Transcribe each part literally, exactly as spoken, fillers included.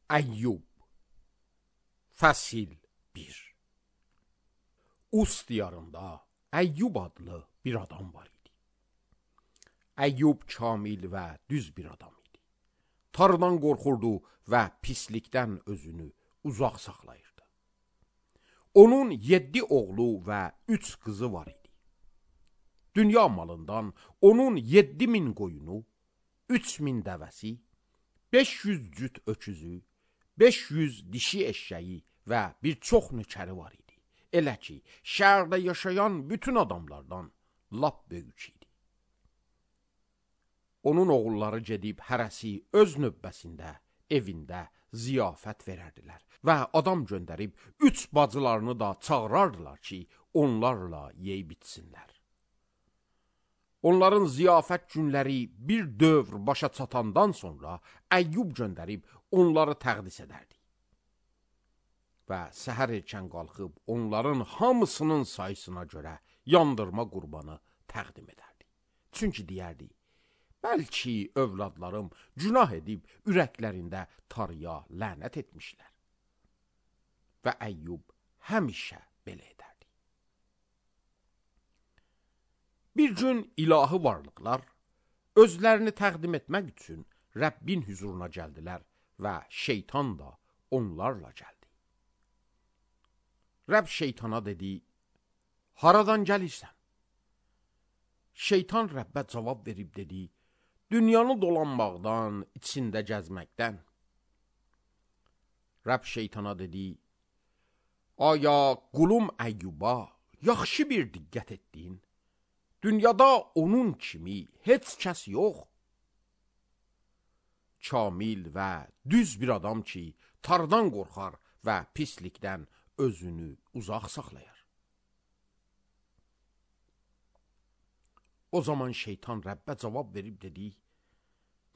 Əyyub Fəsil bir. Us diyarında Əyyub adlı bir adam var idi. Əyyub kamil və düz bir adam idi. Tanrıdan qorxurdu və pislikdən özünü uzaq saxlayırdı. Onun yeddi oğlu və üç qızı var idi. Dünya malından onun yeddi min qoyunu, üç min dəvəsi, beş yüz cüt öküzü, beş yüz dişi eşşəyi və bir çox nökəri var idi. Elə ki, şəhərdə yaşayan bütün adamlardan lap böyük idi. Onun oğulları gedib hərəsi öz növbəsində, evində ziyafət verərdilər və adam göndərib üç bacılarını da çağırardılar ki, onlarla yeyib içsinlər. Onların ziyafət günləri bir dövr başa çatandan sonra Əyyub göndərib onları təqdis edərdi. Və səhər erkən qalxıb onların hamısının sayısına görə yandırma qurbanı təqdim edərdi. Çünki deyərdi, bəlkə övladlarım günah edib ürəklərində Tanrıya lənət etmişlər. Və Əyyub həmişə belə edərdi. Bir gün ilahi varlıqlar özlərini təqdim etmək üçün Rəbbin huzuruna gəldilər və şeytan da onlarla gəldi. Rəbb şeytana dedi, haradan gəlirsən? Şeytan Rəbbə cavab verib dedi, dünyanı dolanmaqdan, içində gəzməkdən. Rəbb şeytana dedi, aya qulum Əyyuba yaxşı bir diqqət etdin? Dünyada onun kimi heç kəs yox. Kamil və düz bir adam ki, Tanrıdan qorxar və pislikdən özünü uzaq saxlayar. O zaman şeytan Rəbbə cavab verib dedi,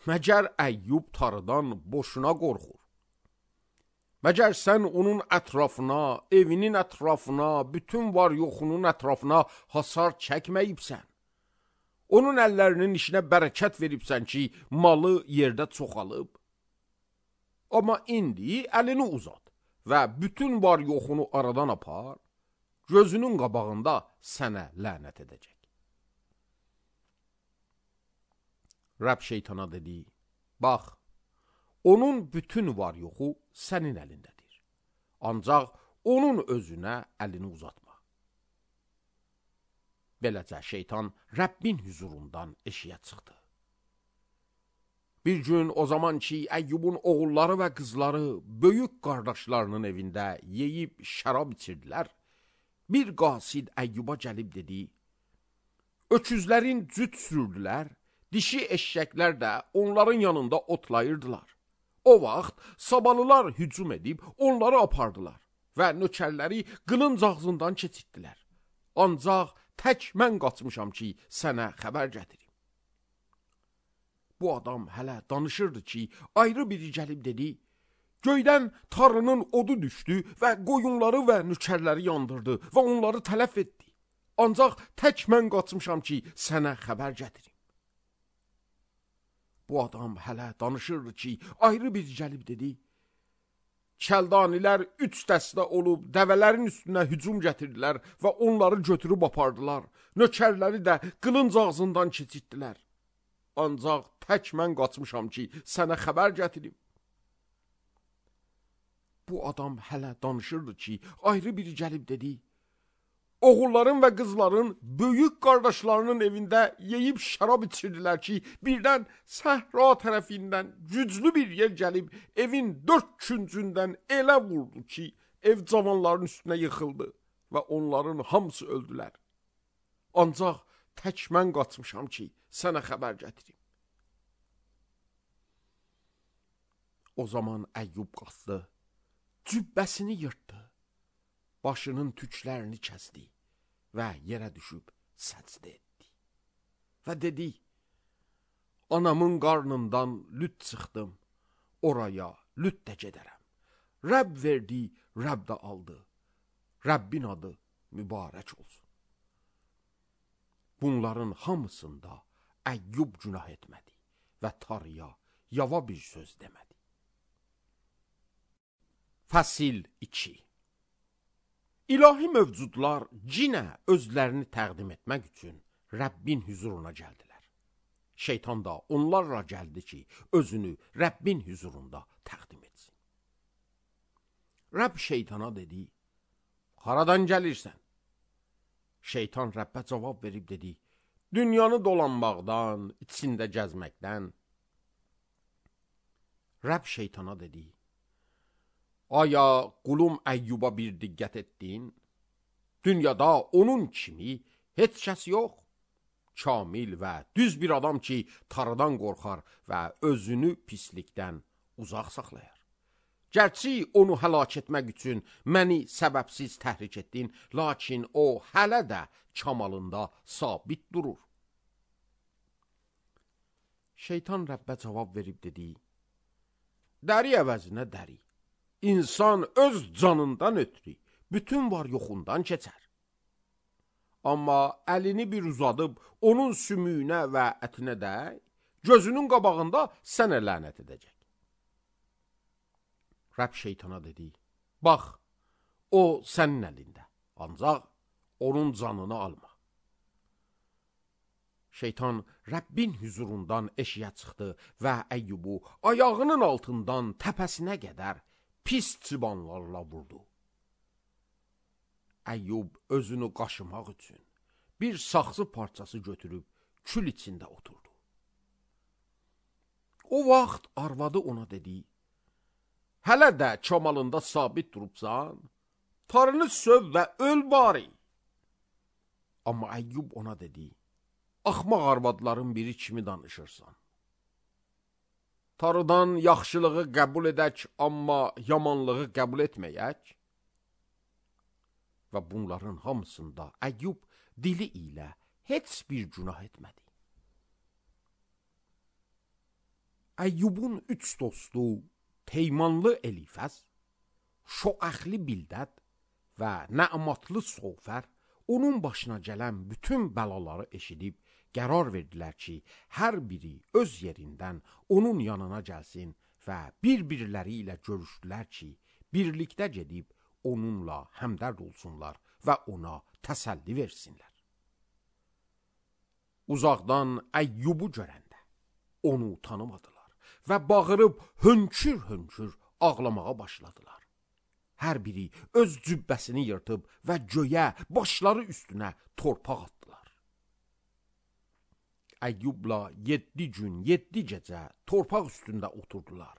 məgər Əyyub Tanrıdan boşuna qorxur? Məgər sən onun ətrafına, evinin ətrafına, bütün var yoxunun ətrafına hasar çəkməyibsən? Onun əllərinin işinə bərəkət veribsən ki, malı yerdə çoxalıb? Amma indi əlini uzat və bütün var yoxunu aradan apar, gözünün qabağında sənə lənət edəcək. Rəbb şeytana dedi, bax, onun bütün var yoxu sənin əlindədir. Ancaq onun özünə əlini uzatma. Beləcə şeytan Rəbbin huzurundan eşiyə çıxdı. Bir gün o zaman ki, Əyyubun oğulları və qızları böyük qardaşlarının evində yeyib şərab içirdilər, bir qasid Əyyuba gəlib dedi, öküzlərin cüt sürdülər, dişi eşşəklər də onların yanında otlayırdılar. O vaxt sabalılar hücum edib onları apardılar və nökərləri qılınc ağzından keçirtdilər. Ancaq tək mən qaçmışam ki, sənə xəbər gətirim. Bu adam hələ danışırdı ki, ayrı biri gəlib dedi, göydən Tanrının odu düşdü və qoyunları və nökərləri yandırdı və onları tələf etdi. Ancaq tək mən qaçmışam ki, sənə xəbər gətirim. Bu adam hələ danışırdı ki, ayrı bir gəlib dedi, Kəldanilər üç dəstə olub dəvələrin üstünə hücum gətirdilər və onları götürüb apardılar. Nökərləri də qılınc ağzından keçirtdilər. Ancaq tək mən qaçmışam ki, sənə xəbər gətirim. Bu adam hələ danışırdı ki, ayrı biri gəlib dedi, oğulların və qızların böyük qardaşlarının evində yeyib şərab içirdilər ki, birdən səhra tərəfindən güclü bir yer gəlib, evin dörd küncündən elə vurdu ki, ev cavanların üstünə yıxıldı və onların hamısı öldülər. Ancaq tək mən qaçmışam ki, sənə xəbər gətirim. O zaman Əyyub qalxdı, cübbəsini yırtdı, başının tüklərini kəsdi və yerə düşüb səcdə etdi. Və dedi, anamın qarnından lüt çıxdım, oraya lüt də gedərəm. Rəbb verdi, Rəbb də aldı. Rəbbin adı mübarək olsun. Bunların hamısında Əyyub günah etmədi və Tanrıya yava bir söz demədi. Fəsil iki. İlahi mövcudlar cinə özlərini təqdim etmək üçün Rəbbin hüzuruna gəldilər. Şeytan da onlarla gəldi ki, özünü Rəbbin hüzurunda təqdim etsin. Rəbb şeytana dedi, haradan gəlirsən? Şeytan Rəbbə cavab verib dedi, dünyanı dolanmaqdan, içində gəzməkdən. Rəbb şeytana dedi, aya qulum Əyyuba bir diqqət etdin? Dünyada onun kimi heç kəs yox. Kamil və düz bir adam ki, tarıdan qorxar və özünü pislikdən uzaq saxlayar. Gərçi onu həlak etmək üçün məni səbəbsiz təhrik etdin, lakin o hələ də kamalında sabit durur. Şeytan Rəbbə cavab verib dedi, dəri əvəzinə dəri. İnsan öz canından ötürü bütün var yoxundan keçər. Amma əlini bir uzadıb onun sümüyünə və ətinə dəy, gözünün qabağında sənə lənət edəcək. Rəbb şeytana dedi, bax, o sənin əlində, ancaq onun canını alma. Şeytan Rəbbin hüzurundan eşiyə çıxdı və Əyyubu ayağının altından təpəsinə qədər pis çıbanlarla vurdu. Əyyub özünü qaşımaq üçün bir saxsı parçası götürüb kül içində oturdu. O vaxt arvadı ona dedi, hələ də kamalında sabit durubsan, tarını söv və öl bari. Amma Əyyub ona dedi, axmaq arvadların biri kimi danışırsan. Tarıdan yaxşılığı qəbul edək, amma yamanlığı qəbul etməyək. Və bunların hamısında Əyyub dili ilə heç bir günah etmədi. Əyyubun üç dostu Teymanlı Elifəz, Şoəxli Bildəd və Nə'matlı Sofər onun başına gələn bütün bəlaları eşidib qərar verdilər ki, hər biri öz yerindən onun yanına gəlsin və bir-birləri ilə görüşdülər ki, birlikdə gedib onunla həmdərd olsunlar və ona təsəlli versinlər. Uzaqdan Əyyubu görəndə onu tanımadılar və bağırıb hönkür-hönkür ağlamağa başladılar. Hər biri öz cübbəsini yırtıb və göyə, başları üstünə torpaq atdılar. Əyyubla yeddi gün, yeddi gecə torpaq üstündə oturdular.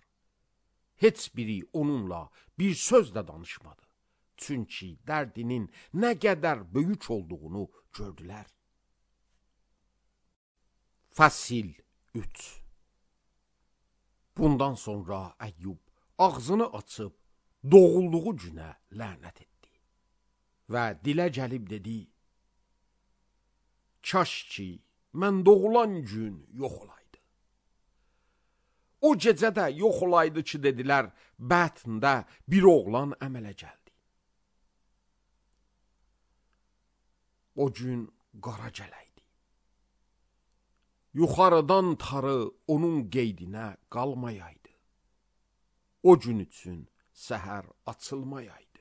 Heç biri onunla bir söz də danışmadı. Çünki dərdinin nə qədər böyük olduğunu gördülər. Fəsil üç. Bundan sonra Əyyub ağzını açıb doğulduğu günə lənət etdi və dilə gəlib dedi, kaş ki, mən doğulan gün yox olaydı. O gecə də yox olaydı ki, dedilər, bətndə bir oğlan əmələ gəldi. O gün qara gələydi. Yuxarıdan tarı onun qeydinə qalmayaydı. O gün üçün səhər açılmayaydı.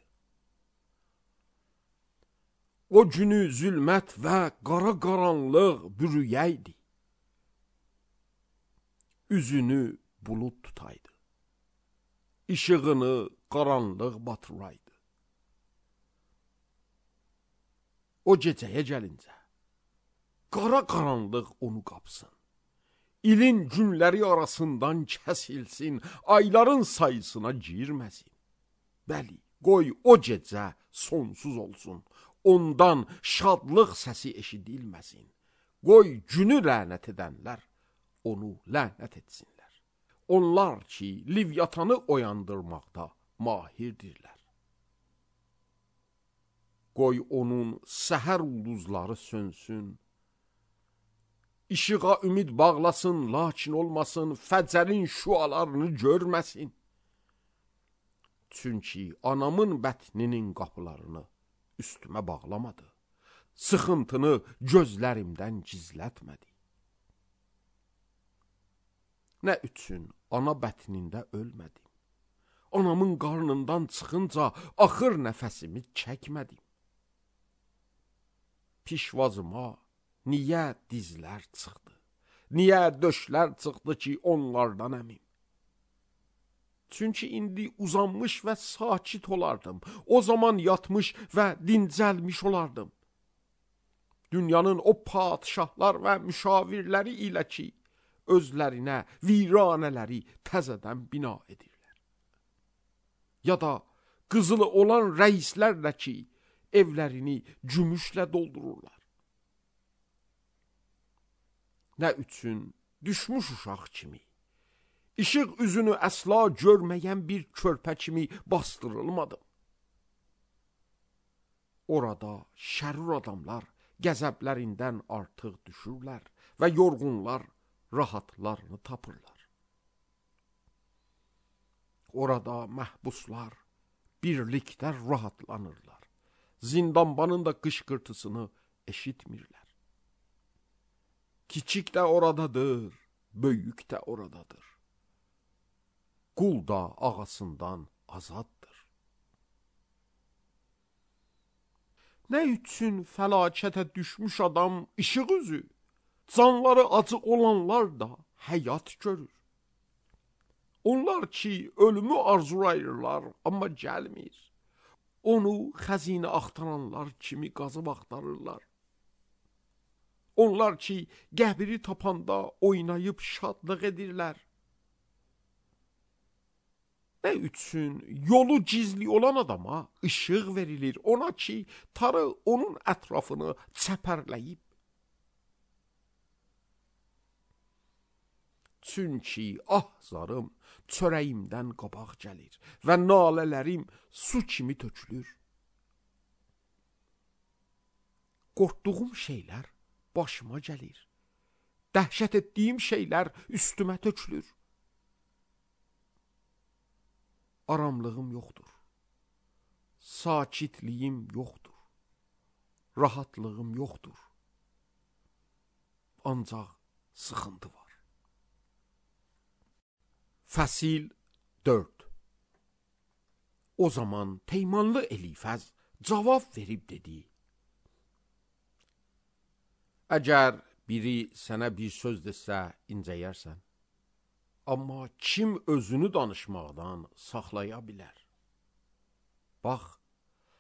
O günü zülmət və qara qaranlıq bürüyəydi. Üzünü bulud tutaydı. İşığını qaranlıq batıraydı. O gecəyə gəlincə, qara qaranlıq onu qapsın. İlin günləri arasından kəsilsin, ayların sayısına girməsin. Bəli, qoy o gecə sonsuz olsun, ondan şadlıq səsi eşidilməsin. Qoy günü lənət edənlər onu lənət etsinlər. Onlar ki, Livyatanı oyandırmaqda mahirdirlər. Qoy onun səhər ulduzları sönsün. İşığa ümid bağlasın, lakin olmasın, fəcərin şüalarını görməsin. Çünki anamın bətninin qapılarını üstümə bağlamadı. Sıxıntını gözlərimdən gizlətmədi. Nə üçün ana bətnində ölmədim? anamın qarnından çıxınca axır nəfəsimi çəkmədim. Pişvazıma niyə dizlər çıxdı, niyə döşlər çıxdı ki, onlardan əmim? Çünki indi uzanmış və sakit olardım, o zaman yatmış və dincəlmiş olardım. Dünyanın o padişahlar və müşavirləri ilə ki, özlərinə viranələri təzədən bina edirlər. Ya da qızılı olan rəislərlə ki, evlərini gümüşlə doldururlar. Nə üçün düşmüş uşaq kimi, işıq üzünü əsla görməyən bir körpə kimi bastırılmadım. Orada şərur adamlar qəzəblərindən artıq düşürlər və yorğunlar rahatlarını tapırlar. Orada məhbuslar birlikdə rahatlanırlar. Zindanbanın da qışqırtısını eşitmirlər. Kiçik də oradadır, böyük də oradadır. Qul da ağasından azaddır. Nə üçün fəlakətə düşmüş adam işıq üzü, canları acı olanlar da həyat görür. Onlar ki, ölümü arzulayırlar, amma gəlmir. Onu xəzinə axtaranlar kimi qazıb axtarırlar. Onlar ki, qəbri tapanda oynayıb şadlıq edirlər. Nə üçün yolu gizli olan adama işıq verilir, ona ki, tarı onun ətrafını çəpərləyib. Çünki ah zarım çörəyimdən qabaq gəlir və nalələrim su kimi tökülür. Qorxduğum şeylər başıma gəlir. Dəhşət etdiyim şeylər üstümə tökülür. Aramlığım yoxdur. Sakitliyim yoxdur. Rahatlığım yoxdur. Ancaq sıxıntı var. Fəsil dörd. O zaman Teymanlı Elifəz cavab verib dedi: Əgər biri sənə bir söz desə incəyərsən, amma kim özünü danışmaqdan saxlaya bilər? Bax,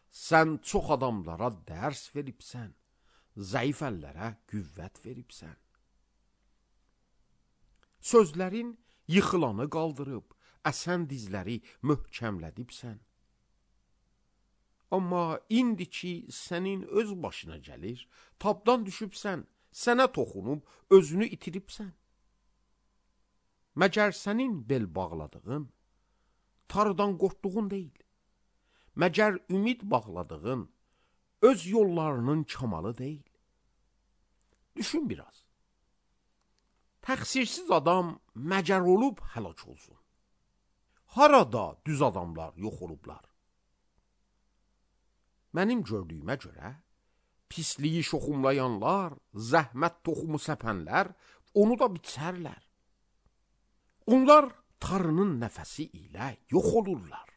sən çox adamlara dərs veribsən, zəif əllərə qüvvət veribsən. Sözlərin yıxılanı qaldırıb, əsən dizləri möhkəmlədibsən. Amma indi ki, sənin öz başına gəlir, tabdan düşübsən, sənə toxunub, özünü itiribsən. Məgər sənin bel bağladığın, tarıdan qorxduğun deyil. Məgər ümid bağladığın, öz yollarının kamalı deyil. Düşün biraz. Təqsirsiz adam məcər olub həlak olsun. Harada düz adamlar yox olublar? Mənim gördüyümə görə, pisliyi şoxumlayanlar, zəhmət toxumu səpənlər, onu da biçərlər. Onlar tarının nəfəsi ilə yox olurlar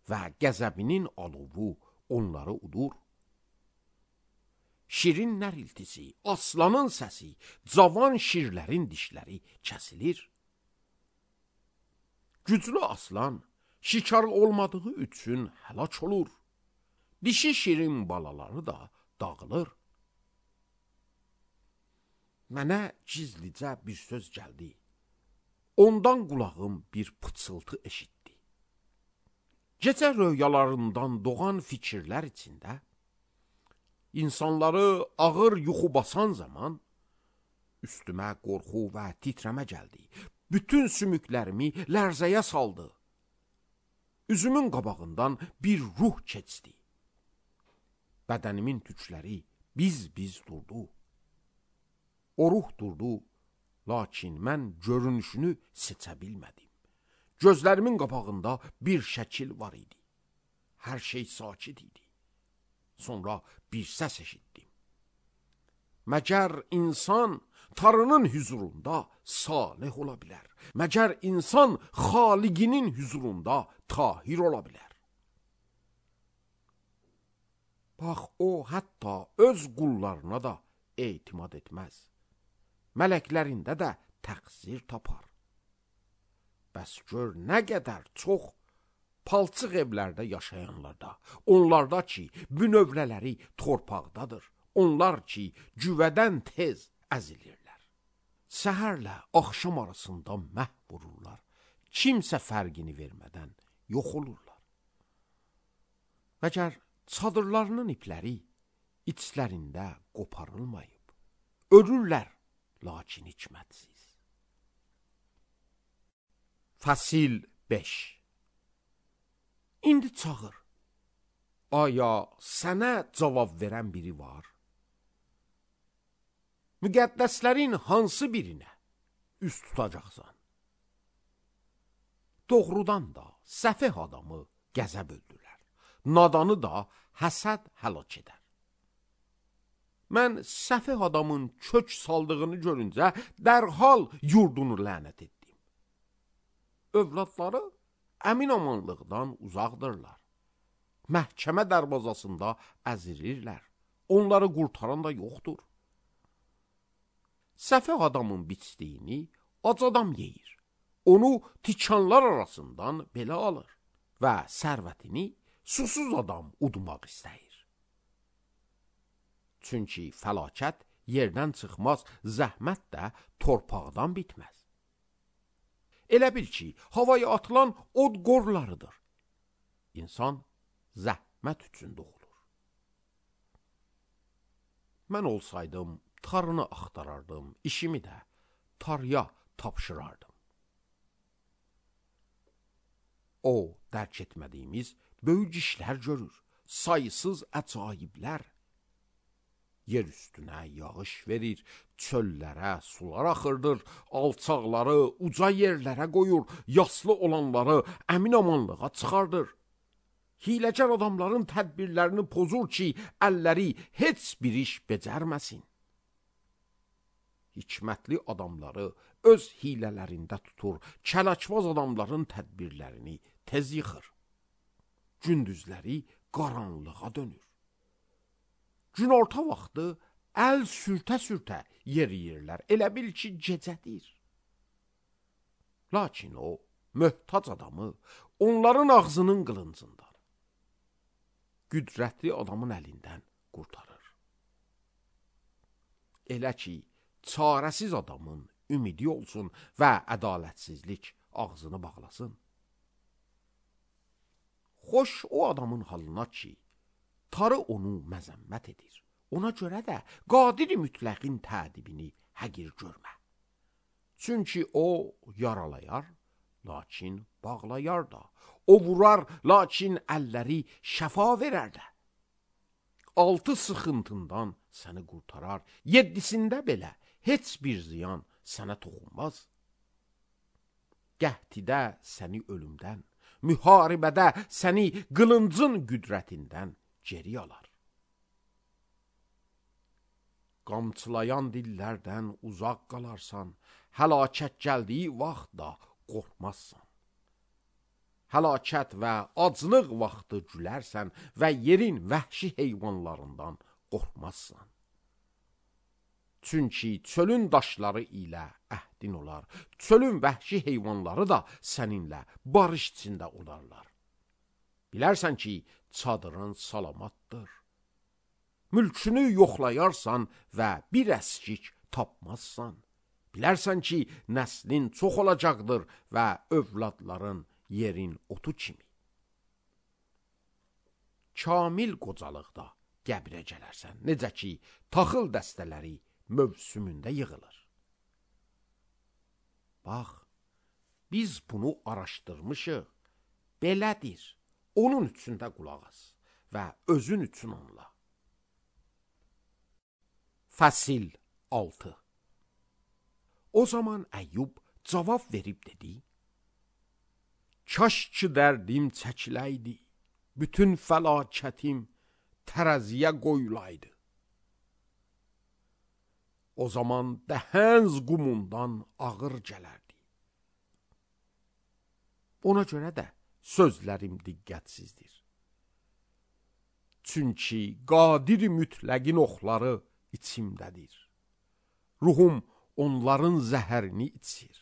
və qəzəbinin alovu onları udur. Şirin nəriltisi, aslanın səsi, cavan şirlərin dişləri kəsilir. Güclü aslan şikar olmadığı üçün həlak olur. Dişi şirin balaları da dağılır. Mənə gizlicə bir söz gəldi. Ondan qulağım bir pıçıltı eşitdi. Gecə röyalarından doğan fikirlər içində, insanları ağır yuxu basan zaman, üstümə qorxu və titrəmə gəldi. Bütün sümüklərimi lərzəyə saldı. Üzümün qabağından bir ruh keçdi. Bədənimin tükləri biz-biz durdu. O ruh durdu, lakin mən görünüşünü seçə bilmədim. Gözlərimin qabağında bir şəkil var idi. Hər şey sakit idi. Sonra bir səs eşitdim. Məgər insan Tanrının huzurunda salih ola bilər? Məgər insan xaliqinin huzurunda tahir ola bilər? Bax, o hətta öz qullarına da etimad etməz. Mələklərində də təqsir tapar. Bəs gör nə qədər çox palçıq evlərdə yaşayanlarda, onlarda ki, bünövrələri torpaqdadır, onlar ki, güvədən tez əzilirlər. Səhərlə axşam arasında məhv vururlar, kimsə fərqini vermədən yox olurlar. Məgər çadırlarının ipləri içlərində qoparılmayıb, ölürlər, lakin hikmətsiz. Fəsil beş. İndi çağır. Aya sənə cavab verən biri var? Müqəddəslərin hansı birinə üst tutacaqsan? Doğrudan da səfeh adamı qəzəb öldürər, nadanı da həsəd həlak edər. Mən səfeh adamın kök saldığını görüncə dərhal yurdunu lənət etdim. Övladları əmin-amanlıqdan uzaqdırlar. Məhkəmə dərvazasında əzirirlər. Onları qurtaran da yoxdur. Səfeh adamın biçdiyini ac adam yeyir. Onu tikanlar arasından belə alır və sərvətini susuz adam udmaq istəyir. Çünki fəlakət yerdən çıxmaz, zəhmət də torpaqdan bitməz. Elə bil ki, havaya atılan od qorlarıdır. İnsan zəhmət üçün doğulur. Mən olsaydım, tarını axtarardım, işimi də tarıya tapşırardım. O, dərk etmədiyimiz böyük işlər görür, sayısız əcaiblər. Yer üstünə yağış verir, çöllərə sular axırdır, alçaqları uca yerlərə qoyur, yaslı olanları əmin-amanlığa çıxardır. Hiləcər adamların tədbirlərini pozur ki, əlləri heç bir iş becərməsin. Hikmətli adamları öz hilələrində tutur, kələkvaz adamların tədbirlərini tez yıxır. Gündüzləri qaranlığa dönür. Günorta vaxtı əl sürtə-sürtə yeriyirlər, elə bil ki, gecədir. Lakin o, möhtac adamı onların ağzının qılıncından, qüdrətli adamın əlindən qurtarır. Elə ki, çarəsiz adamın ümidi olsun və ədalətsizlik ağzını bağlasın. Xoş o adamın halına ki, tarı onu məzəmmət edir. Ona görə də qadiri mütləqin tədibini həqir görmə. Çünki o yaralayar, lakin bağlayar da. O vurar, lakin əlləri şəfa verər də. Altı sıxıntından səni qurtarar, yeddisində belə heç bir ziyan sənə toxunmaz. Qəhtidə səni ölümdən, müharibədə səni qılıncın qüdrətindən geri alar. Qamçılayan dillərdən uzaq qalarsan, həlakət gəldiyi vaxt da qorxmazsan. Həlakət və aclıq vaxtı gülərsən və yerin vəhşi heyvanlarından qorxmazsan. Çünki çölün daşları ilə əhdin olar, çölün vəhşi heyvanları da səninlə barış içində olarlar. Bilərsən ki, çadırın salamatdır. Mülkünü yoxlayarsan və bir əskik tapmazsan. Bilərsən ki, nəslin çox olacaqdır və övladların yerin otu kimi. Kamil qocalıqda qəbrə gələrsən, necə ki, taxıl dəstələri mövsümündə yığılır. Bax, biz bunu araşdırmışıq, belədir. Onun üçün də qulaq as və özün üçün anla. Fəsil altı. O zaman Əyyub cavab verib dedi: Kaş ki dərdim çəkiləydi, bütün fəlakətim tərəziyə qoyulaydı. o zaman dəhənz qumundan ağır gələrdi. Ona görə də sözlərim diqqətsizdir. Çünki qadir mütləqin oxları içimdədir. Ruhum onların zəhərini içir.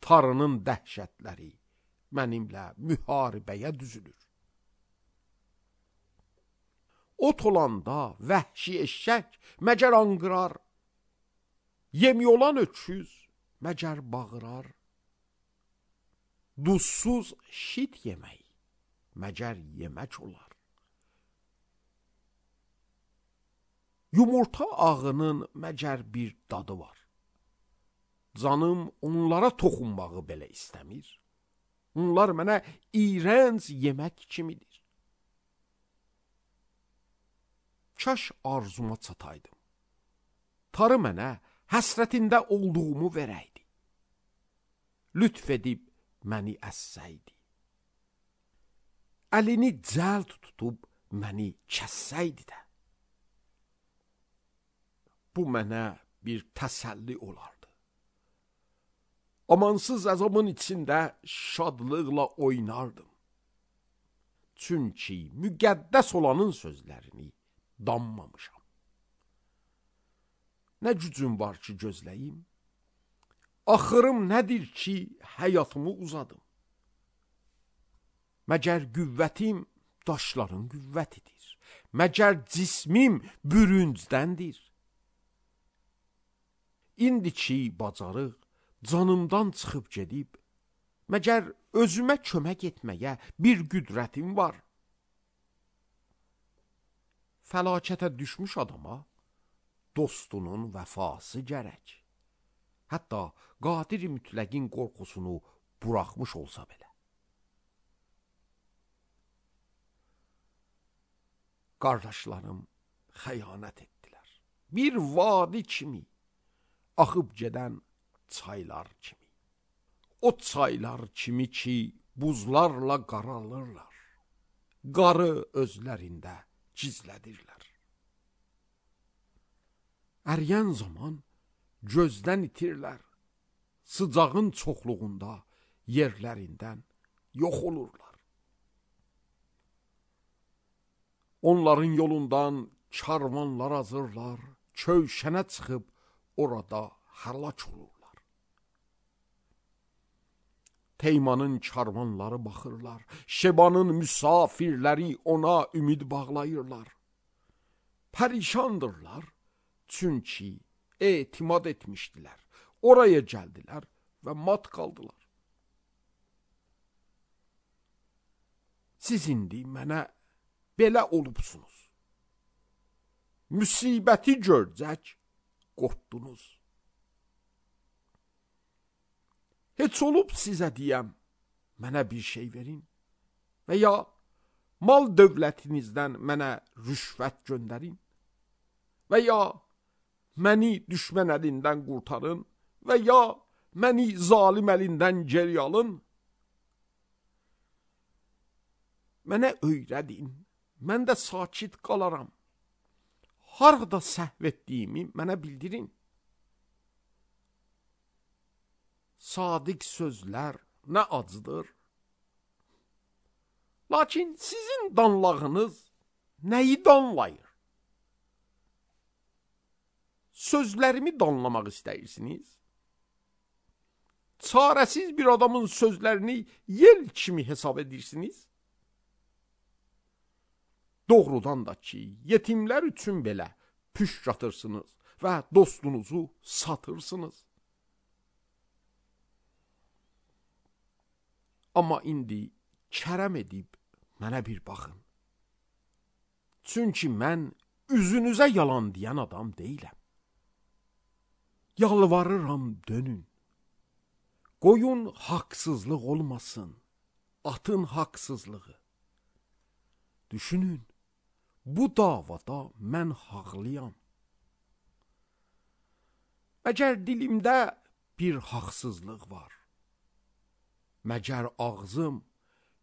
Tarının dəhşətləri mənimlə müharibəyə düzülür. Ot olanda vəhşi eşşək məcər anqırar, yemi olan öküz məcər bağırar. Duzsuz şit yemək məcər yemək olar. Yumurta ağının məcər bir dadı var. Canım onlara toxunmağı belə istəmir. Onlar mənə iyrənc yemək kimidir. Kaş arzuma çataydım. Tarı mənə həsrətində olduğumu verəydi. Lütf edib məni əssəydi. Əlini cəld tutub məni kəssəydi də. Bu mənə bir təsəlli olardı. Amansız əzabın içində şadlıqla oynardım. Çünki müqəddəs olanın sözlərini danmamışam. Nə gücüm var ki gözləyim? Axırım nədir ki həyatımı uzadım? Məgər qüvvətim daşların qüvvətidir. Məgər cismim bürüncdəndir. İndi ki bacarıq canımdan çıxıb gedib, məgər özümə kömək etməyə bir qüdrətim var. Fəlakətə düşmüş adama dostunun vəfası gərək. Hətta qadir mütləqin qorxusunu buraxmış olsa belə. Qardaşlarım xəyanət etdilər. Bir vadi kimi, axıb gedən çaylar kimi. O çaylar kimi ki buzlarla qaralırlar. Qarı özlərində gizlədirlər. Əriyən zaman gözdən itirlər. Sıcağın çoxluğunda yerlərindən yox olurlar. Onların yolundan karvanlar azırlar, kövşənə çıxıb orada həlak olurlar. Teymanın karvanları baxırlar, Şebanın müsafirləri ona ümid bağlayırlar. Pərişandırlar, çünki etimad etmişdilər. Oraya gəldilər və mat qaldılar. Siz indi mənə belə olubsunuz. Müsibəti görcək, qorxdunuz. Heç olub sizə deyəm, mənə bir şey verin və ya mal dövlətinizdən mənə rüşvət göndərin və ya məni düşmən əlindən qurtarın və ya məni zalim əlindən geri alın. Mənə öyrədin, mən də sakit qalaram. Harada səhv etdiyimi mənə bildirin. Sadiq sözlər nə acıdır. Lakin sizin danlağınız nəyi danlayır? Sözlərimi danlamaq istəyirsiniz? Çarəsiz bir adamın sözlərini yel kimi hesab edirsiniz? Doğrudan da ki, yetimlər üçün belə püşk atırsınız və dostunuzu satırsınız. Amma indi kərəm edib mənə bir baxın. Çünki mən üzünüzə yalan deyən adam deyiləm. Yalvarıram dönün. Qoyun haqsızlıq olmasın, atın haqsızlığı. Düşünün, bu davada mən haqlıyam. Məgər dilimdə bir haqsızlıq var. Məgər ağzım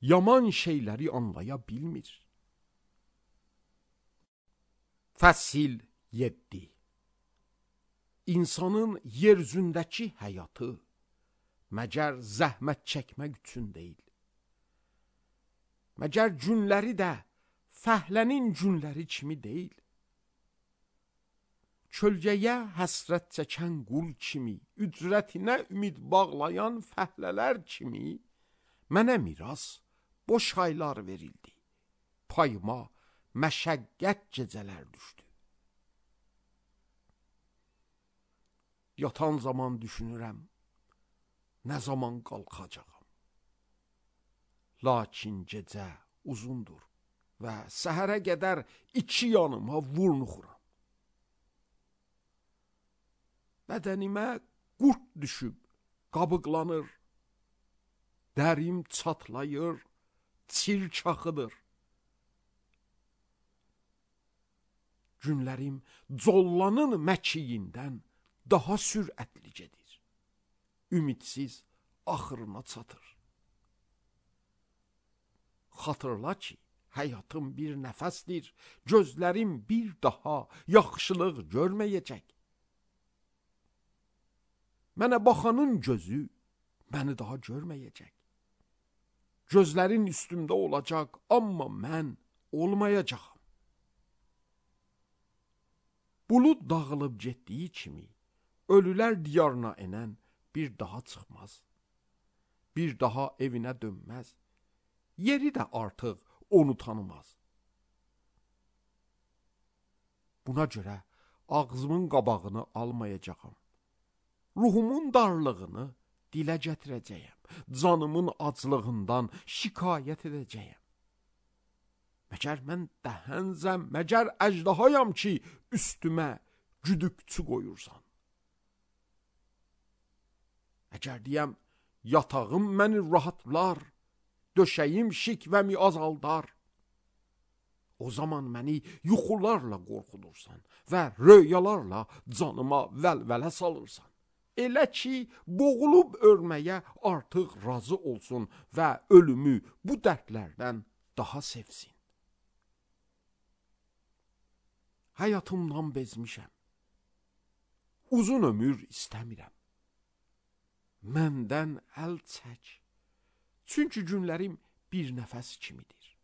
yaman şeyləri anlaya bilmir. Fəsil yeddi. insanın yeryüzündəki həyatı məgər zəhmət çəkmək üçün deyil. Məgər günləri də fəhlənin günləri kimi deyil. Kölgəyə həsrət çəkən qul kimi, ücrətinə ümid bağlayan fəhlələr kimi, mənə miras boş aylar verildi. Payıma məşəqqət gecələr düşdü. Yatan zaman düşünürəm, nə zaman qalxacağam. Lakin gecə uzundur və səhərə qədər iki yanıma vurnuxuram. Bədənimə qurt düşüb, qabıqlanır, dərim çatlayır, çirçaxıdır. Günlərim collanın məkiyindən daha sürətli gedir. Ümidsiz axırına çatır. Xatırla ki, həyatım bir nəfəsdir, gözlərim bir daha yaxşılıq görməyəcək. Mənə baxanın gözü məni daha görməyəcək. Gözlərin üstümdə olacaq, amma mən olmayacağam. Bulud dağılıb getdiyi kimi, ölülər diyarına enən bir daha çıxmaz. Bir daha evinə dönməz. Yeri də artıq onu tanımaz. Buna görə ağzımın qabağını almayacağam. Ruhumun darlığını dilə gətirəcəyəm. Canımın aclığından şikayət edəcəyəm. Məgər mən dəhənzəm, məgər əjdahayam ki, üstümə güdükçü qoyursan. Əgər deyəm, yatağım məni rahatlar, döşəyim şikvəmi azaldar. O zaman məni yuxularla qorxudursan və röyalarla canıma vəlvələ salırsan. Elə ki, boğulub ölməyə artıq razı olsun və ölümü bu dərdlərdən daha sevsin. Həyatımdan bezmişəm. Uzun ömür istəmirəm. Məndən əl çək. Çünki günlərim bir nəfəs kimidir.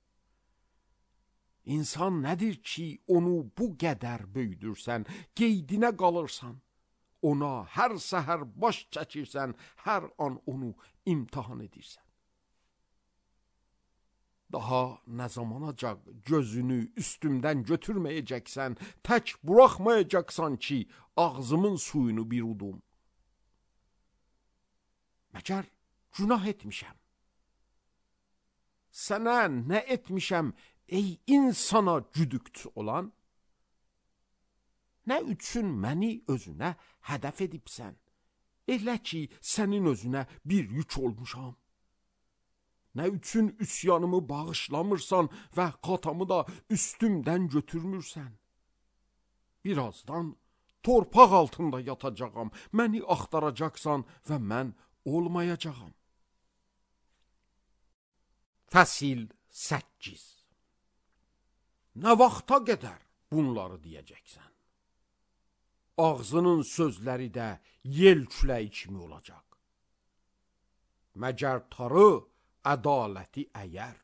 İnsan nədir ki, onu bu qədər böyüdürsən, qeydinə qalırsan. Ona hər səhər baş çəkirsən, hər an onu imtihan edirsən. Daha nə zamanacaq gözünü üstümdən götürməyəcəksən, tək buraxmayacaqsan ki, ağzımın suyunu bir udum. Məgər günah etmişəm. Sənə nə etmişəm, ey insana güdükçü olan? Nə üçün məni özünə hədəf edibsən? Elə ki, sənin özünə bir yük olmuşam. Nə üçün üsyanımı bağışlamırsan və xatamı da üstümdən götürmürsən? Birazdan torpaq altında yatacağam, məni axtaracaqsan və mən olmayacağam. Fəsil səkkiz. Nə vaxta qədər bunları deyəcəksən? Ağzının sözləri də yel küləyi kimi olacaq. Məgər tarı ədaləti əyər,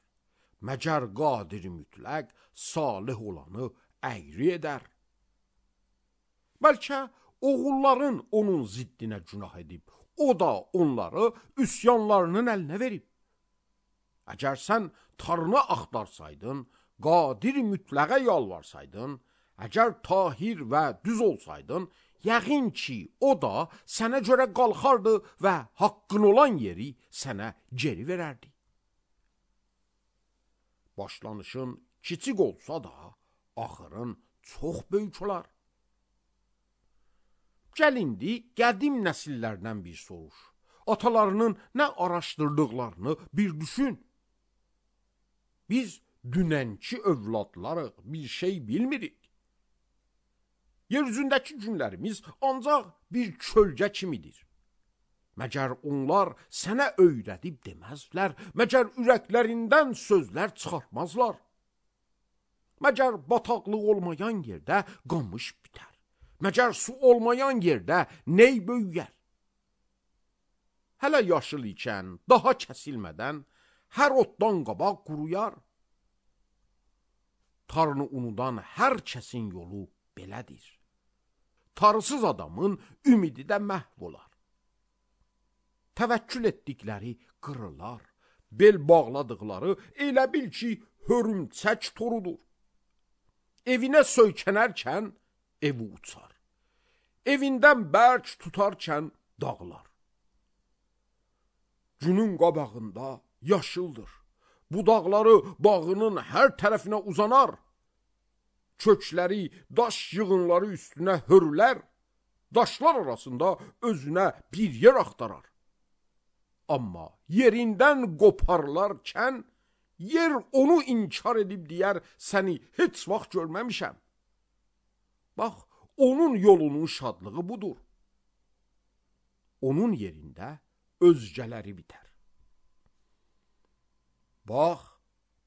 məgər qadir mütləq salih olanı əyri edər. Bəlkə oğulların onun ziddinə günah edib, o da onları üsyanlarının əlinə verib. Əgər sən tarını axtarsaydın, qadir mütləqə yalvarsaydın, əgər tahir və düz olsaydın, yəqin ki, o da sənə görə qalxardı və haqqın olan yeri sənə geri verərdi. Başlanışın kiçik olsa da, axırın çox böyük olar. Gəl indi qədim nəsillərdən bir soruş. Atalarının nə araşdırdıqlarını bir düşün. Biz dünənki övladlarıq, bir şey bilmirik. Yeryüzündəki günlərimiz ancaq bir kölgə kimidir. Məgər onlar sənə öyrədib deməzlər, məgər ürəklərindən sözlər çıxartmazlar. Məgər bataqlıq olmayan yerdə qamış bitər, Məgər su olmayan yerdə ney böyüyər? Hələ yaşıl ikən, daha kəsilmədən, hər otdan qabaq quruyar. Tarını unudan hər kəsin yolu belədir. Tarısız adamın ümidi də məhv olar. Təvəkkül etdikləri qırılar, bel bağladıqları elə bil ki, hörümçək torudur. Evinə söykənərkən evi uçar. Evindən bərk tutarkən dağlar. Günün qabağında yaşıldır. Budaqları bağının hər tərəfinə uzanar. Kökləri, daş yığınları üstünə hörülər. Daşlar arasında özünə bir yer axtarar. Amma yerindən qoparlarkən, yer onu inkar edib deyər, səni heç vaxt görməmişəm. Bax, onun yolunun şadlığı budur. Onun yerində özgələri bitər. Bax,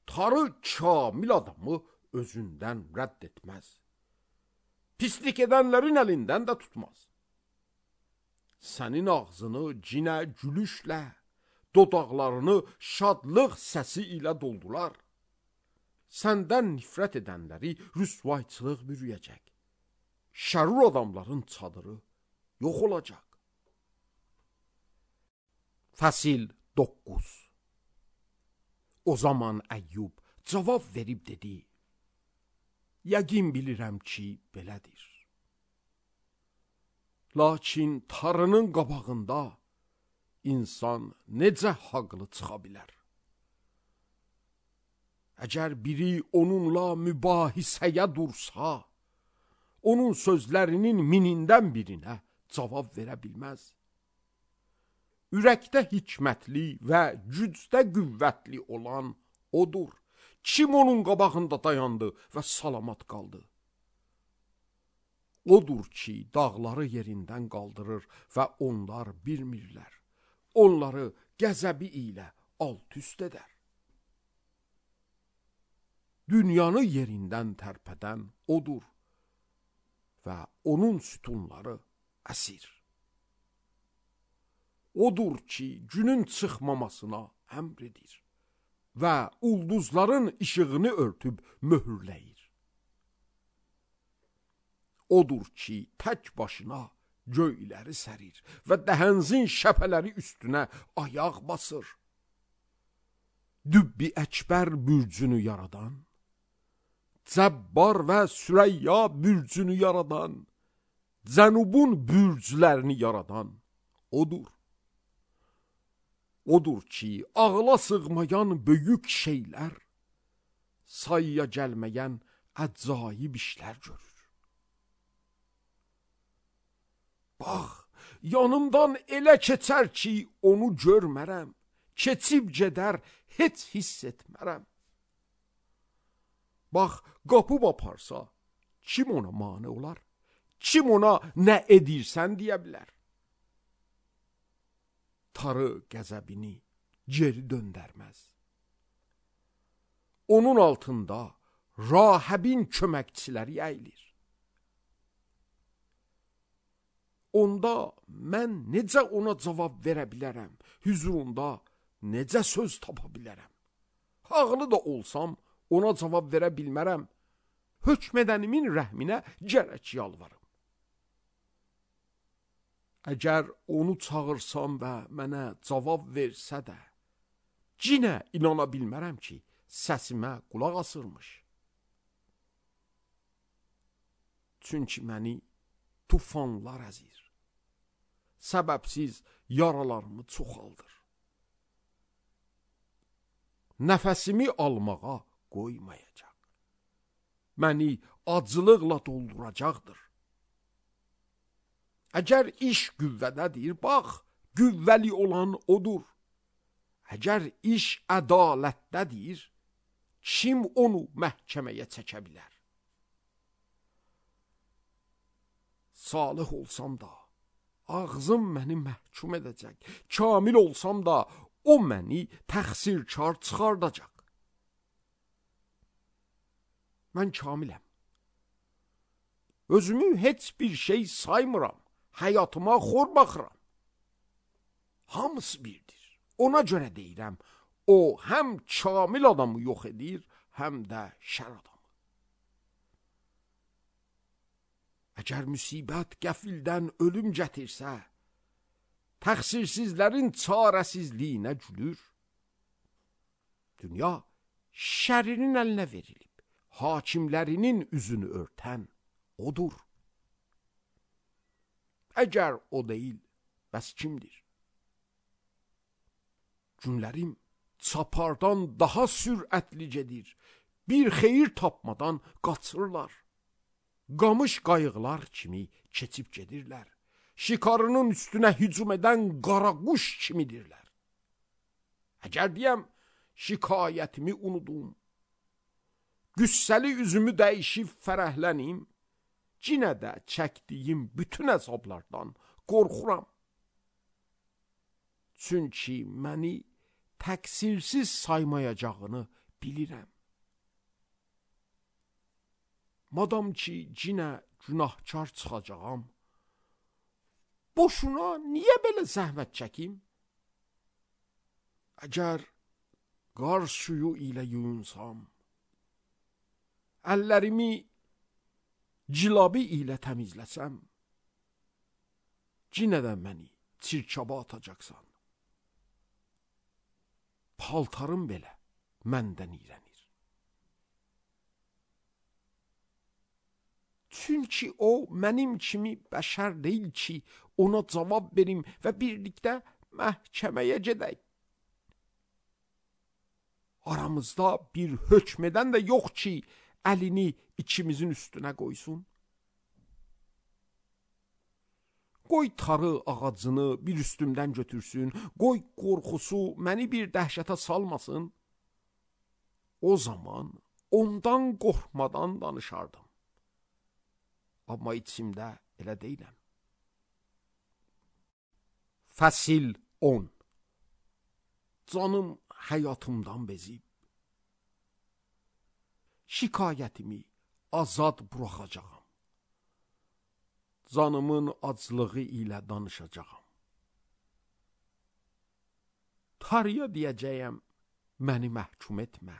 tarı kamil adamı özündən rədd etməz. Pislik edənlərin əlindən də tutmaz. Sənin ağzını cinə gülüşlə, dodaqlarını şadlıq səsi ilə doldular. Səndən nifrət edənləri rüsvayçılıq bürüyəcək. Şərur adamların çadırı yox olacaq. Fəsil doqquz. O zaman Əyyub cavab verib dedi: Yəqin bilirəm ki, belədir. Lakin tarının qabağında insan necə haqlı çıxa bilər? Əgər biri onunla mübahisəyə dursa, onun sözlərinin minindən birinə cavab verə bilməz. Ürəkdə hikmətli və gücdə qüvvətli olan odur. Kim onun qabağında dayandı və salamat qaldı? Odur ki, dağları yerindən qaldırır və onlar bilmirlər. Onları qəzəbi ilə alt-üst edər. Dünyanı yerindən tərpədən odur və onun sütunları əsir. Odur ki, günün çıxmamasına əmr edir və ulduzların işığını örtüb möhürləyir. Odur ki, tək başına göyləri sərir və dəhənzin şəpələri üstünə ayaq basır. Dübbi əkbər bürcünü yaradan, Cəbbar və Sürəyya bürcünü yaradan, Cənubun bürclərini yaradan odur. Odur ki, ağla sığmayan böyük şeylər, sayıya gəlməyən əcaib işlər görür. Bax, yanımdan elə keçər ki, onu görmərəm, keçib gedər, heç hiss etmərəm. Bax, qapıb aparsa, kim ona mane olar? Kim ona nə edirsən deyə bilər? Tarı qəzəbini geri döndərməz. Onun altında Rahəbin köməkçiləri əyilir. Onda mən necə ona cavab verə bilərəm? Hüzurunda necə söz tapa bilərəm? Haqlı da olsam ona cavab verə bilmərəm. Hökmədənimin rəhminə gərək yalvarım. Əgər onu çağırsam və mənə cavab versə də, cinə inana bilmərəm ki, səsimə qulaq asırmış. Çünki məni tufanlar əzir, səbəbsiz yaralarımı çoxaldır. Nəfəsimi almağa qoymayacaq. Məni acılıqla dolduracaqdır. Əgər iş qüvvədədir, bax, qüvvəli olan odur. Əgər iş ədalətdədir, kim onu məhkəməyə çəkə bilər? Salih olsam da, ağzım məni məhkum edəcək. Kamil olsam da, o məni təqsirkar çıxardacaq. Mən kamiləm. Özümü heç bir şey saymıram. Həyatıma xor baxıram. Hamısı birdir. Ona görə deyirəm, o həm kamil adamı yox edir, həm də şər adamı. Əgər müsibət qəfildən ölüm gətirsə, təqsirsizlərin çarəsizliyinə gülür. Dünya şərrinin əlinə verilib, hakimlərinin üzünü örtən odur. Əgər o deyil, bəs kimdir? Günlərim çapardan daha sürətli gedir, bir xeyir tapmadan qaçırlar. Qamış qayıqlar kimi keçib gedirlər. Şikarının üstünə hücum edən qaraquş kimidirlər. Əgər deyəm, şikayətimi unudum, qüssəli üzümü dəyişib fərəhlənim, cinə də çəkdiyim bütün əzablardan qorxuram. Çünki məni təqsirsiz saymayacağını bilirəm. Madam ki, cinə günahkar çıxacağam, boşuna niyə belə zəhmət çəkim? Əgər qar suyu ilə yuyunsam, əllərimi cilabi ilə təmizləsəm, cinə də məni çirkaba atacaqsan. Paltarım belə məndən iyrənir. Çünki o mənim kimi bəşər deyil ki, ona cavab verim və birlikdə məhkəməyə gedək. Aramızda bir hökmedən də yox ki, əlini ikimizin üstünə qoysun. Qoy tarı ağacını bir üstümdən götürsün, qoy qorxusu məni bir dəhşətə salmasın. O zaman ondan qorxmadan danışardım. Amma içimdə elə deyiləm. Fəsil on. Canım həyatımdan bezib. Şikayətimi azad buraxacağam. Canımın aclığı ilə danışacağam. Tarıya deyəcəyəm, məni məhkum etmə.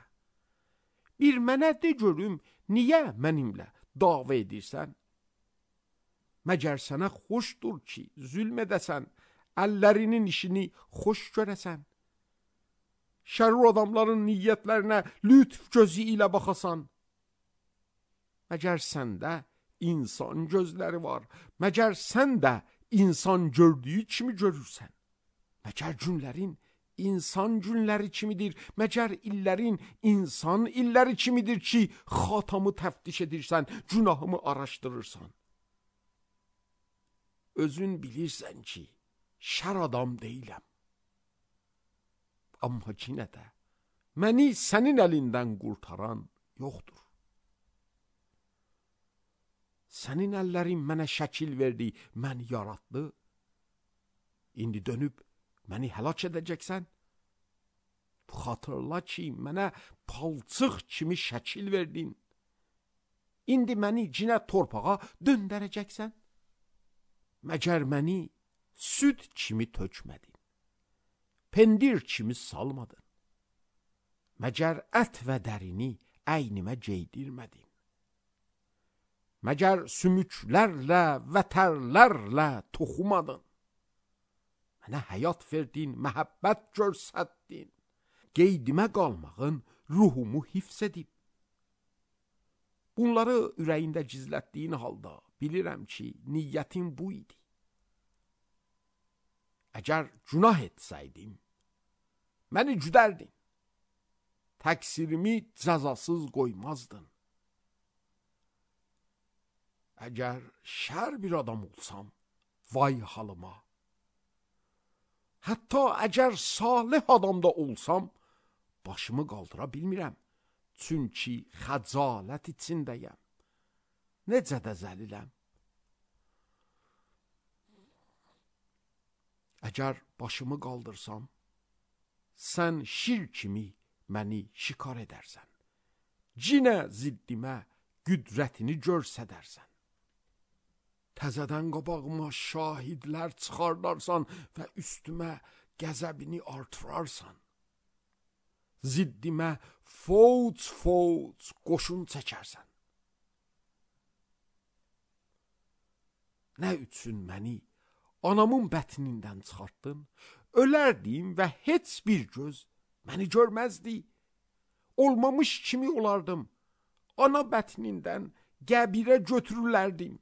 Bir mənə de görüm, niyə mənimlə dava edirsən? Məgər sənə xoşdur ki, zülm edəsən, əllərinin işini xoş görəsən. Şərur adamların niyyətlərinə lütf gözü ilə baxasan. Məgər səndə insan gözləri var, məgər sən də insan gördüyü kimi görürsən. Məgər günlərin insan günləri kimidir, məgər illərin insan illəri kimidir ki, xatamı təftiş edirsən, günahımı araşdırırsan. Özün bilirsən ki, şər adam deyiləm. Amma yenə də məni sənin əlindən qurtaran yoxdur. Sənin əllərin mənə şəkil verdi, məni yaratdı. İndi dönüb məni həlak edəcəksən. Xatırla ki, mənə palçıq kimi şəkil verdin. İndi məni cinə torpağa döndərəcəksən. Məgər məni süd kimi tökmədin, pendir kimi salmadın. Məgər ət və dərini əynimə geydirmədin. Məgər sümüklərlə və tərlərlə toxumadın. Mənə həyat verdin, məhəbbət görsətdin. Qeydimə qalmağın ruhumu hifz edib. Bunları ürəyində gizlətdiyin halda bilirəm ki, niyyətin bu idi. Əgər günah etsəydim, məni güdərdin. Təqsirimi cəzasız qoymazdın. Əgər şər bir adam olsam, vay halıma. Hətta əgər salih adam da olsam, başımı qaldıra bilmirəm. Çünki xəcalət içindəyəm. Necə də zəliləm. Əgər başımı qaldırsam, sən şir kimi məni şikar edərsən. Cinə ziddimə qüdrətini görsədərsən. təzədən qabağıma şahidlər çıxardarsan və üstümə qəzəbini artırarsan. Ziddimə fouc-fouc qoşun çəkərsən. Nə üçün məni anamın bətnindən çıxartdın? Ölərdim və heç bir göz məni görməzdi. Olmamış kimi olardım. Ana bətnindən qəbirə götürülərdim.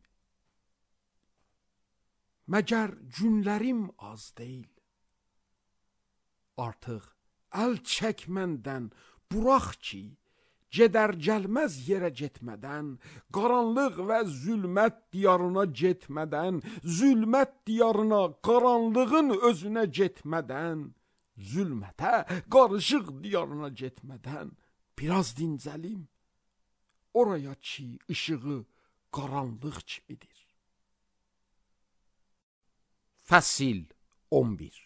Məgər günlərim az deyil. Artıq əl çək məndən, burax ki, gedər gəlməz yerə getmədən, qaranlıq və zülmət diyarına getmədən, zülmət diyarına, qaranlığın özünə getmədən, zülmətə, qarışıq diyarına getmədən, biraz dincəlim, oraya ki, işığı qaranlıq kimidir. Fəsil on bir.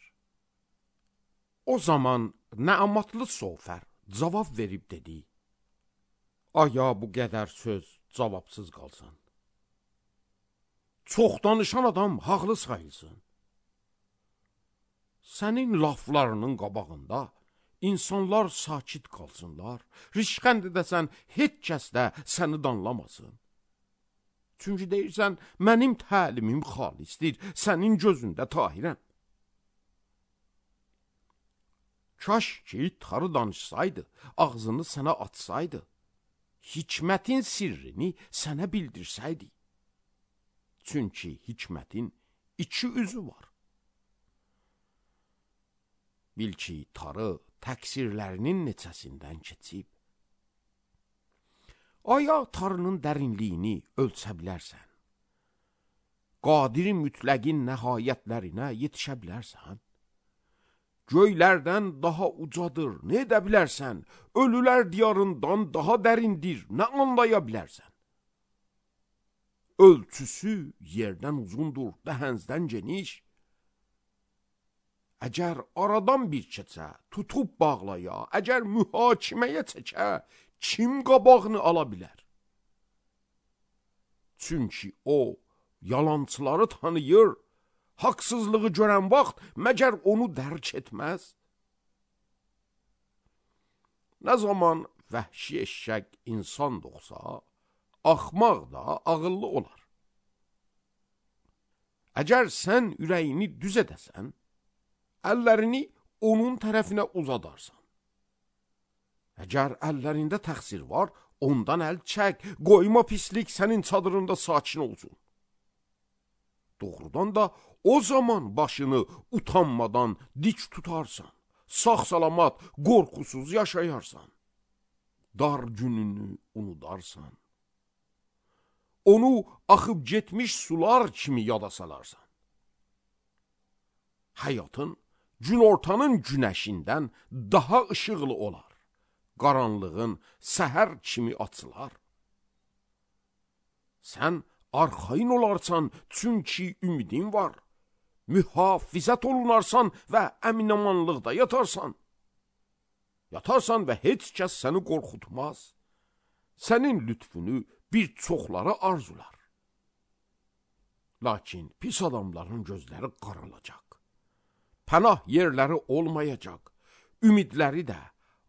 O zaman Nəamatlı Sofər cavab verib dedi: Aya bu qədər söz cavabsız qalsın. Çox danışan adam haqlı sayılsın. Sənin laflarının qabağında insanlar sakit qalsınlar, rişxənd edəsən heç kəs də səni danlamasın. Çünki deyirsən, mənim təlimim xalisdir, sənin gözündə tahirəm. Kaş ki, tarı danışsaydı, ağzını sənə atsaydı, hikmətin sirrini sənə bildirsəydi. Çünki hikmətin iki üzü var. Bil ki, tarı təqsirlərinin neçəsindən keçib. Aya tarının dərinliyini ölçə bilərsən. Qadir mütləqin nəhayətlərinə yetişə bilərsən. Göylərdən daha ucadır, nə edə bilərsən? Ölülər diyarından daha dərindir, nə anlaya bilərsən? Ölçüsü yerdən uzundur, dəhəzdən geniş. Əgər aradan bir keçə, tutub bağlaya, əgər mühakiməyə çəkə, kim qabağını ala bilər? Çünki o, yalançıları tanıyır, haqsızlığı görən vaxt məgər onu dərk etməz? Nə zaman vəhşi eşşək insan doğsa, axmaq da ağıllı olar. Əgər sən ürəyini düz edəsən, əllərini onun tərəfinə uzadarsan. Əgər əllərində təqsir var, ondan əl çək, qoyma pislik sənin çadırında sakin olsun. Doğrudan da o zaman başını utanmadan dik tutarsan, sağ-salamat, qorxusuz yaşayarsan, dar gününü unudarsan, onu axıb getmiş sular kimi yada salarsan. Həyatın günortanın günəşindən daha işıqlı olar, qaranlığın səhər kimi açılar. Sən arxayın olarsan, çünki ümidin var. Mühafizət olunarsan və əminamanlıqda yatarsan. Yatarsan və heç kəs səni qorxutmaz. Sənin lütfünü bir çoxları arzular. Lakin pis adamların gözləri qaralacaq. Pənah yerləri olmayacaq. Ümidləri də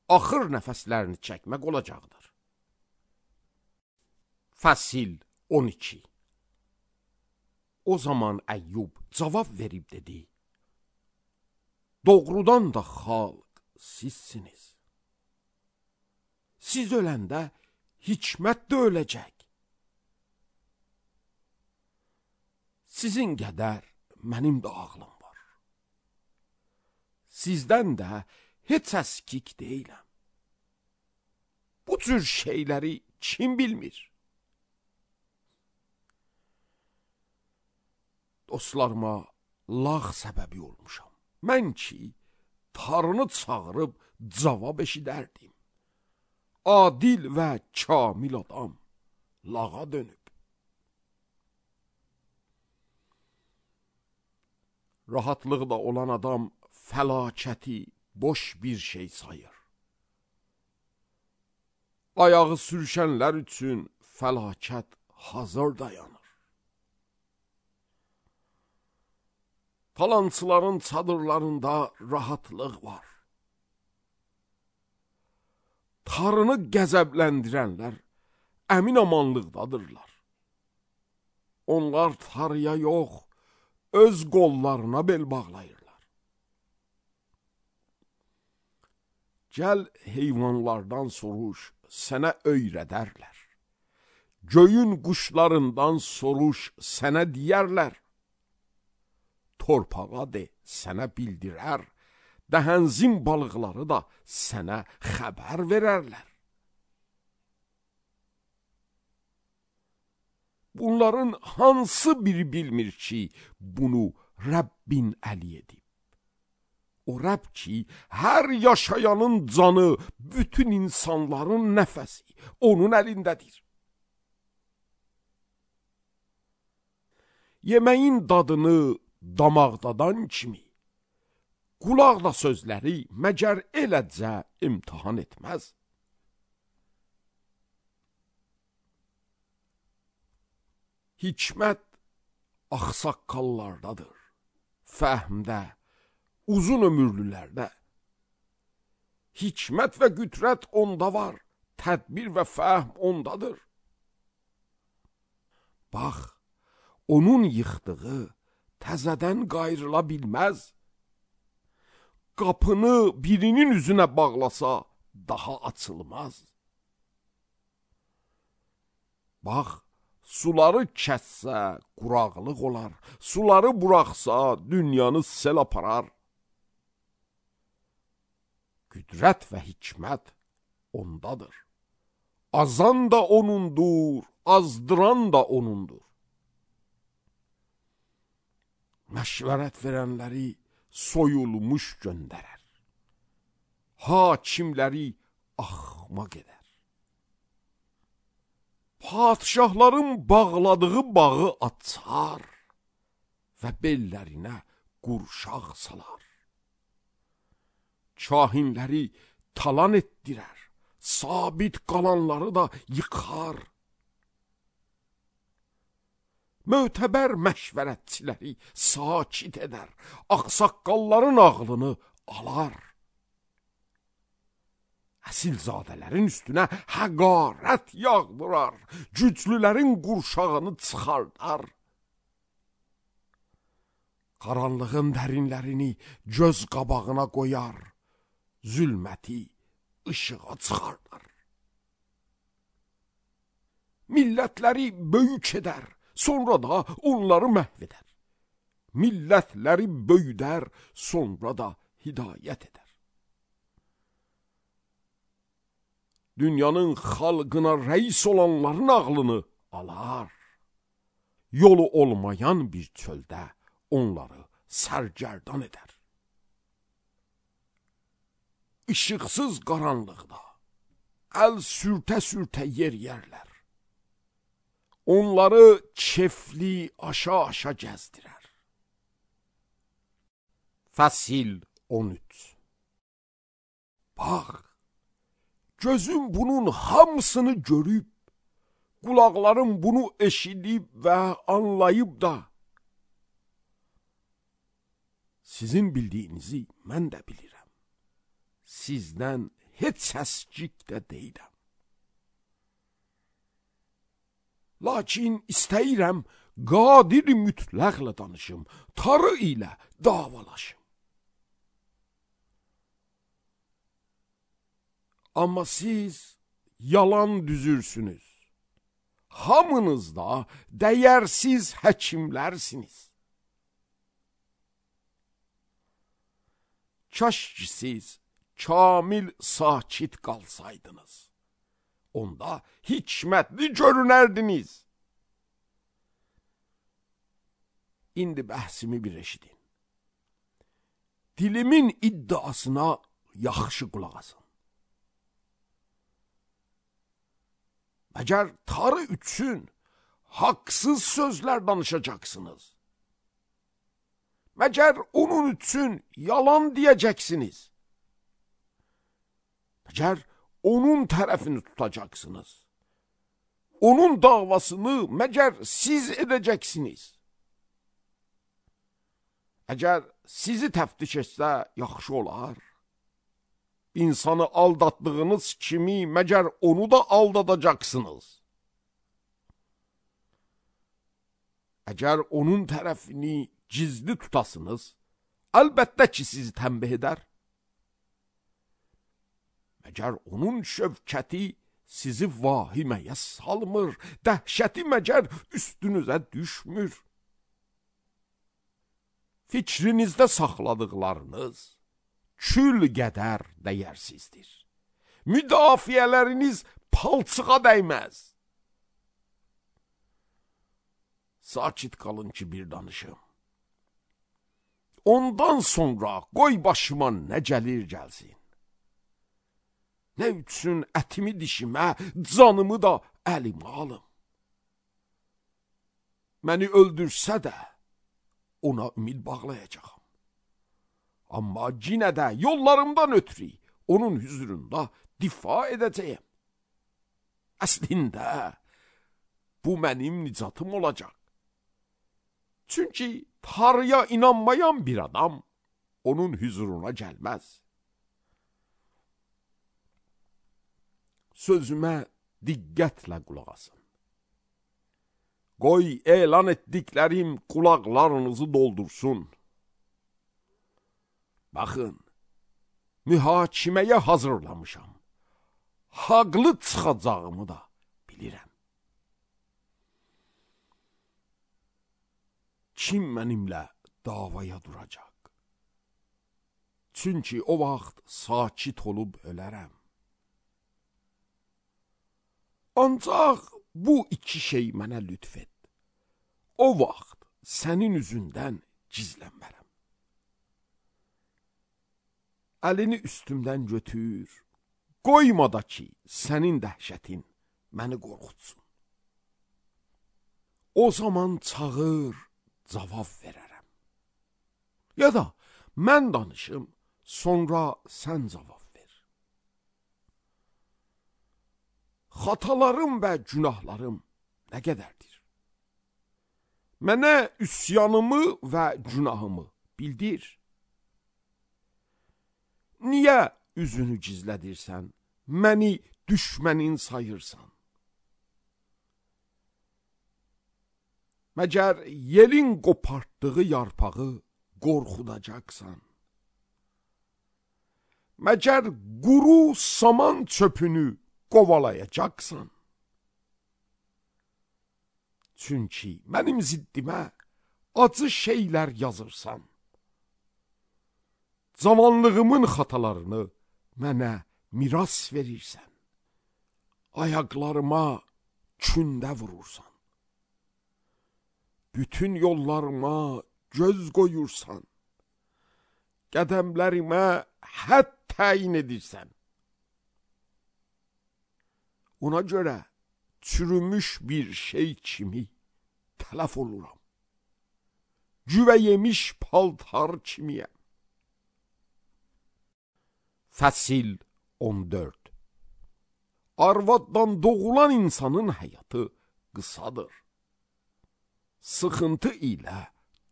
axır nəfəslərini çəkmək olacaqdır. Fəsil on iki. O zaman Əyyub cavab verib dedi: Doğrudan da xalq sizsiniz. Siz öləndə hikmət də öləcək. Sizin qədər mənim də ağlım var. Sizdən də heç əskik deyiləm. Bu cür şeyləri kim bilmir? Dostlarıma lağ səbəbi olmuşam. Mən ki, tarını çağırıb cavab eşidərdim. Adil və kamil adam lağa dönüb. Rahatlıqda olan adam fəlakəti boş bir şey sayır. Ayağı sürüşənlər üçün fəlakət hazır dayanır. Talancıların çadırlarında rahatlıq var. Tarını qəzəbləndirənlər əmin amanlıqdadırlar. Onlar tarıya yox, öz qollarına bel bağlayırlar. Gəl heyvanlardan soruş, sənə öyrədərlər. Göyün quşlarından soruş, sənə deyərlər. Torpağa de, sənə bildirər. Dəhənzin balıqları da sənə xəbər verərlər. Bunların hansı biri bilmir ki, bunu Rəbbin əli edib? O Rəbb ki, hər yaşayanın canı, bütün insanların nəfəsi onun əlindədir. Yeməyin dadını damaqdadan kimi, qulaq da sözləri məgər eləcə imtihan etməz. Hikmət axsaqqallardadır, fəhmdə, uzun ömürlülərdə. Hikmət və qüdrət onda var, tədbir və fəhm ondadır. Bax, onun yıxdığı təzədən qayrıla bilməz. Qapını birinin üzünə bağlasa, daha açılmaz. Bax, suları kəssə, quraqlıq olar. Suları buraxsa, dünyanı sel aparar. Qüdrət və hikmət ondadır. Azan da onundur, azdıran da onundur. Məşvərət verənləri soyulmuş göndərər. Hakimləri axmaq edər. Padişahların bağladığı bağı açar və bellərinə qurşaq salar. Kahinləri talan etdirər, sabit qalanları da yıxar. Mötəbər məşvərətçiləri sakit edər, axsaqqalların ağlını alar. Əsilzadələrin üstünə həqarət yağdırar, güclülərin qurşağını çıxardar. Qaranlığın dərinlərini göz qabağına qoyar, zülməti işığa çıxardar. Millətləri böyük edər, sonra da onları məhv edər. Millətləri böyüdər, sonra da hidayət edər. Dünyanın xalqına rəis olanların ağlını alar. Yolu olmayan bir çöldə onları sərgərdan edər. İşıqsız qaranlıqda əl sürtə-sürtə yer yerlər. Onları kefli aşa-aşa gəzdirər. Fəsil on üç. Bax, gözüm bunun hamısını görüb, qulaqlarım bunu eşidib və anlayıb da, sizin bildiyinizi mən də bilirəm. Sizdən heç səskik də deyirəm. Lakin istəyirəm, qadir mütləqlə danışım, tarı ilə davalaşım. Amma siz yalan düzürsünüz. Hamınız da dəyərsiz həkimlərsiniz. Kaş ki siz kamil sakit qalsaydınız. Onda hikmətli görünərdiniz. İndi bəhsimi bir eşidin. Dilimin iddiasına yaxşı qulaq asın. Məgər tarı üçün haqsız sözlər danışacaksınız. Məgər onun üçün yalan deyəcəksiniz. Məgər onun tərəfini tutacaksınız. Onun davasını məgər siz edəcəksiniz. Əgər sizi təftiş etsə yaxşı olar. İnsanı aldatdığınız kimi məgər onu da aldadacaqsınız. Əgər onun tərəfini gizli tutasınız, əlbəttə ki sizi tənbih edər. Məgər onun şövkəti sizi vahiməyə salmır, dəhşəti məgər üstünüzə düşmür. Fikrinizdə saxladıqlarınız kül qədər dəyərsizdir. Müdafiələriniz palçığa dəyməz. Sakit qalın ki bir danışım. Ondan sonra qoy başıma nə gəlir gəlsin. Nə üçün ətimi dişimə, canımı da əlimə alım. Məni öldürsə də ona ümid bağlayacağım. Amma yenə də yollarımdan ötürü onun hüzurunda difa edəcəyim. Əslində bu mənim nicatım olacaq. Çünki Tanrıya inanmayan bir adam onun hüzuruna gəlməz. Sözümə diqqətlə qulaq asın. Qoy elan etdiklərim qulaqlarınızı doldursun. Baxın, mühakiməyə hazırlamışam. Haqlı çıxacağımı da bilirəm. Kim mənimlə davaya duracaq? Çünki o vaxt sakit olub ölərəm. Ancaq bu iki şey mənə lütf et. O vaxt sənin üzündən gizlənmərəm. Əlini üstümdən götür, qoyma da ki, sənin dəhşətin məni qorxutsun. O zaman çağır, cavab verərəm. Ya da mən danışım, sonra sən cavab ver. Xatalarım və günahlarım nə qədərdir? Mənə üsyanımı və günahımı bildir. Niyə üzünü gizlədirsən, məni düşmənin sayırsan? Məgər yelin qopartdığı yarpağı qorxudacaqsan? Məgər quru saman çöpünü qovalayacaqsan? Çünki mənim ziddimə acı şeylər yazırsan. Cavanlığımın xatalarını mənə miras verirsən. Ayaqlarıma kündə vurursan. Bütün yollarıma göz qoyursan. Qədəmlərimə hədd təyin edirsən. Ona görə çürümüş bir şey kimi tələf oluram. Cüvə yemiş paltar kimiyəm. Fəsil on dörd. Arvaddan doğulan insanın həyatı qısadır. Sıxıntı ilə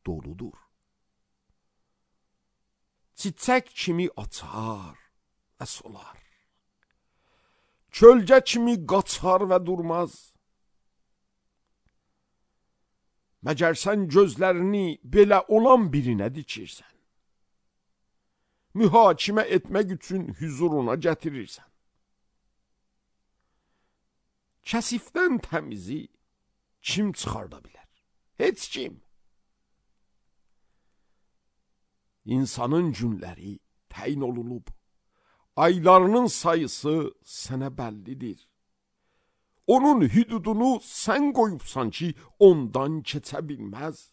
doludur. Çiçək kimi açar və solar. Kölgə kimi qaçar və durmaz. Məgər sən gözlərini belə olan birinə dikirsən? Mühakimə etmək üçün hüzuruna gətirirsən. Kəsifdən təmizi kim çıxarda bilər? Heç kim. İnsanın günləri təyin olunub. Aylarının sayısı sənə bəllidir. Onun hüdudunu sən qoyubsan ki, ondan keçə bilməz.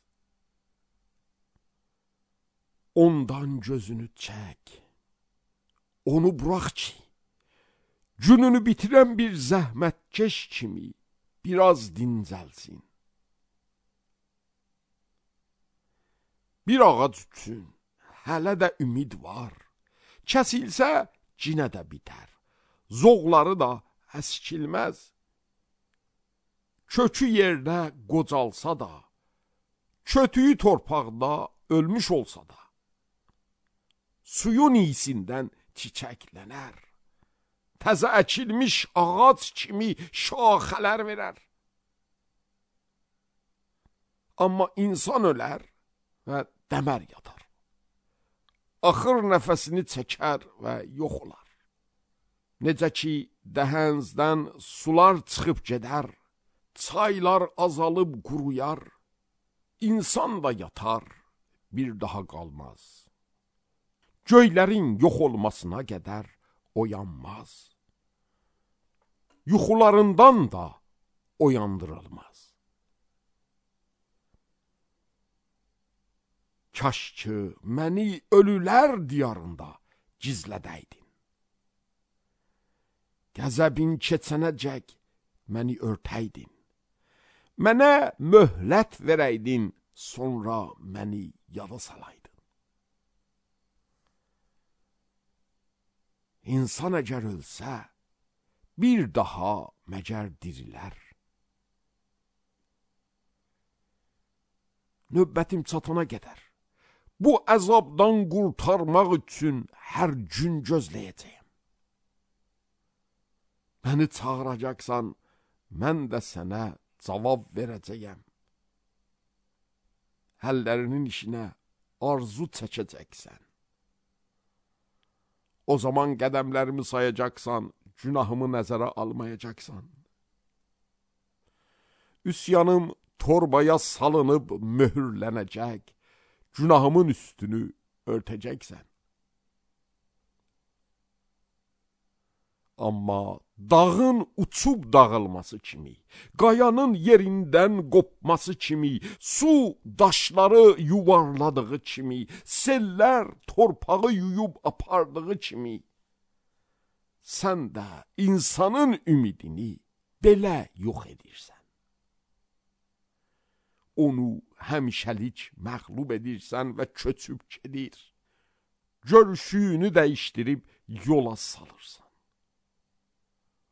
Ondan gözünü çək. Onu burax ki, gününü bitirən bir zəhmətkeş kimi biraz dincəlsin. Bir ağac üçün hələ də ümid var. Kəsilsə, cinə də bitər. Zoğları da əskilməz. Kökü yerdə qocalsa da, kötüyü torpaqda ölmüş olsa da, suyun iyisindən çiçəklənər, təzə əkilmiş ağac kimi şaxələr verər. Amma insan ölər və dəmər yatar. Axır nəfəsini çəkər və yox olar. Necə ki, dəhənzdən sular çıxıb gedər, çaylar azalıb quruyar, insan da yatar, bir daha qalmaz. Göylərin yox olmasına qədər oyanmaz. Yuxularından da oyandırılmaz. Kaş ki, məni ölülər diyarında gizlədəydin. Qəzəbin keçənəcək məni örtəydin. Mənə möhlət verəydin, sonra məni yada salaydın. İnsan əgər ölsə, bir daha məgər dirilər. Növbətim çatana qədər bu əzabdan qurtarmaq üçün hər gün gözləyəcəyəm. Məni çağıracaqsan, mən də sənə cavab verəcəyəm. Əllərinin işinə arzu çəkəcəksən. O zaman qədəmlərimi sayacaqsan, günahımı nəzərə almayacaqsan. Üsyanım torbaya salınıb möhürlənəcək, günahımın üstünü örtəcəksən. Amma dağın uçub dağılması kimi, qayanın yerindən qopması kimi, su daşları yuvarladığı kimi, sellər torpağı yuyub apardığı kimi, sən də insanın ümidini belə yox edirsən. Onu həmişəlik məğlub edirsən və köçüb gedir. Görüşünü dəyişdirib yola salırsan.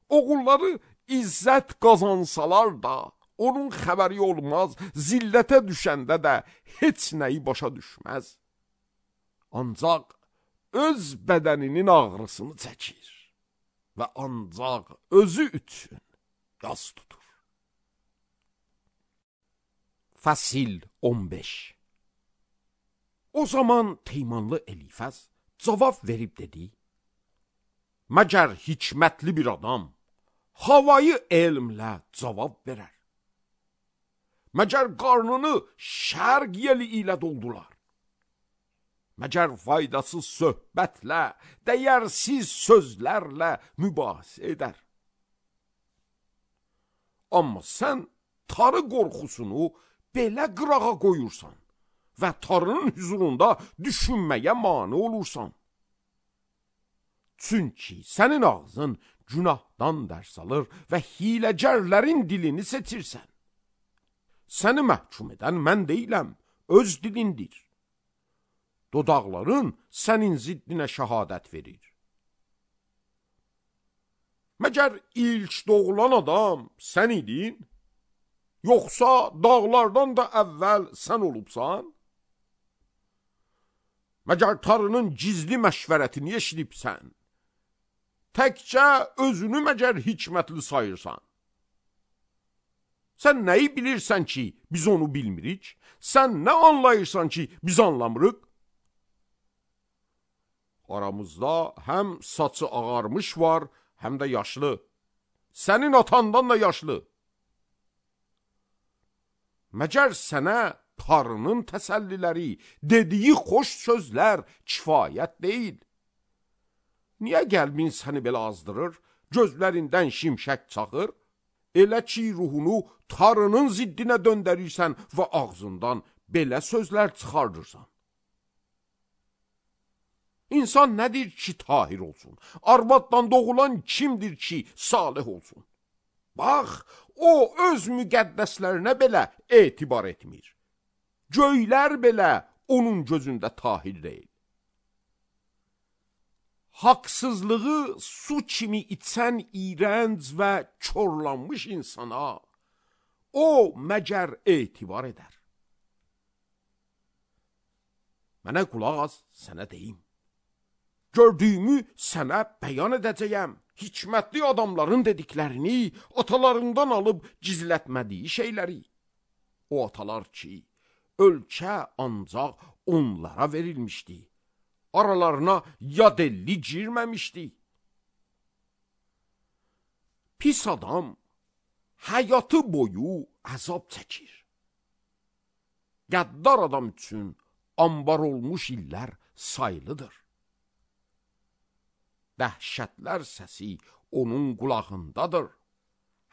Oğulları izzət qazansalar da, onun xəbəri olmaz, zillətə düşəndə də heç nəyi başa düşməz. Ancaq öz bədəninin ağrısını çəkir və ancaq özü üçün yas tutur. Fəsil on beş. O zaman Teymanlı Elifəz cavab verib dedi: Məgər hikmətli bir adam havayı elmlə cavab verər? Məgər qarnını şərq yeli ilə doldular? Məgər faydasız söhbətlə, dəyərsiz sözlərlə mübahisə edər? Amma sən tarı qorxusunu belə qırağa qoyursan və tarının hüzurunda düşünməyə mane olursan. Çünki sənin ağzın günahdan dərs alır və hiləgərlərin dilini seçirsən. Səni məhkum edən mən deyiləm, öz dilindir. Dodaqların sənin ziddinə şəhadət verir. Məgər ilk doğulan adam sən idin? Yoxsa dağlardan da əvvəl sən olubsan? Məgər tarının gizli məşvərətini eşidibsən? Təkcə özünü məgər hikmətli sayırsan? Sən nəyi bilirsən ki, biz onu bilmirik? Sən nə anlayırsan ki, biz anlamırıq? Aramızda həm saçı ağarmış var, həm də yaşlı. Sənin atandan da yaşlı. Məgər sənə tarının təsəlliləri, dediyi xoş sözlər kifayət deyil? Niyə qəlbin səni belə azdırır, gözlərindən şimşək çaxır? Elə ki, ruhunu tarının ziddinə döndərirsən və ağzından belə sözlər çıxardırsan. İnsan nədir ki, tahir olsun? Arvaddan doğulan kimdir ki, salih olsun? Bax, o öz müqəddəslərinə belə etibar etmir. Göylər belə onun gözündə tahir deyil. Haqsızlığı su kimi içən iyrənc və körlanmış insana o məgər etibar edər? Mənə qulaq az, sənə deyim. Gördüyümü sənə bəyan edəcəyəm. Hikmətli adamların dediklərini, atalarından alıb gizlətmədiyi şeyləri. O atalar ki, ölkə ancaq onlara verilmişdi. Aralarına yad elli girməmişdi. Pis adam həyatı boyu əzab çəkir. Qəddar adam üçün ambar olmuş illər sayılıdır. Dəhşətlər səsi onun qulağındadır.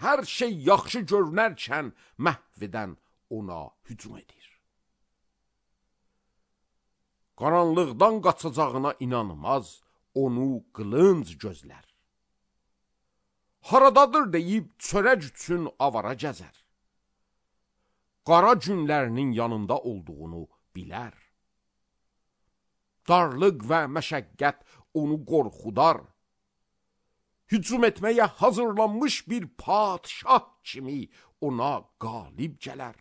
Hər şey yaxşı görünərkən məhv edən ona hücum edir. Qaranlıqdan qaçacağına inanmaz, onu qılınc gözlər. Haradadır deyib çörək üçün avara gəzər. Qara günlərinin yanında olduğunu bilər. Darlıq və məşəqqət onu qorxudar. Hücum etməyə hazırlanmış bir padşah kimi ona qalib gələr.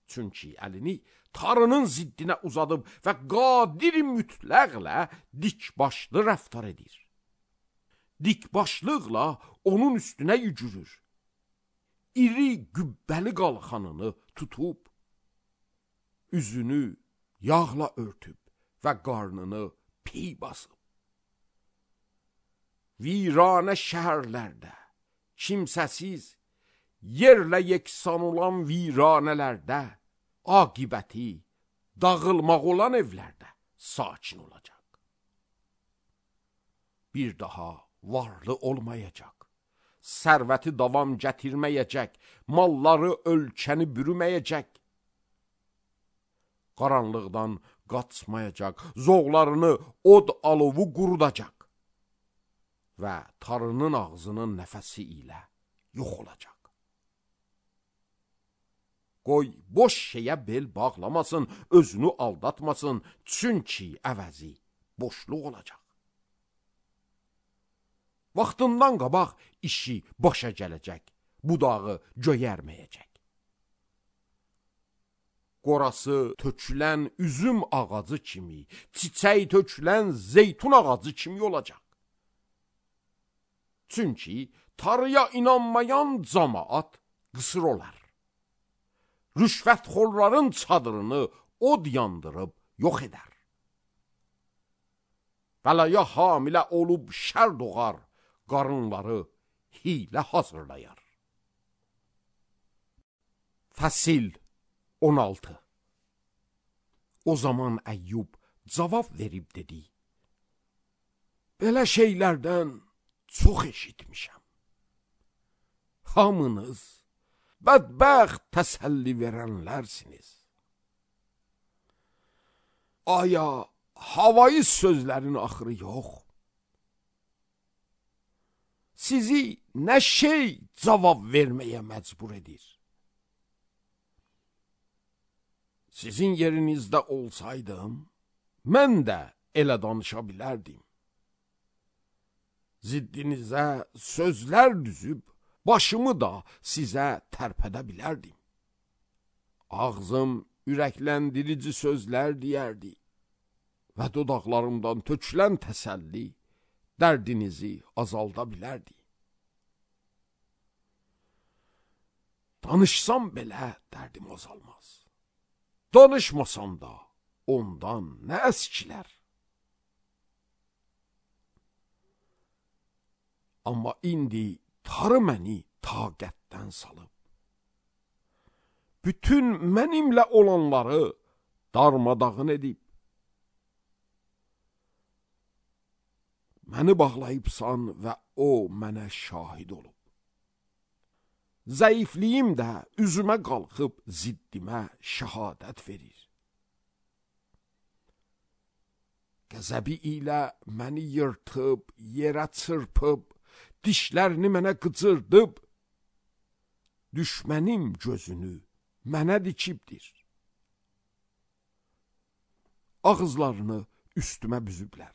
Çünki əlini Tanrının ziddinə uzadıb və qadir mütləqlə dikbaşlı rəftar edir. Dikbaşlıqla onun üstünə yücürür. İri gübbəli qalxanını tutub, üzünü yağla örtüb və qarnını piy basıb. Viranə şəhərlərdə, kimsəsiz, yerlə yeksan olan viranələrdə, aqibəti dağılmaq olan evlərdə sakin olacaq. Bir daha varlı olmayacaq. Sərvəti davam gətirməyəcək, malları ölkəni bürüməyəcək. Qaranlıqdan qaçmayacaq, zoğlarını od alovu qurudacaq və tarının ağzının nəfəsi ilə yox olacaq. Qoy boş şeyə bel bağlamasın, özünü aldatmasın, çünki əvəzi boşluq olacaq. Vaxtından qabaq işi başa gələcək, budağı göyərməyəcək. Qorası tökülən üzüm ağacı kimi, çiçək tökülən zeytun ağacı kimi olacaq. Çünki Tanrıya inanmayan camaat qısır olar. Rüşvətxorların çadırını od yandırıb yox edər. Bəlaya hamilə olub şər doğar, qarınları hilə hazırlayar. Fəsil on altı. O zaman Əyyub cavab verib dedi: Belə şeylərdən çox eşitmişəm. Hamınız bədbəxt təsəlli verənlərsiniz. Aya havayı sözlərin axırı yox? Sizi nə şey cavab verməyə məcbur edir? Sizin yerinizdə olsaydım, mən də elə danışa bilərdim. Ziddinizə sözlər düzüb, başımı da sizə tərpədə bilərdim. Ağzım ürəkləndirici sözlər deyərdi və dodaqlarımdan tökülən təsəlli dərdinizi azalda bilərdi. Danışsam belə dərdim azalmaz. Danışmasam da ondan nə əskilər? Amma indi Tanrı məni taqətdən salıb. Bütün mənimlə olanları darmadağın edib. Məni bağlayıbsan və o mənə şahid olub. Zəifliyim də üzümə qalxıb ziddimə şəhadət verir. Qəzəbi ilə məni yırtıb, yerə çırpıb, dişlərini mənə qıcırdıb, düşmənim gözünü mənə dikibdir. Ağızlarını üstümə büzüblər.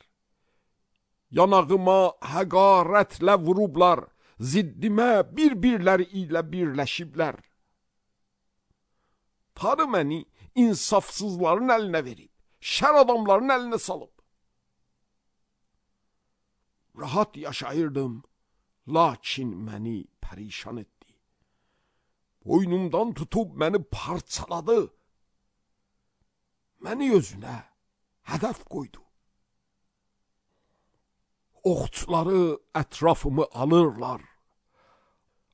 Yanağıma həqarətlə vurublar, ziddimə bir-birləri ilə birləşiblər. Tanrı məni insafsızların əlinə verib, şər adamların əlinə salıb. Rahat yaşayırdım, lakin məni pərişan etdi. Boynumdan tutub məni parçaladı. Məni özünə hədəf qoydu. Oxçuları ətrafımı alırlar.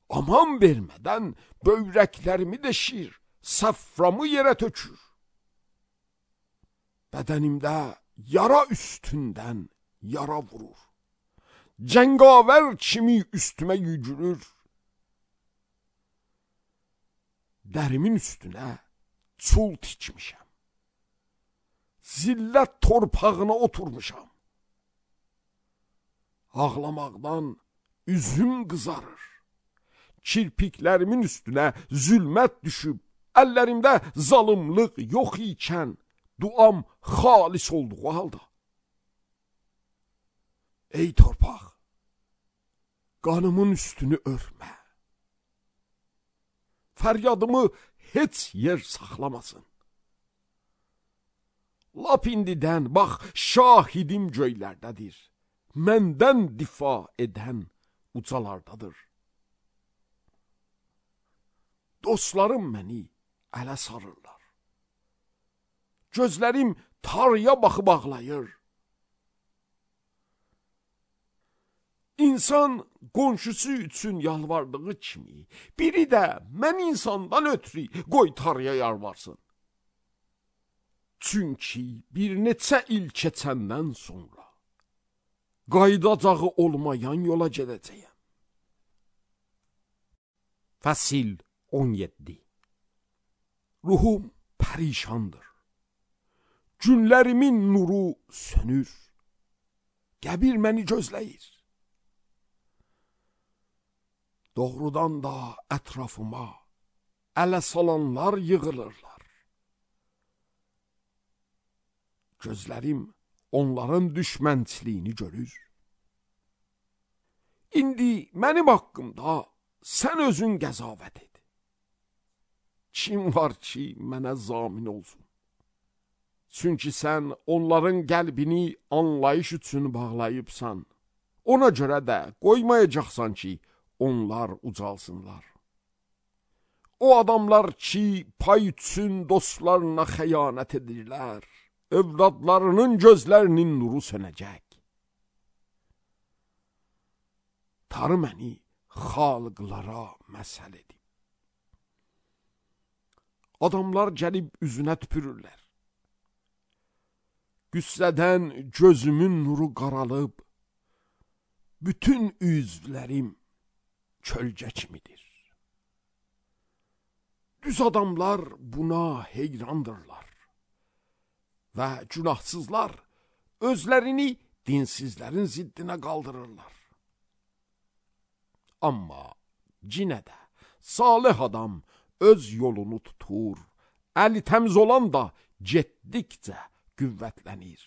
Aman vermədən böyrəklərimi deşir, saframı yerə tökür. Bədənimdə yara üstündən yara vurur. Cəngavər kimi üstümə yügürür. Dərimin üstünə çul tikmişəm. Zillət torpağına oturmuşam. Ağlamaqdan üzüm qızarır. Kirpiklərimin üstünə zülmət düşüb, əllərimdə zalımlıq yox ikən, duam xalis olduğu halda. Ey torpaq, qanımın üstünü örmə. Fəryadımı heç yer saxlamasın. Lap indidən, bax, şahidim göylərdədir. Məndən difa edən ucalardadır. Dostlarım məni ələ sarırlar. Gözlərim tarıya baxıb ağlayır. İnsan qonşusu üçün yalvardığı kimi, biri də mən insandan ötürü qoy tarıya yalvarsın. Çünki bir neçə il keçəndən sonra qayıdacağı olmayan yola gedəcəyəm. Fəsil on yeddi. Ruhum pərişandır. Günlərimin nuru sönür. Qəbir məni gözləyir. Doğrudan da ətrafıma ələ salanlar yığılırlar. Gözlərim onların düşmənçiliyini görür. İndi mənim haqqımda sən özün qəzavət et. Kim var ki, mənə zamin olsun? Çünki sən onların qəlbini anlayış üçün bağlayıbsan. Ona görə də qoymayacaqsan ki, onlar ucalsınlar. O adamlar ki, pay üçün dostlarına xəyanət edirlər, övladlarının gözlərinin nuru sönəcək. Tarı məni xalqlara məsəl edib. Adamlar gəlib üzünə tüpürürlər. Qüssədən gözümün nuru qaralıb, bütün üzvlərim kölgə kimidir. Düz adamlar buna heyrandırlar və günahsızlar özlərini dinsizlərin ziddinə qaldırırlar. Amma cinə də salih adam öz yolunu tutur, əli təmiz olan da getdikcə qüvvətlənir.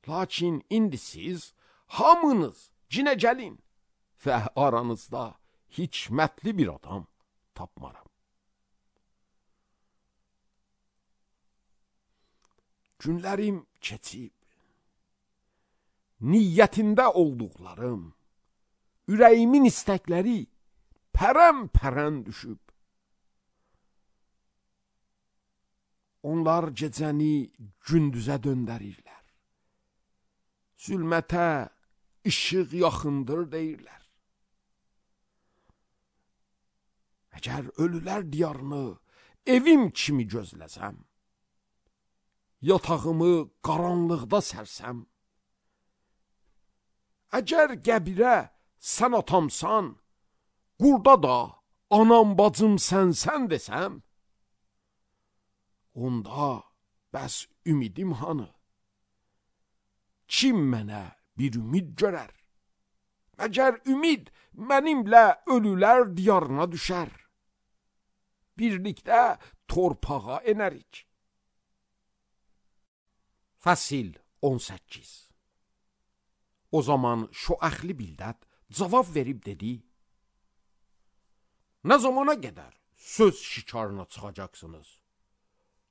Lakin indi siz hamınız cinə gəlin və aranızda hikmətli bir adam tapmaram. Günlərim keçib, niyyətində olduqlarım, ürəyimin istəkləri pərəm-pərəm düşüb. Onlar gecəni gündüzə döndərirlər. Zülmətə işıq yaxındır deyirlər. Əgər ölülər diyarını evim kimi gözləsəm, yatağımı qaranlıqda sərsəm, əgər qəbirə sən atamsan, qurda da anam bacım sənsən desəm, onda bəs ümidim hanı? Kim mənə bir ümid görər? Məgər ümid mənimlə ölülər diyarına düşər. Birlikdə torpağa enərik. Fəsil on səkkiz. O zaman Şoəxli Bildad cavab verib dedi: Nə zamana qədər söz şikarına çıxacaqsınız?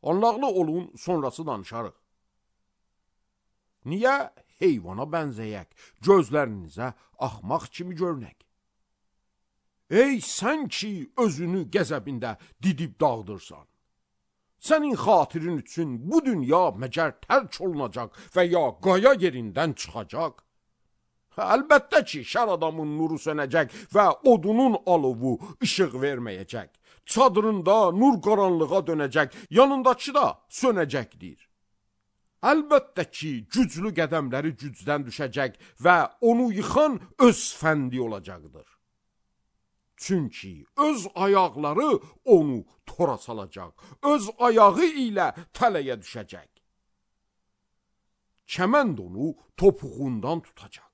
Anlaqlı olun, sonrası danışarıq. Niyə heyvana bənzəyək, gözlərinizə axmaq kimi görünək? Ey sən ki, özünü qəzəbində didib dağıdırsan. Sənin xatirin üçün bu dünya məgər tərk olunacaq və ya qaya yerindən çıxacaq? Əlbəttə ki, şər adamın nuru sönəcək və odunun alovu işıq verməyəcək. Çadırında nur qaranlığa dönəcək, yanındakı da sönəcəkdir. Əlbəttə ki, güclü qədəmləri gücdən düşəcək və onu yıxan öz fəndi olacaqdır. Çünki öz ayaqları onu tora salacaq, öz ayağı ilə tələyə düşəcək. Kəmənd onu topuğundan tutacaq.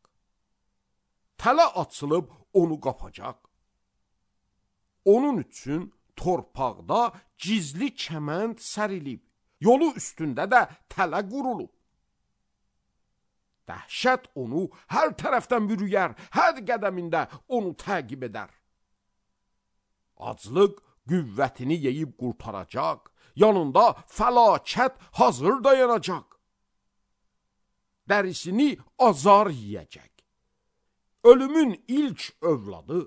Tələ açılıb onu qapacaq. Onun üçün torpaqda gizli kəmənd sərilib, yolu üstündə də tələ qurulub. Dəhşət onu hər tərəfdən bürüyər, hər qədəmində onu təqib edər. Aclıq qüvvətini yeyib qurtaracaq, yanında fəlakət hazır dayanacaq. Dərisini azar yiyəcək. Ölümün ilk övladı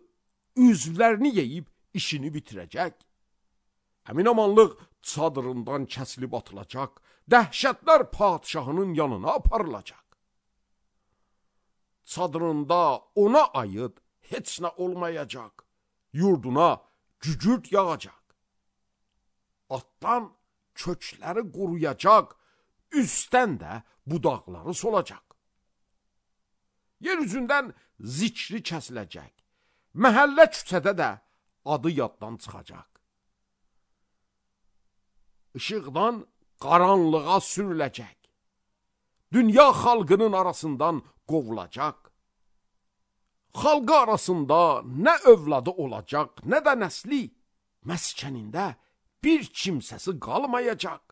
üzvlərini yeyib işini bitirəcək. Həmin amanlıq çadırından kəsilib atılacaq, dəhşətlər padişahının yanına aparılacaq. Çadırında ona aid heç nə olmayacaq, yurduna gücürt yağacaq. Atdan kökləri quruyacaq, üstdən də budaqları solacaq. Yer üzündən zikri kəsiləcək, məhəllə küçədə də adı yaddan çıxacaq. İşıqdan qaranlığa sürüləcək, dünya xalqının arasından qovulacaq. Xalqı arasında nə övladı olacaq, nə də nəsli, məskənində bir kimsəsi qalmayacaq.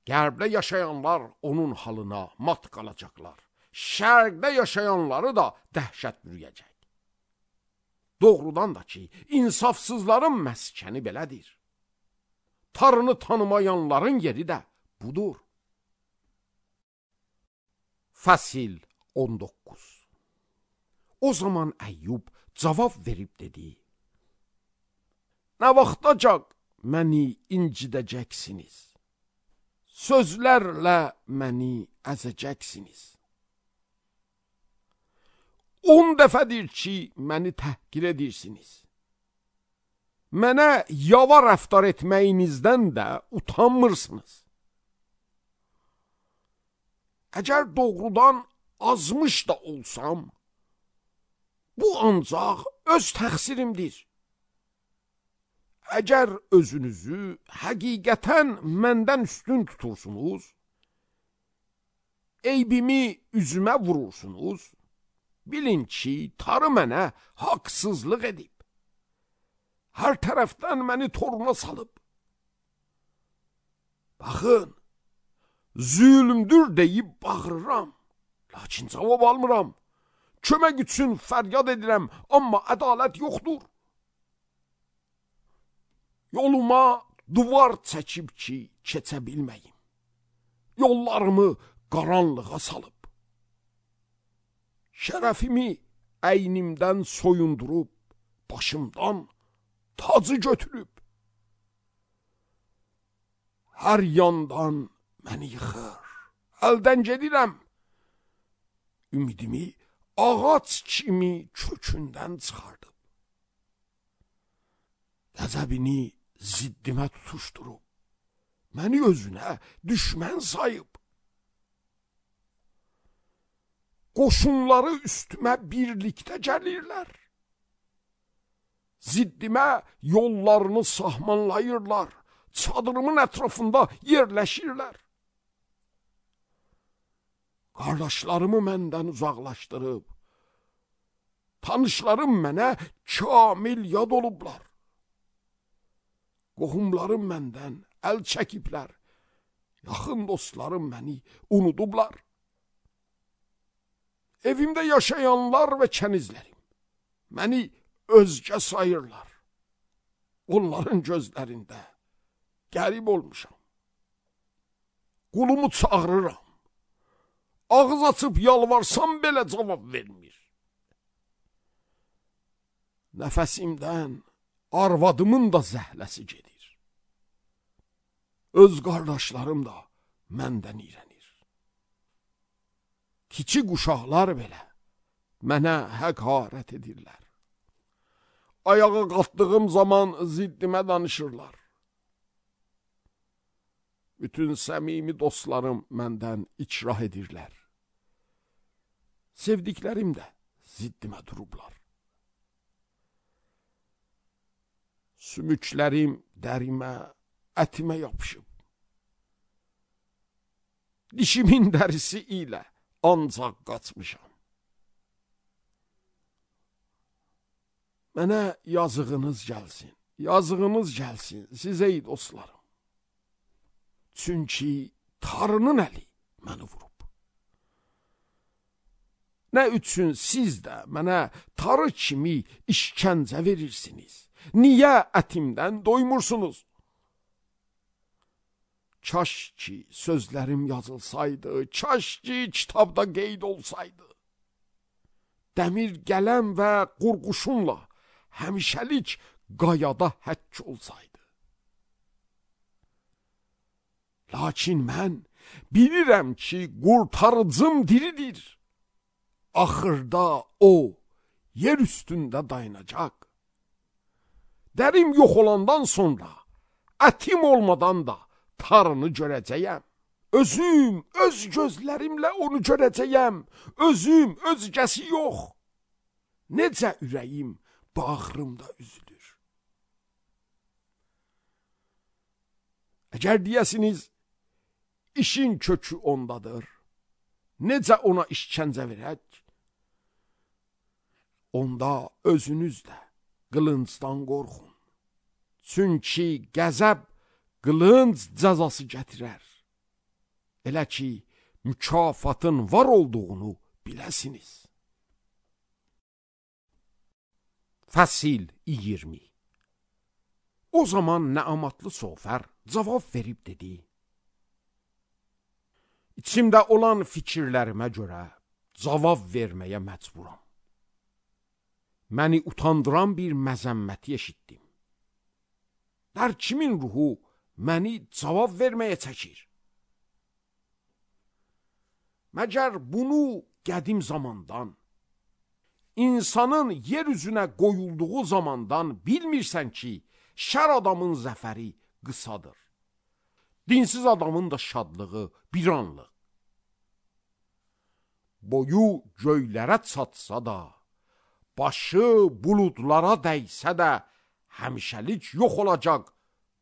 Qərbdə yaşayanlar onun halına mat qalacaqlar. Şərqdə yaşayanları da dəhşət bürüyəcək. Doğrudan da ki, insafsızların məskəni belədir. Tarını tanımayanların yeri də budur. Fəsil on doqquz. O zaman Əyyub cavab verib dedi: Nə vaxtacaq məni incidəcəksiniz? Sözlərlə məni əzəcəksiniz. On dəfədir ki, məni təhqir edirsiniz. Mənə yava rəftar etməyinizdən də utanmırsınız. Əgər doğrudan azmış da olsam, bu ancaq öz təqsirimdir. Əgər özünüzü həqiqətən məndən üstün tutursunuz, eybimi üzümə vurursunuz, bilin ki, tarı mənə haqsızlıq edib. Hər tərəfdən məni toruna salıb. Baxın, zülmdür deyib bağırıram, lakin cavab almıram. Kömək üçün fəryad edirəm, amma ədalət yoxdur. Yoluma duvar çəkib ki, keçə bilməyim. Yollarımı qaranlığa salıb. Şərəfimi əynimdən soyundurub, başımdan tacı götürüb. Hər yandan məni yıxır, əldən gedirəm. Ümidimi ağac kimi kökündən çıxardıb. Qəzəbini ziddimə tutuşdurub, məni özünə düşmən sayıb. Qoşunları üstümə birlikdə gəlirlər. Ziddimə yollarını sahmanlayırlar, çadırımın ətrafında yerləşirlər. Qardaşlarımı məndən uzaqlaşdırıb, tanışlarım mənə kamil yad olublar. Qohumlarım məndən əl çəkiblər, yaxın dostlarım məni unudublar. Evimdə yaşayanlar və kənizlərim məni özgə sayırlar. Onların gözlərində qərib olmuşam. Qulumu çağırıram. Ağız açıb yalvarsam belə cavab vermir. Nəfəsimdən arvadımın da zəhləsi gedir. Öz qardaşlarım da məndən iyrənir. Kiçik uşaqlar belə mənə həqarət edirlər. Ayağa qalxdığım zaman ziddimə danışırlar. Bütün səmimi dostlarım məndən ikrah edirlər. Sevdiklərim də ziddimə durublar. Sümüklərim dərimə, ətimə yapışıb. Dişimin dərisi ilə ancaq qaçmışam. Mənə yazığınız gəlsin, yazığınız gəlsin sizə ey dostlarım. Çünki Tanrının əli məni vurub. Nə üçün siz də mənə tarı kimi işkəncə verirsiniz? Niyə ətimdən doymursunuz? Kaş ki sözlərim yazılsaydı, kaş ki kitabda qeyd olsaydı. Dəmir qələm və qurğuşumla həmişəlik qayada həkk olsaydı. Lakin mən bilirəm ki qurtarıcım diridir. Axırda o yer üstündə dayanacaq. Dərim yox olandan sonra ətim olmadan da Tanrını görəcəyəm. Özüm, öz gözlərimlə onu görəcəyəm. Özüm, özgəsi yox. Necə ürəyim bağrımda üzülür. Əgər deyəsiniz, işin kökü ondadır. Necə ona işkəncə verək? Onda özünüz də qılıncdan qorxun. Çünki qəzəb qılınc cəzası gətirər. Elə ki, mükafatın var olduğunu biləsiniz. Fəsil iyirmi. O zaman Nəamatlı Sofər cavab verib dedi: İçimdə olan fikirlərimə görə cavab verməyə məcburam. Məni utandıran bir məzəmməti eşitdim. Hər kimin ruhu məni cavab verməyə çəkir. Məgər bunu qədim zamandan, insanın yer üzünə qoyulduğu zamandan bilmirsən ki, şər adamın zəfəri qısadır. Dinsiz adamın da şadlığı bir anlıq. Boyu göylərə çatsa da, başı buludlara dəysə də, həmişəlik yox olacaq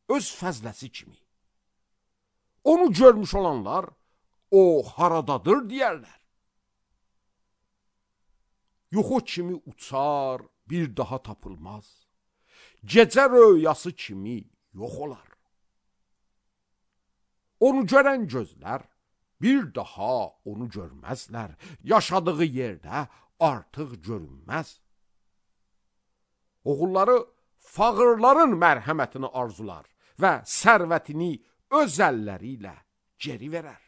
öz fəzləsi kimi. Onu görmüş olanlar, o haradadır deyərlər. Yuxu kimi uçar, bir daha tapılmaz. Gecə röyası kimi yox olar. Onu görən gözlər bir daha onu görməzlər. Yaşadığı yerdə artıq görünməz. Oğulları fağırların mərhəmətini arzular və sərvətini öz əlləri ilə geri verər.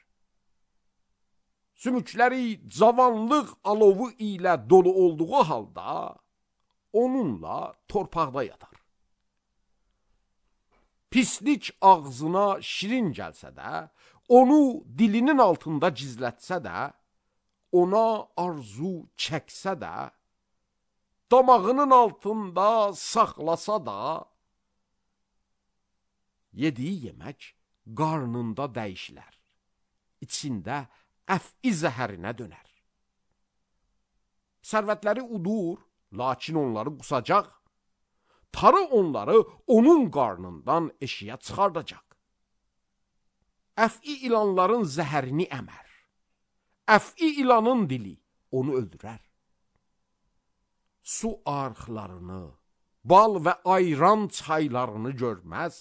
Sümükləri cavanlıq alovu ilə dolu olduğu halda onunla torpaqda yatar. Pislik ağzına şirin gəlsə də, onu dilinin altında gizlətsə də, ona arzu çəksə də, damağının altında saxlasa da, yediyi yemək qarnında dəyişilər, içində əf-i zəhərinə dönər. Sərvətləri udur, lakin onları qusacaq. Tarı onları onun qarnından eşiyə çıxardacaq. Əf-i ilanların zəhərini əmər. Əf-i ilanın dili onu öldürər. Su arxlarını, bal və ayran çaylarını görməz.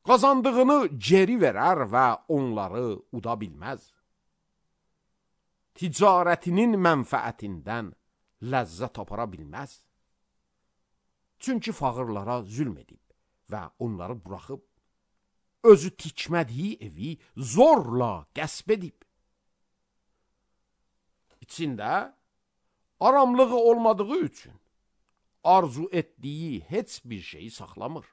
Qazandığını geri verər və onları uda bilməz. Ticarətinin mənfəətindən ləzzət apara bilməz. Çünki fağırlara zülm edib, və onları buraxıb, özü tikmədiyi evi zorla qəsb edib. İçində aramlığı olmadığı üçün arzu etdiyi heç bir şeyi saxlamır.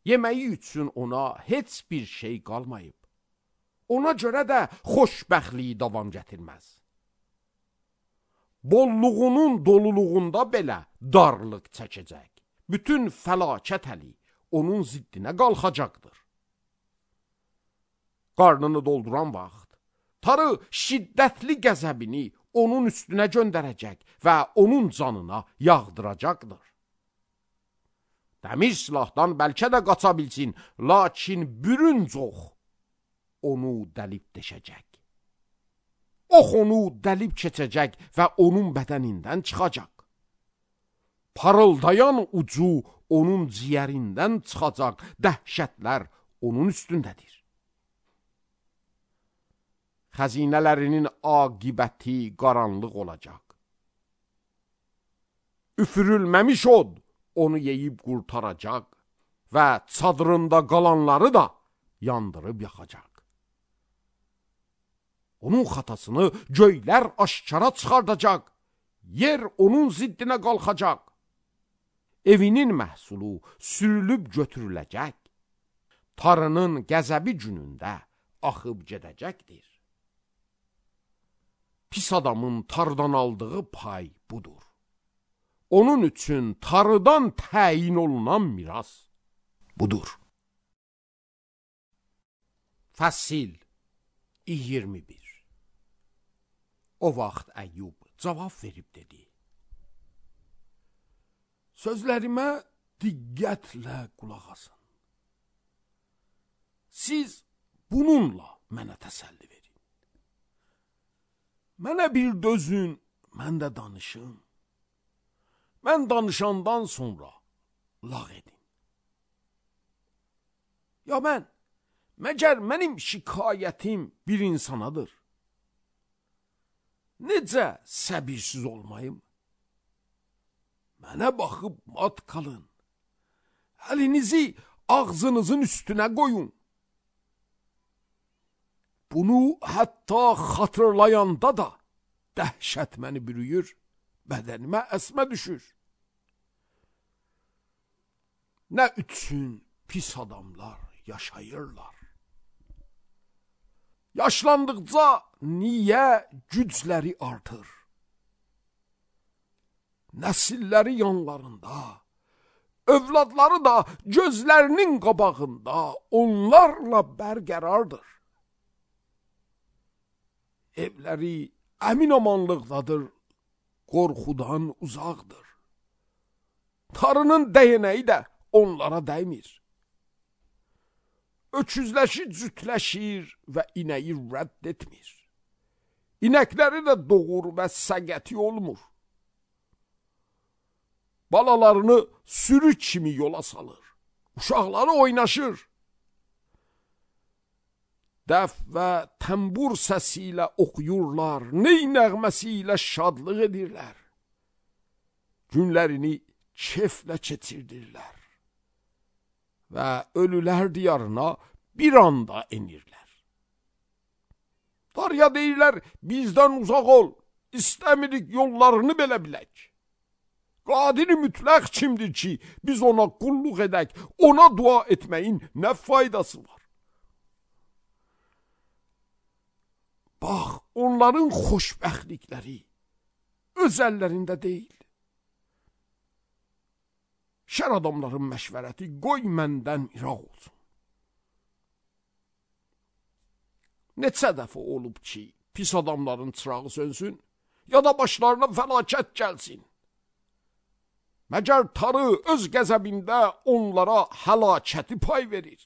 Yeməyi üçün ona heç bir şey qalmayıb. Ona görə də xoşbəxtliyi davam gətirməz. Bolluğunun doluluğunda belə darlıq çəkəcək. Bütün fəlakət əli onun ziddinə qalxacaqdır. Qarnını dolduran vaxt, tarı şiddətli qəzəbini onun üstünə göndərəcək və onun canına yağdıracaqdır. Dəmir silahdan bəlkə də qaça bilsin, lakin bürünc ox onu dəlib deşəcək. Ox onu dəlib keçəcək və onun bədənindən çıxacaq. Parıldayan ucu onun ciyərindən çıxacaq, dəhşətlər onun üstündədir. Xəzinələrinin aqibəti qaranlıq olacaq. Üfürülməmiş od onu yeyib qurtaracaq və çadırında qalanları da yandırıb yaxacaq. Onun xatasını göylər aşkara çıxardacaq, yer onun ziddinə qalxacaq. Evinin məhsulu sürülüb götürüləcək, tarının qəzəbi günündə axıb gedəcəkdir. Pis adamın tarıdan aldığı pay budur. Onun üçün tarıdan təyin olunan miras budur. Fəsil iyirmi bir. O vaxt Əyyub cavab verib dedi: Sözlərimə diqqətlə qulaq asın. Siz bununla mənə təsəlli verin. Mənə bir dözün, mən də danışım. Mən danışandan sonra lağ edin. Ya mən, məgər mənim şikayətim bir insanadır. Necə səbirsiz olmayım? Mənə baxıb mat qalın. Əlinizi ağzınızın üstünə qoyun. Bunu hətta xatırlayanda da dəhşət məni bürüyür, bədənimə əsmə düşür. Nə üçün pis adamlar yaşayırlar? Yaşlandıqca niyə gücləri artır? Nəsilləri yanlarında, övladları da gözlərinin qabağında onlarla bərqərardır. Evləri əmin-amanlıqdadır, qorxudan uzaqdır. Tarının dəyənəyi də onlara dəymir. Öküzləşi cütləşir və inəyi rədd etmir. İnəkləri də doğur və səgəti olmur. Balalarını sürü kimi yola salır. Uşaqları oynaşır. Dəf və təmbur səsi ilə oxuyurlar, ney nəğməsi ilə şadlıq edirlər. Günlərini keflə keçirdirlər və ölülər diyarına bir anda enirlər. Darya deyirlər, bizdən uzaq ol, istəmirik yollarını belə bilək. Qadiri mütləq kimdir ki, biz ona qulluq edək, ona dua etməyin nə faydası var? Bax, onların xoşbəxtlikləri öz əllərində deyil. Şər adamların məşvərəti qoy məndən iraq olsun. Neçə dəfə olub ki, pis adamların çırağı sönsün, ya da başlarına fəlakət gəlsin. Məgər tarı öz qəzəbində onlara həlakəti pay verir.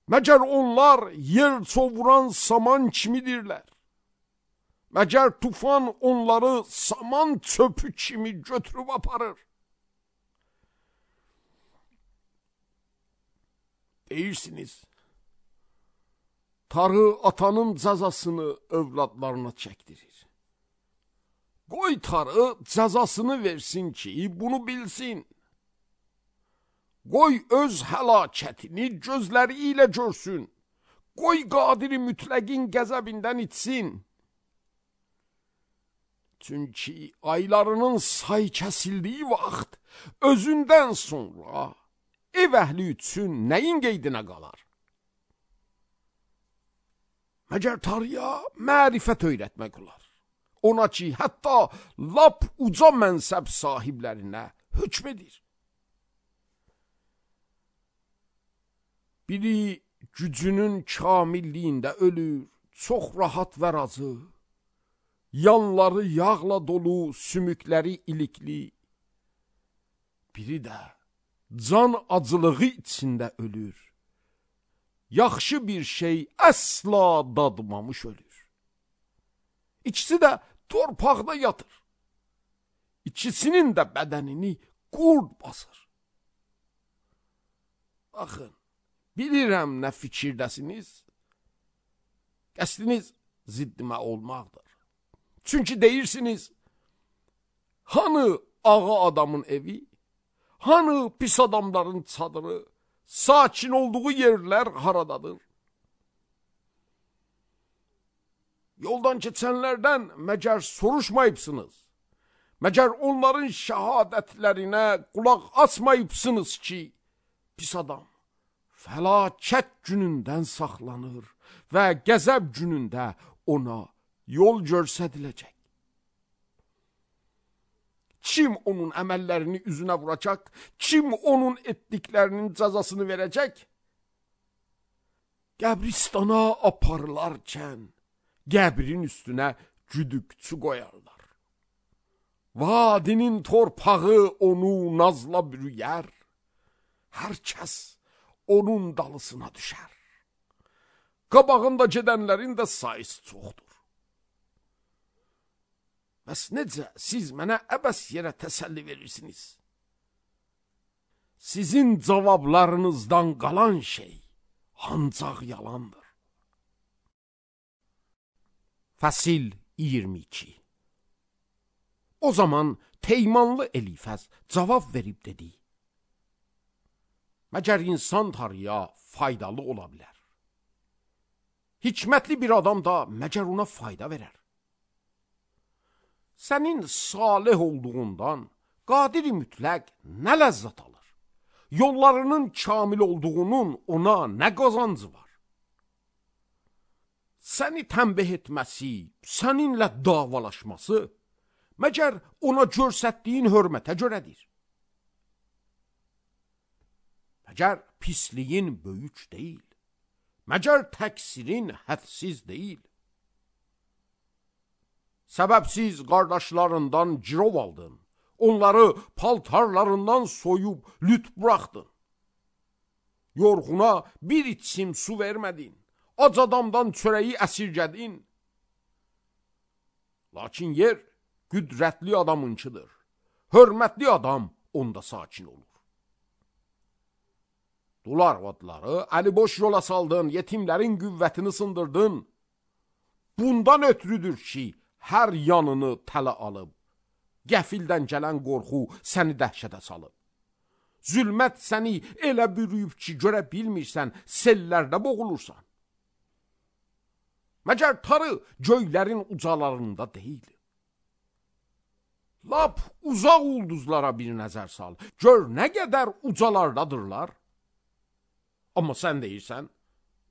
Məgər onlar yer çovuran saman kimidirlər. Məgər tufan onları saman çöpü kimi götürüb aparır. Deyirsiniz, tarı atanın cəzasını övladlarına çəkdirir. Qoy tarı cəzasını versin ki, bunu bilsin. qoy öz həlakətini gözləri ilə görsün, qoy qadiri mütləqin qəzəbindən içsin. Çünki aylarının say kəsildiyi vaxt özündən sonra ev əhli üçün nəyin qeydinə qalar? Məgər tarıya mərifət öyrətmək olar. Ona ki, hətta lap uca mənsəb sahiblərinə hükm edir. Biri gücünün kamilliyində ölür, çox rahat və razı. Yanları yağla dolu, sümükləri ilikli. Biri də can acılığı içində ölür. Yaxşı bir şey əsla dadmamış ölür. İkisi də torpaqda yatır. İkisinin də bədənini qurd basır. Baxın, bilirəm nə fikirdəsiniz. Qəsdiniz ziddimə olmaqdır. Çünki deyirsiniz, hanı ağa adamın evi, hanı pis adamların çadırı, sakin olduğu yerlər haradadır? Yoldan keçənlərdən məgər soruşmayıbsınız? Məgər onların şəhadətlərinə qulaq asmayıbsınız ki, pis adam fəlakət günündən saxlanır və qəzəb günündə ona yol göstəriləcək. Kim onun əməllərini üzünə vuracaq? Kim onun etdiklərinin cəzasını verəcək? Qəbristana aparılarkən qəbrin üstünə güdükçü qoyarlar. Vadinin torpağı onu nazla bürüyər. Hər kəs onun dalısına düşər. Qabağında gedənlərin də sayısı çoxdur. Bəs necə siz mənə əbəs yerə təsəlli verirsiniz? Sizin cavablarınızdan qalan şey ancaq yalandır. Fəsil iyirmi iki. O zaman Teymanlı Elifəz cavab verib dedi: Məgər insan tarıya faydalı ola bilər? Hikmətli bir adam da məgər ona fayda verər? Sənin salih olduğundan qadiri mütləq nə ləzzət alır? Yollarının kamil olduğunun ona nə qazancı var? Səni tənbih etməsi, səninlə davalaşması, məgər ona göstərdiyin hörmətə görədir? Məgər pisliyin böyük deyil, məgər təqsirin hədsiz deyil. Səbəbsiz qardaşlarından girov aldın, onları paltarlarından soyub lüt buraxdın. Yorğuna bir içim su vermədin, ac adamdan çörəyi əsirgədin. Lakin yer qüdrətli adamınkidir, hörmətli adam onda sakin olur. Dul arvadları əliboş yola saldın, yetimlərin qüvvətini sındırdın. Bundan ötürüdür ki, hər yanını tələ alıb, qəfildən gələn qorxu səni dəhşətə salıb. Zülmət səni elə bürüyüb ki, görə bilmirsən, sellərdə boğulursan. Məgər tarı göylərin ucalarında deyil. Lap uzaq ulduzlara bir nəzər sal, gör nə qədər ucalardadırlar. Amma sən deyirsən,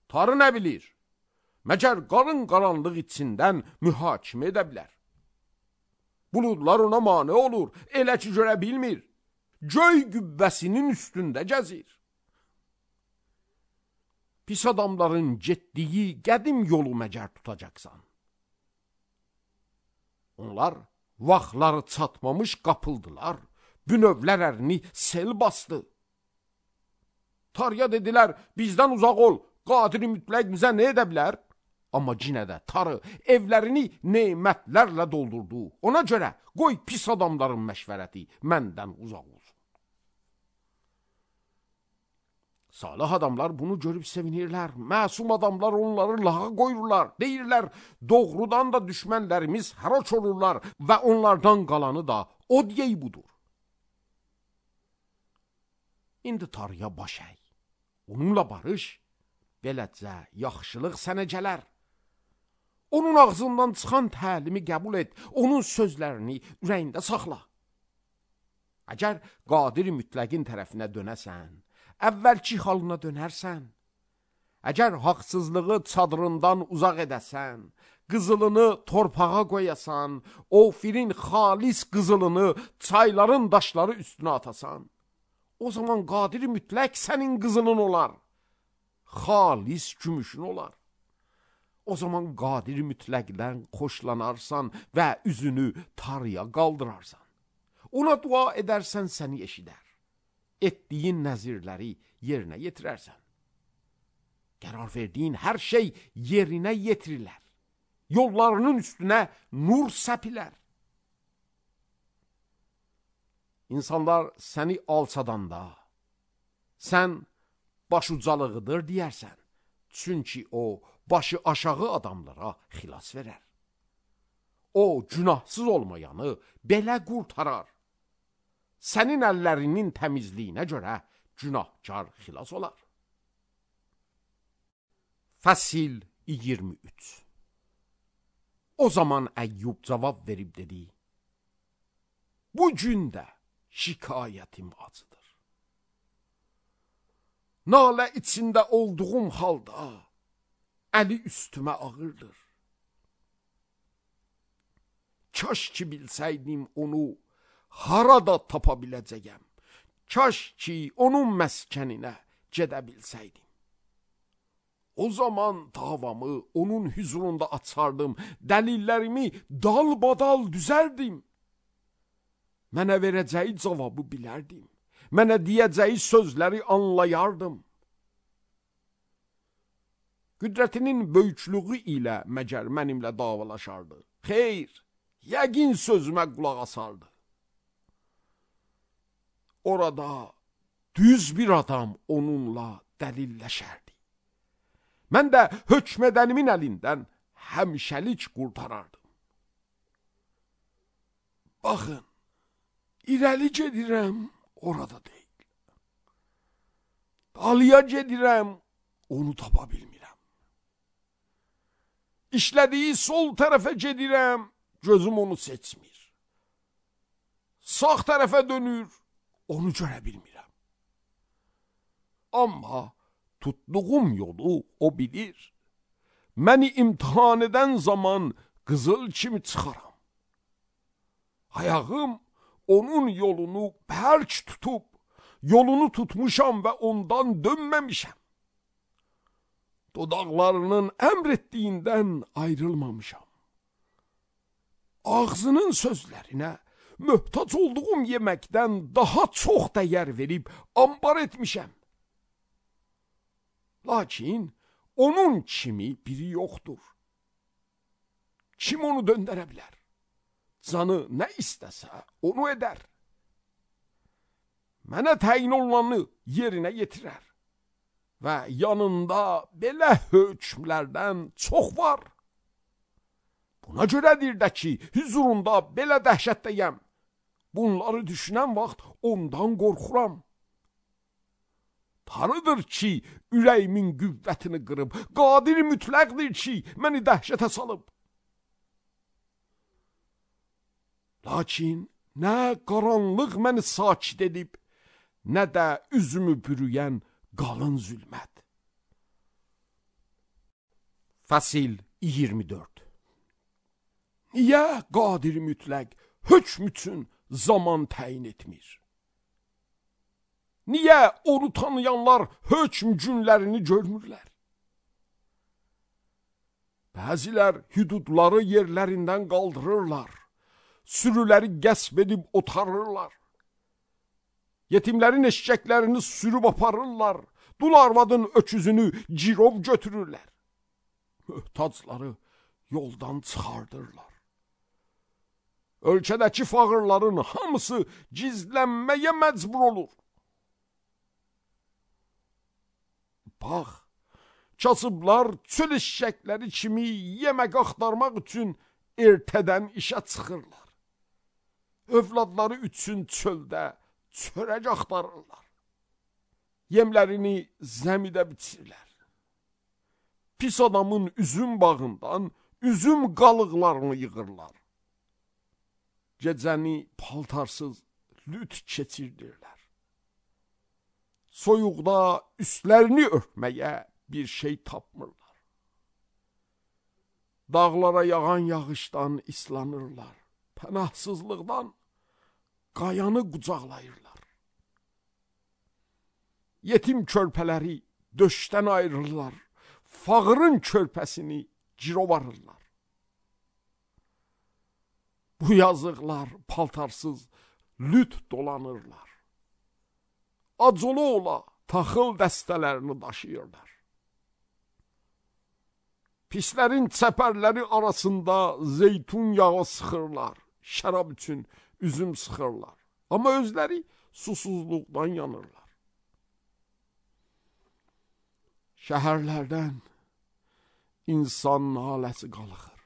tarı nə bilir? Məgər qarın qaranlıq içindən mühakimə edə bilər. Buludlar ona mane olur, elə ki görə bilmir. Göy qübbəsinin üstündə gəzir. Pis adamların getdiyi qədim yolu məgər tutacaqsan. Onlar vaxtları çatmamış qapıldılar, bünövlər ərini sel bastı. Tarıya dedilər, bizdən uzaq ol, qadiri mütləq bizə nə edə bilər? Amma cinə də tarı evlərini nemətlərlə doldurdu. Ona görə qoy pis adamların məşvərəti məndən uzaq olsun. Salih adamlar bunu görüb sevinirlər. Məsum adamlar onları lağa qoyurlar. Deyirlər, doğrudan da düşmənlərimiz haraç olurlar və onlardan qalanı da o deyəy budur. İndi tarıya baş əy. Onunla barış, beləcə yaxşılıq sənə gələr. Onun ağzından çıxan təlimi qəbul et, onun sözlərini ürəyində saxla. Əgər qadir mütləqin tərəfinə dönəsən, əvvəlki halına dönərsən, əgər haqsızlığı çadırından uzaq edəsən, qızılını torpağa qoyasan, ofirin xalis qızılını çayların daşları üstünə atasan, o zaman qadir mütləq sənin qızılın olar, xalis gümüşün olar. O zaman qadir mütləqdən xoşlanarsan və üzünü tarıya qaldırarsan. Ona dua edərsən, səni eşidər. Etdiyin nəzirləri yerinə yetirərsən. Qərar verdiyin hər şey yerinə yetirilər. Yollarının üstünə nur səpilər. İnsanlar səni alçadanda, sən başucalığıdır deyərsən. Çünki o, başı aşağı adamlara xilas verər. O, günahsız olmayanı belə qurtarar. Sənin əllərinin təmizliyinə görə günahkar xilas olar. Fəsil iyirmi üç. O zaman Əyyub cavab verib dedi: Bu gün də şikayətim acıdır. Nalə içində olduğum halda əli üstümə ağırdır. Kaş ki bilsəydim onu harada tapa biləcəyəm. Kaş ki onun məskəninə gedə bilsəydim. O zaman davamı onun huzurunda açardım, dəlillərimi dalbadal düzərdim. Mənə verəcəyi cavabı bilərdim. Mənə deyəcəyi sözləri anlayardım. Qüdrətinin böyüklüğü ilə məgər mənimlə davalaşardı. Xeyr, yəqin sözümə qulaq asardı. Orada düz bir adam onunla dəlilləşərdi. Mən də hökmədənimin əlindən həmişəlik qurtarardım. Baxın, irəli gedirəm, orada deyil. Dalıya gedirəm, onu tapa bilmirəm. İşlədiyi sol tərəfə gedirəm, gözüm onu seçmir. Sağ tərəfə dönür, onu görə bilmirəm. Amma tutduğum yolu o bilir. Məni imtihan edən zaman qızıl kimi çıxaram. Ayağım onun yolunu bərk tutub, yolunu tutmuşam və ondan dönməmişəm. Dodaqlarının əmr etdiyindən ayrılmamışam. Ağzının sözlərinə möhtac olduğum yeməkdən daha çox dəyər verib ambar etmişəm. Lakin onun kimi biri yoxdur. Kim onu döndərə bilər? Canı nə istəsə onu edər. Mənə təyin olanı yerinə yetirər. Və yanında belə hökmlərdən çox var. Buna görədir də ki, huzurunda belə dəhşətdəyəm. Bunları düşünən vaxt ondan qorxuram. Tanrıdır ki, ürəyimin qüvvətini qırıb, qadir mütləqdir ki, məni dəhşətə salıb. Lakin nə qaranlıq məni sakit edib, nə də üzümü bürüyən qalın zülmət. Fəsil iyirmi dörd. Niyə qadir mütləq hökm üçün zaman təyin etmir? Niyə onu tanıyanlar hökm günlərini görmürlər? Bəzilər hüdudları yerlərindən qaldırırlar, sürüləri qəsb edib otarırlar. Yetimlərin eşkəklərini sürüb aparırlar, dul arvadın öküzünü girov götürürlər. Möhtacları yoldan çıxardırlar. Ölkədəki fağırların hamısı gizlənməyə məcbur olur. Bax, kasıblar çöl eşşəkləri kimi yemək axtarmaq üçün ertədən işə çıxırlar. Övladları üçün çöldə çörək axtarırlar. yemlərini zəmidə biçirlər. Pis adamın üzüm bağından üzüm qalıqlarını yığırlar. Gecəni paltarsız lüt keçirdirlər. Soyuqda üstlərini örtməyə bir şey tapmırlar. Dağlara yağan yağışdan islanırlar. Pənahsızlıqdan qayanı qucaqlayırlar. Yetim körpələri döşdən ayırırlar. Fağırın körpəsini cirovarırlar. Bu yazıqlar paltarsız lüt dolanırlar. Acılı ola taxıl dəstələrini daşıyırlar. Pislərin çəpərləri arasında zeytun yağı sıxırlar. Şərab üçün üzüm sıxırlar. Amma özləri susuzluqdan yanırlar. Şəhərlərdən insan naləsi qalxır.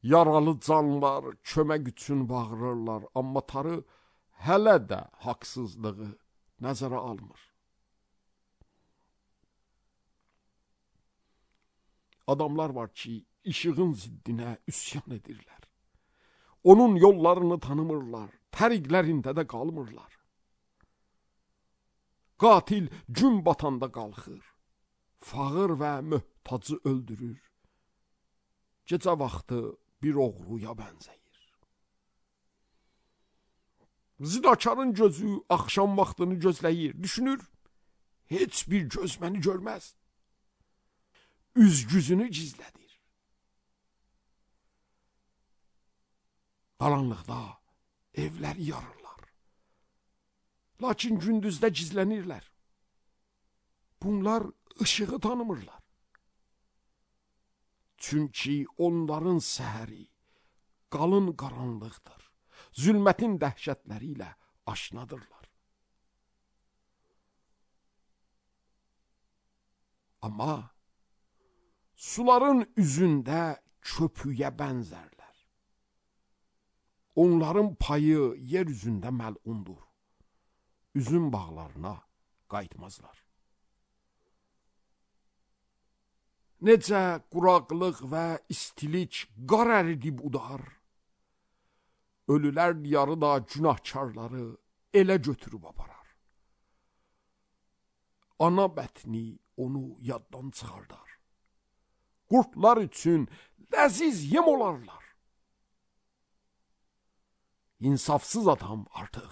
Yaralı canlar kömək üçün bağırırlar, amma Tanrı hələ də haqsızlığı nəzərə almır. Adamlar var ki, işığın ziddinə üsyan edirlər. Onun yollarını tanımırlar, təriqlərində də qalmırlar. Qatil gün batanda qalxır, fağır və möhtacı öldürür. Gecə vaxtı bir oğruya bənzəyir. Zinakarın gözü axşam vaxtını gözləyir, düşünür, heç bir göz məni görməz. Üz-güzünü gizlədir. Qaranlıqda evləri yarırlar. Lakin gündüzdə gizlənirlər. Bunlar ışığı tanımırlar. Çünki onların səhəri qalın qaranlıqdır. Zülmətin dəhşətləri ilə aşnadırlar. Amma suların üzündə köpüyə bənzərlər. Onların payı yer üzündə məlundur. Üzüm bağlarına qayıtmazlar. Necə quraqlıq və istilik qar əridib udar, ölülər diyarı da günahkarları elə götürüb aparar. Ana bətni onu yaddan çıxardar. Qurtlar üçün ləziz yem olarlar. İnsafsız adam artıq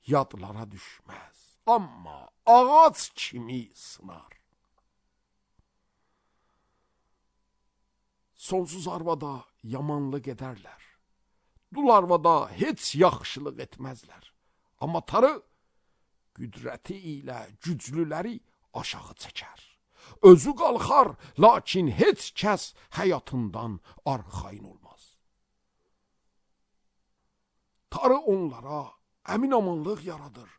yadlara düşməz, amma ağac kimi sınar. Sonsuz arvada yamanlıq edərlər. Dul arvada heç yaxşılıq etməzlər. Amma Tanrı qüdrəti ilə güclüləri aşağı çəkər. Özü qalxar, lakin heç kəs həyatından arxayın olmaz. Tanrı onlara əmin amanlıq yaradır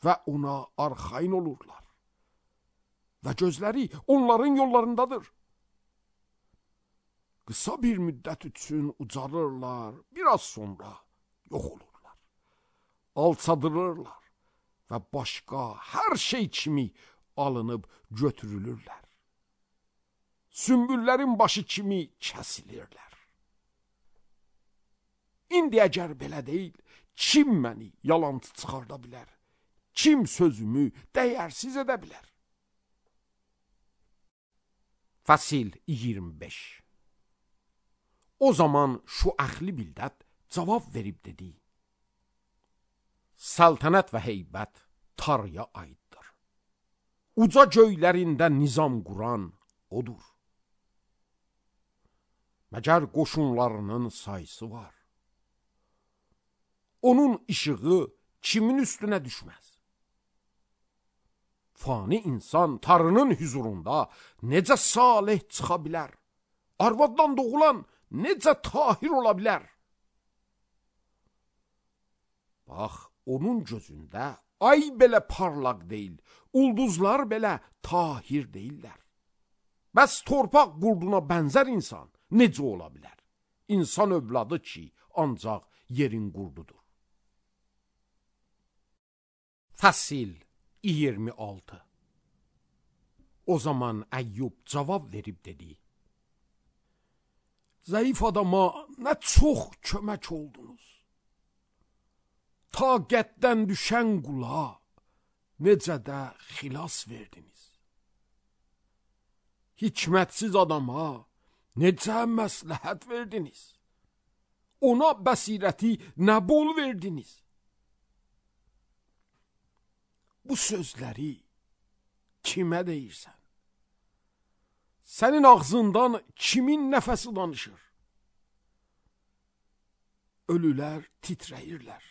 və ona arxayın olurlar. Və gözləri onların yollarındadır. Qısa bir müddət üçün ucalırlar, biraz sonra yox olurlar. Alçadılırlar və başqa hər şey kimi alınıb götürülürlər. Sümbüllərin başı kimi kəsilirlər. İndi əgər belə deyil, kim məni yalancı çıxarda bilər? Kim sözümü dəyərsiz edə bilər? Fəsil iyirmi beş. O zaman şu əxli bildət cavab verib dedi: Saltanat və heybət Tanrıya aiddir. Uca göylərində nizam quran odur. Məgər qoşunlarının sayısı var. Onun işığı kimin üstünə düşməz? Fani insan Tanrının huzurunda necə salih çıxa bilər? Arvaddan doğulan necə tahir ola bilər? Bax, onun gözündə ay belə parlaq deyil, ulduzlar belə tahir deyillər. Bəs torpaq qurduna bənzər insan necə ola bilər? İnsan övladı ki, ancaq yerin qurdudur. Fəsil iyirmi altı. O zaman Əyyub cavab verib dedi: Zəif adama nə çox kömək oldunuz. Taqətdən düşən qula necə də xilas verdiniz. Hikmətsiz adama necə məsləhət verdiniz. Ona bəsirəti nə bol verdiniz. Bu sözləri kimə deyirsən? Sənin ağzından kimin nəfəsi danışır? Ölülər titrəyirlər.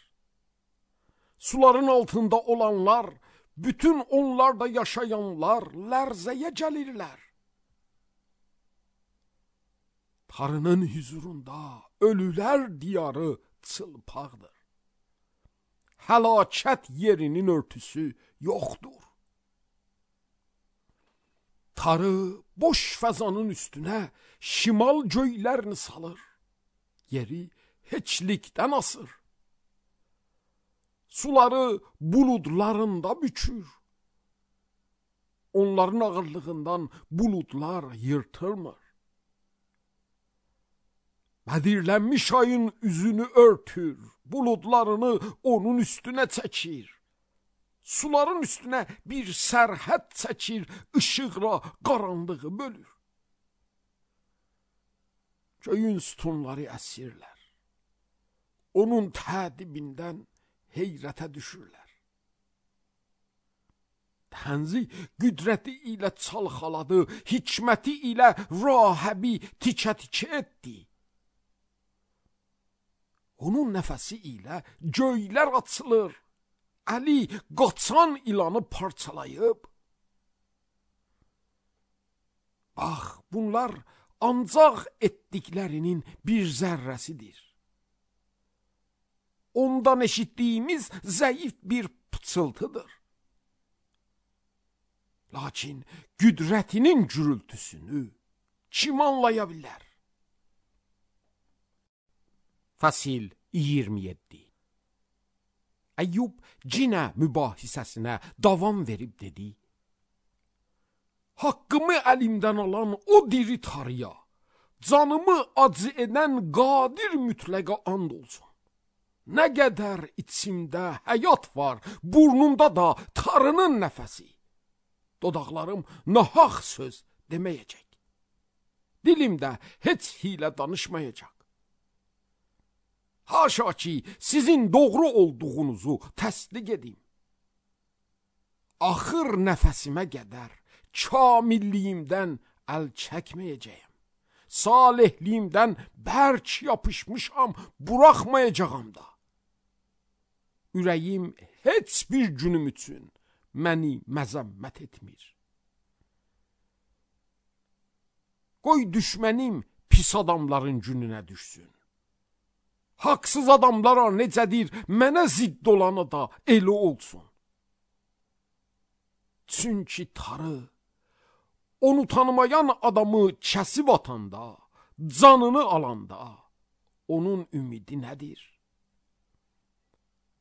Suların altında olanlar, bütün onlarda yaşayanlar lərzəyə gəlirlər. Tanrının huzurunda ölülər diyarı çılpaqdır. Həlakət yerinin örtüsü yoxdur. Tanrı boş fəzanın üstünə şimal göylərini salır. Yeri heçlikdən asır. Suları buludlarında bükür. Onların ağırlığından buludlar yırtılmır. Bədirlənmiş ayın üzünü örtür, buludlarını onun üstünə çəkir. Suların üstünə bir sərhəd çəkir, işıqla qaranlığı bölür. Göyün sütunları əsirlər. Onun tədibindən heyrətə düşürlər. Tənzi qüdrəti ilə çalxaladı, hikməti ilə rahəbi tikə-tikə etdi. Onun nəfəsi ilə göylər açılır, əli qaçan ilanı parçalayıb. Bax, bunlar ancaq etdiklərinin bir zərrəsidir. Ondan eşitdiyimiz zəif bir pıçıltıdır. Lakin qüdrətinin gürültüsünü kim anlaya bilər? Fəsil iyirmi yeddi. Əyyub cinə mübahisəsinə davam verib dedi: Haqqımı əlimdən alan o diri Tanrıya, canımı acı edən qadir mütləqa and olsun. Nə qədər içimdə həyat var, burnumda da Tanrının nəfəsi. Dodaqlarım nahaq söz deməyəcək. Dilimdə heç hilə danışmayacaq. Haşa ki, sizin doğru olduğunuzu təsdiq edim. Axır nəfəsimə qədər kamilliyimdən əl çəkməyəcəyəm. Salihliyimdən bərk yapışmışam, buraxmayacağam da. Ürəyim heç bir günüm üçün məni məzəmmət etmir. Qoy düşmənim pis adamların gününə düşsün. Haqsız adamlara necədir, mənə zidd olanı da elə olsun. Çünki Tanrı onu tanımayan adamı kəsib atanda, canını alanda onun ümidi nədir?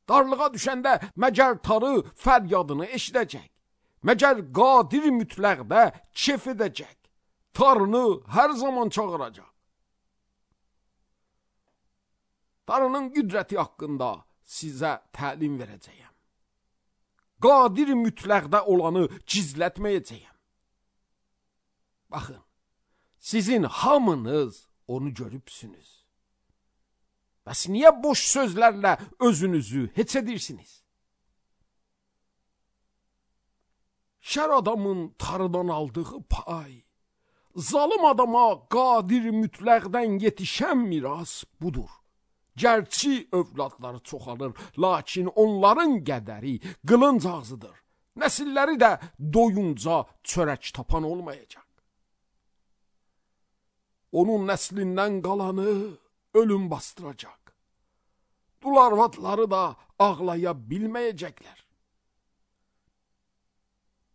Darlığa düşəndə məgər Tanrı fəryadını eşidəcək, məgər qadir mütləqdə kef edəcək, Tanrını hər zaman çağıracaq. Tanrının qüdrəti haqqında sizə təlim verəcəyəm. Qadir mütləqdə olanı gizlətməyəcəyəm. Baxın, sizin hamınız onu görübsünüz. Bəs niyə boş sözlərlə özünüzü heç edirsiniz? Şər adamın Tanrıdan aldığı pay, zalım adama qadir mütləqdən yetişən miras budur. Gərçi övladları çoxalır, lakin onların qədəri qılınc ağzıdır. Nəsilləri də doyunca çörək tapan olmayacaq. Onun nəslindən qalanı ölüm bastıracaq. Dul arvadları da ağlaya bilməyəcəklər.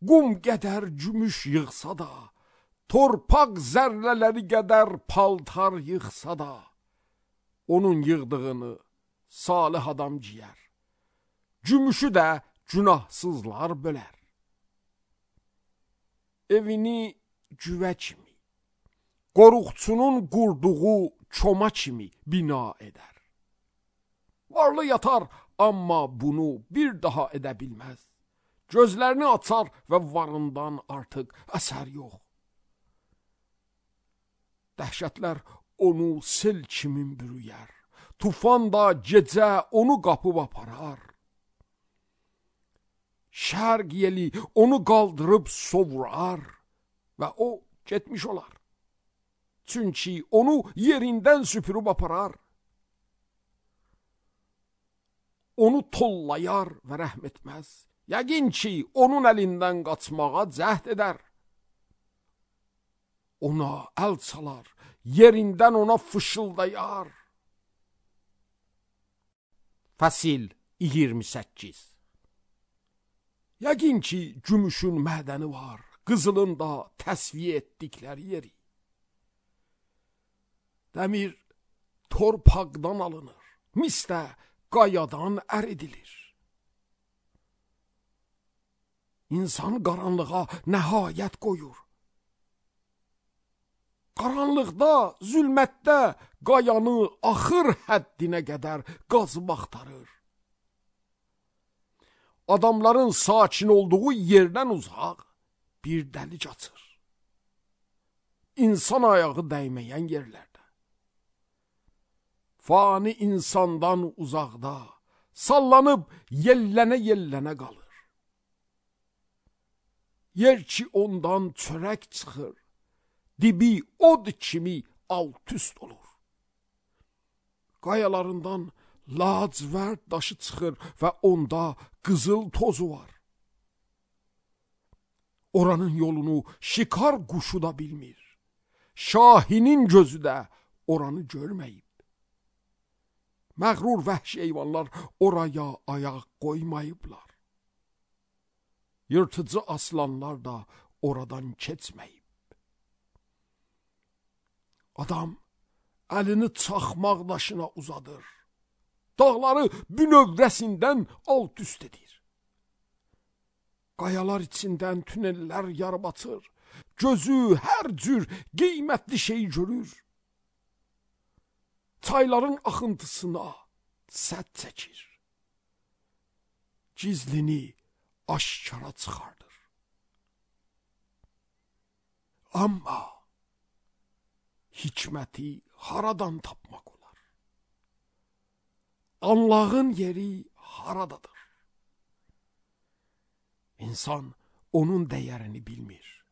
Qum qədər gümüş yığsa da, torpaq zərrələri qədər paltar yığsa da, onun yığdığını salih adam ciyər. Gümüşü də günahsızlar bölər. Evini cüvə kimi, qoruqçunun qurduğu çoma kimi bina edər. Varlı yatar, amma bunu bir daha edə bilməz. Gözlərini açar və varından artıq əsər yox. Dəhşətlər onu sel kimi bürüyər. Tufan da gecə onu qapıb aparar. Şərq yeli onu qaldırıb sovurar və o getmiş olar. Çünki onu yerindən süpürüb aparar. Onu tollayar və rəhm etməz. Yəqin ki, onun əlindən qaçmağa cəhd edər. Ona əl çalar, yerindən ona fışıldayar. Fəsil iyirmi səkkiz. Yəqin ki, gümüşün mədəni var, qızılın da təsviyə etdikləri yeri. Dəmir torpaqdan alınır, mis də qayadan əridilir. İnsan qaranlığa nəhayət qoyur. Qaranlıqda, zülmətdə qayanı axır həddinə qədər qazıb axtarır. Adamların sakin olduğu yerdən uzaq bir dəlik açır. İnsan ayağı dəyməyən yerlərdə. Fani insandan uzaqda, sallanıb yellənə-yellənə qalır. Yer ki ondan çörək çıxır, dibi od kimi alt-üst olur. Qayalarından lacivərd daşı çıxır və onda qızıl tozu var. Oranın yolunu şikar quşu da bilmir. Şahinin gözü də oranı görməyib. Məğrur vəhşi heyvanlar oraya ayaq qoymayıblar. Yırtıcı aslanlar da oradan keçməyib. Adam əlini çaxmaq daşına uzadır. Dağları bünövrəsindən alt üst edir. Qayalar içindən tünellər yarıb açır. Gözü hər cür qiymətli şey görür. Çayların axıntısına sədd çəkir. Gizlini aşkara çıxardır. Amma hikməti haradan tapmaq olar? Anlağın yeri haradadır? İnsan onun dəyərini bilmir.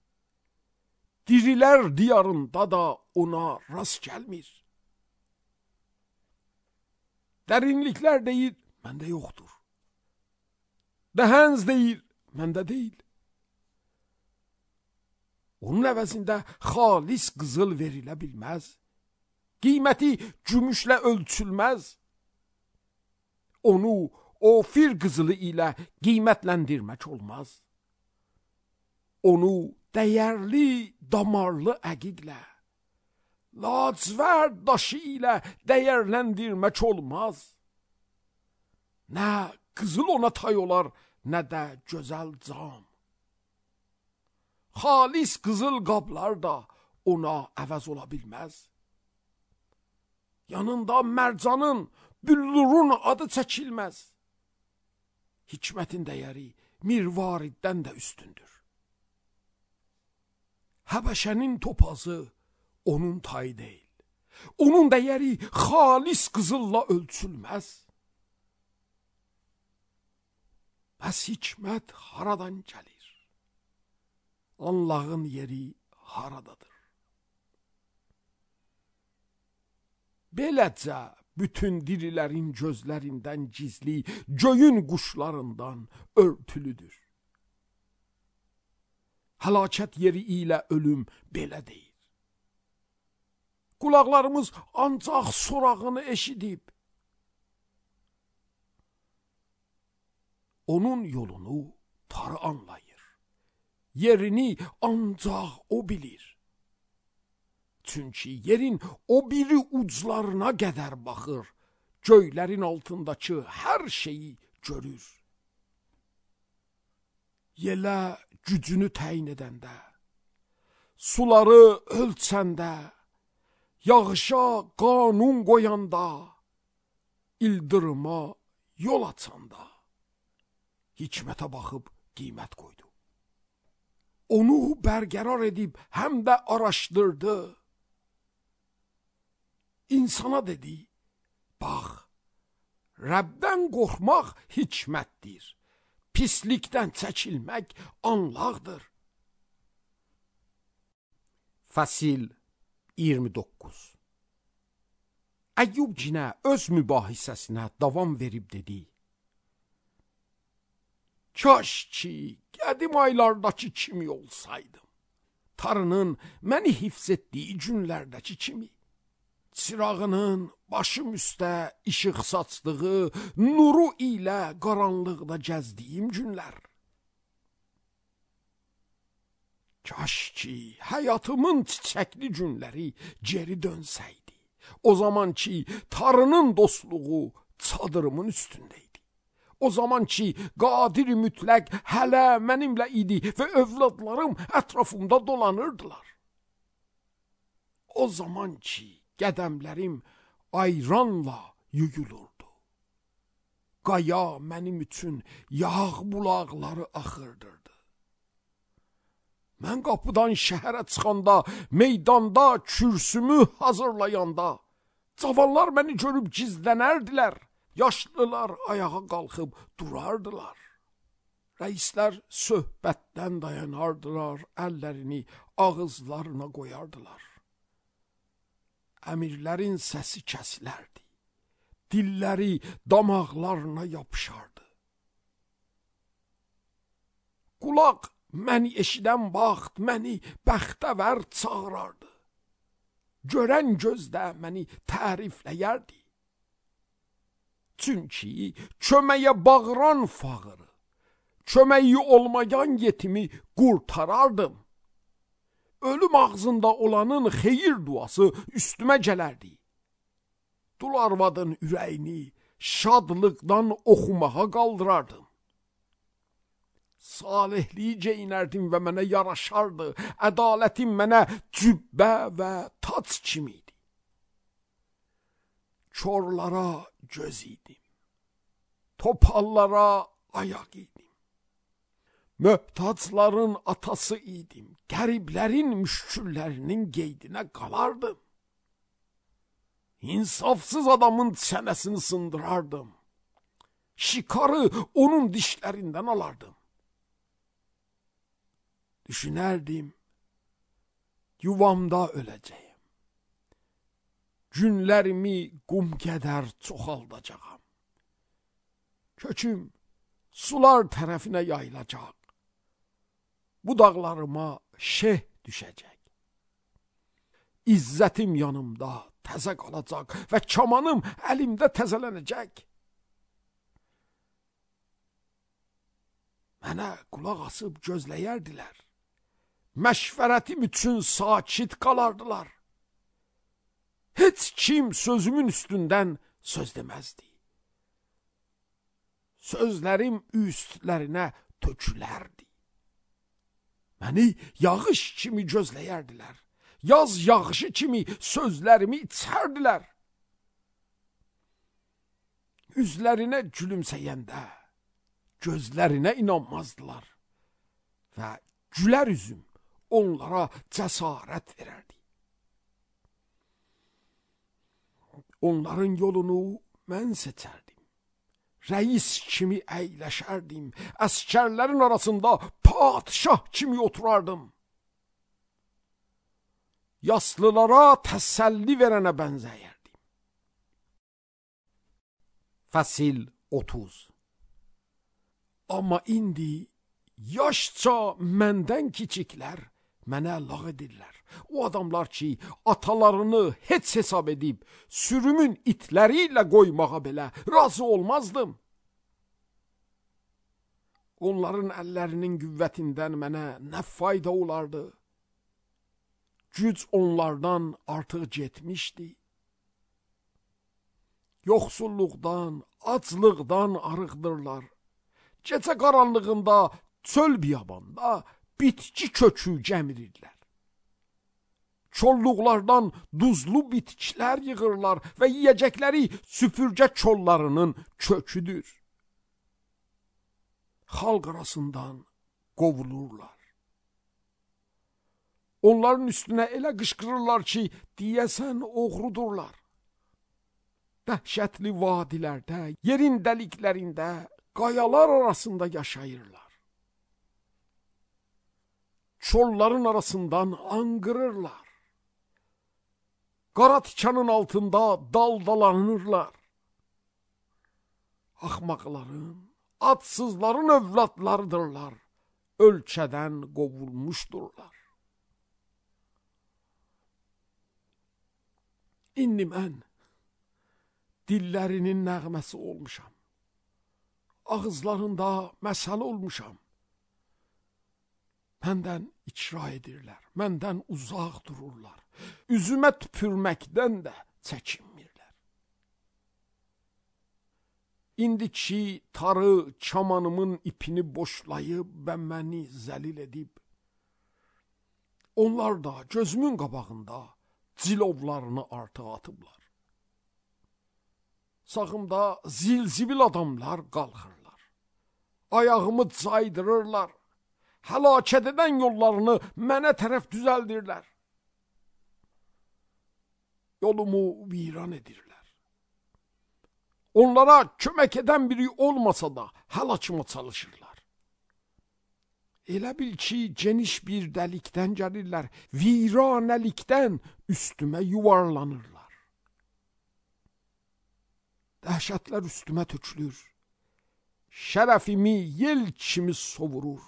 Dirilər diyarında da ona rast gəlmir. Dərinliklər deyir, məndə yoxdur. Dəhənz deyir, məndə deyil. Onun əvəzində xalis qızıl verilə bilməz. Qiyməti gümüşlə ölçülməz. Onu ofir qızılı ilə qiymətləndirmək olmaz. Onu dəyərli damarlı əqiqlə, lacivərd daşı ilə dəyərləndirmək olmaz. Nə qızıl ona tay olar, nə də gözəl cam. Xalis qızıl qablar da ona əvəz ola bilməz. Yanında mərcanın, büllurun adı çəkilməz. Hikmətin dəyəri mirvariddən də üstündür. Həbəşənin topazı onun tayı deyil. Onun dəyəri xalis qızılla ölçülməz. Bəs hikmət haradan gəlir? Anlağın yeri haradadır? Beləcə bütün dirilərin gözlərindən gizli, göyün quşlarından örtülüdür. Həlakət yeri ilə ölüm belə deyir. Qulaqlarımız ancaq sorağını eşidib. Onun yolunu tarı anlayır. Yerini ancaq o bilir. Çünki yerin o biri uclarına qədər baxır, göylərin altındakı hər şeyi görür. yelə gücünü təyin edəndə, suları ölçəndə, yağışa qanun qoyanda, ildırıma yol açanda, hikmətə baxıb qiymət qoydu. Onu bərqərar edib həm də araşdırdı. İnsana dedi, bax, Rəbdən qorxmaq hikmətdir, pislikdən çəkilmək anlaqdır. Fəsil iyirmi doqquz. Əyyub cinə öz mübahisəsinə davam verib dedi, kaş ki, qədim aylardakı kimi olsaydım, Tanrının məni hifz etdiyi günlərdəki kimi, çırağının başım üstə işıq saçdığı nuru ilə qaranlıqda gəzdiyim günlər. Kaş ki, həyatımın çiçəkli günləri geri dönsəydi, o zaman ki, Tanrının dostluğu çadırımın üstündəydi. O zaman ki, qadir mütləq hələ mənimlə idi və övladlarım ətrafımda dolanırdılar. O zaman ki, qədəmlərim ayranla yuyulurdu. Qaya mənim üçün yağ bulaqları axırdırdı. Mən qapıdan şəhərə çıxanda, meydanda kürsümü hazırlayanda, cavanlar məni görüb gizlənərdilər, yaşlılar ayağa qalxıb durardılar. Rəislər söhbətdən dayanardılar, əllərini ağızlarına qoyardılar. Əmirlərin səsi kəsilərdi, dilləri damaqlarına yapışardı. Qulaq məni eşidən vaxt məni bəxtəvər çağırardı. Görən gözdə məni tərifləyərdi. Çünki köməyə bağıran fağırı, köməyi olmayan yetimi qurtarardım. Ölüm ağzında olanın xeyir duası üstümə gələrdi. Dul arvadın ürəyini şadlıqdan oxumağa qaldırardım. Salihliyi geyinərdim və mənə yaraşardı. Ədalətim mənə cübbə və tac kimiydi. Çorlara göz idim, topallara ayaq idim. Möhtacların atası idim, qəriblərin müşküllərinin qeydinə qalardım. İnsafsız adamın çənəsini sındırardım. Şikarı onun dişlərindən alardım. Düşünərdim, yuvamda öləcəyim. Günlərimi qum qədər çoxaldacağam. Köküm sular tərəfinə yayılacaq. Budaqlarıma şeh düşəcək. İzzətim yanımda təzə qalacaq və kamanım əlimdə təzələnəcək. Mənə qulaq asıb gözləyərdilər. Məşvərətim üçün sakit qalardılar. Heç kim sözümün üstündən söz deməzdi. Sözlərim üstlərinə tökülərdi. Məni yağış kimi gözləyərdilər. Yaz yağışı kimi sözlərimi içərdilər. Üzlərinə gülümsəyəndə gözlərinə inanmazdılar və gülər üzüm onlara cəsarət verərdi. Onların yolunu mən seçərdim. Rəis kimi əyləşərdim. Əskərlərin arasında padişah kimi oturardım. Yaslılara təsəlli verənə bənzəyərdim. Fəsil otuz. Amma indi yaşca məndən kiçiklər mənə lağ edirlər. O adamlar ki, atalarını heç hesab edib, sürümün itləri ilə qoymağa belə razı olmazdım. Onların əllərinin qüvvətindən mənə nə fayda olardı? Güc onlardan artıq getmişdi. Yoxsulluqdan, aclıqdan arıqdırlar. Gecə qaranlığında çöl biyabanda bitki kökü gəmirirlər. Çolluqlardan duzlu bitkilər yığırlar və yiyəcəkləri süpürgə çollarının köküdür. Xalq arasından qovulurlar. Onların üstünə elə qışqırırlar ki, deyəsən oğrudurlar. Dəhşətli vadilərdə, yerin dəliklərində, qayalar arasında yaşayırlar. Çolların arasından anqırırlar. Qara tikanın altında daldalanırlar. Axmaqların, adsızların övladlarıdırlar. Ölkədən qovulmuşdurlar. İndi mən dillərinin nəğməsi olmuşam. Ağızlarında məsəl olmuşam. Məndən icra edirlər, məndən uzaq dururlar. Üzümə tüpürməkdən də çəkinmirlər. İndiki tarı çamanımın ipini boşlayıb və məni zəlil edib, onlar da gözümün qabağında cilovlarını artıq atıblar. Sağımda zilzibil adamlar qalxırlar. Ayağımı caydırırlar. Həlakət edən yollarını mənə tərəf düzəldirlər. Yolumu viran edirlər. Onlara kömək edən biri olmasa da həlakıma çalışırlar. Elə bil ki, geniş bir dəlikdən gəlirlər, viranəlikdən üstümə yuvarlanırlar. Dəhşətlər üstümə tökülür. Şərəfimi yel kimi sovurur.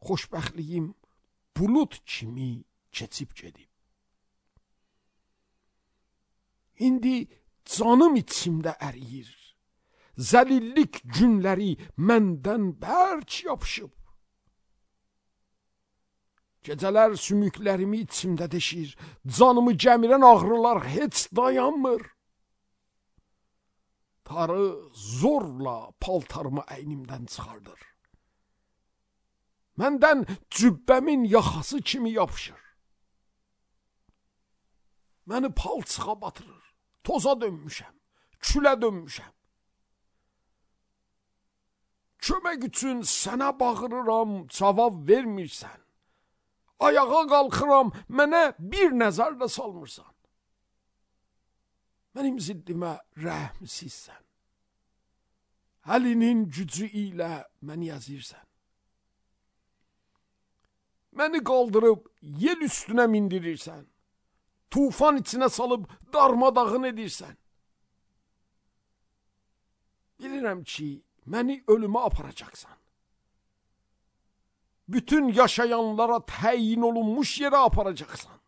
Xoşbəxtliyim bulut kimi keçib gedib. İndi canım içimdə əriyir. Zəlillik günləri məndən bərk yapışıb. Gecələr sümüklərimi içimdə deşir. Canımı gəmirən ağrılar heç dayanmır. Tarı zorla paltarımı əynimdən çıxardır. Məndən cübbəmin yaxası kimi yapışır. Məni palçığa batırır. Toza dönmüşəm, külə dönmüşəm. Kömək üçün sənə bağırıram, cavab vermirsən. Ayağa qalxıram, mənə bir nəzər də salmırsan. Mənim ziddimə rəhmsizsən. Əlinin gücü ilə məni əzirsən. Məni qaldırıb yel üstünə mindirirsən. Tufan içinə salıb darmadağın edirsən. Bilirəm ki, məni ölümə aparacaqsan. Bütün yaşayanlara təyin olunmuş yerə aparacaqsan.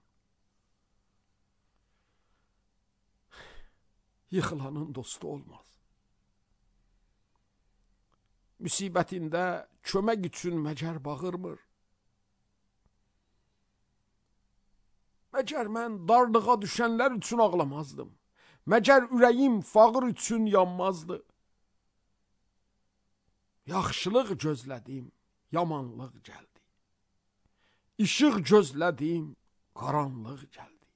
Yıxılanın dostu olmaz. Müsibətində kömək üçün məcər bağırmır. Məcər mən darlığa düşənlər üçün ağlamazdım. Məcər ürəyim fağır üçün yanmazdı. Yaxşılıq gözlədim, yamanlıq gəldi. İşıq gözlədim, qaranlıq gəldi.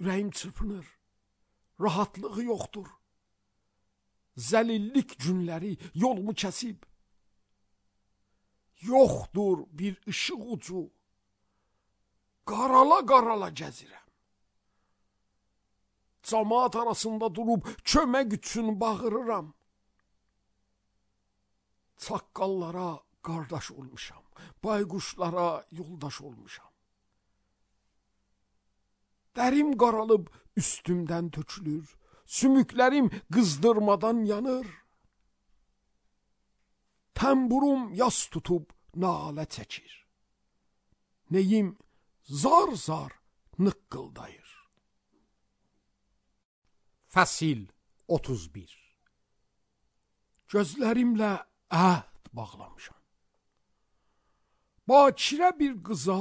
Ürəyim çırpınır, rahatlığı yoxdur. Zəlillik günləri yolumu kəsib. Yoxdur bir ışıq ucu. Qarala-qarala gəzirəm. Camaat arasında durub kömək üçün bağırıram. Çaqqallara qardaş olmuşam. Bayquşlara yoldaş olmuşam. Dərim qaralıb üstümdən tökülür. Sümüklərim qızdırmadan yanır. Təmburum yas tutub nalə çəkir. Neyim zar-zar nıqqıldayır. Fəsil otuz bir. Gözlərimlə əhd bağlamışam. Bakirə bir qıza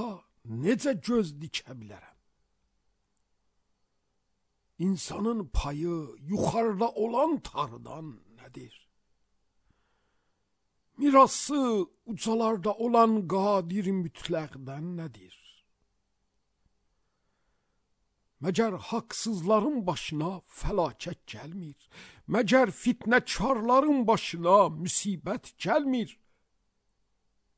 necə göz dikə bilərəm? İnsanın payı yukarıda olan Tanrı'dan nedir? Mirası ucalarda olan qadir mütləqdən nedir? Məcər haqsızların başına fəlakət gəlmir. Məcər fitnəkarların başına müsibət gəlmir.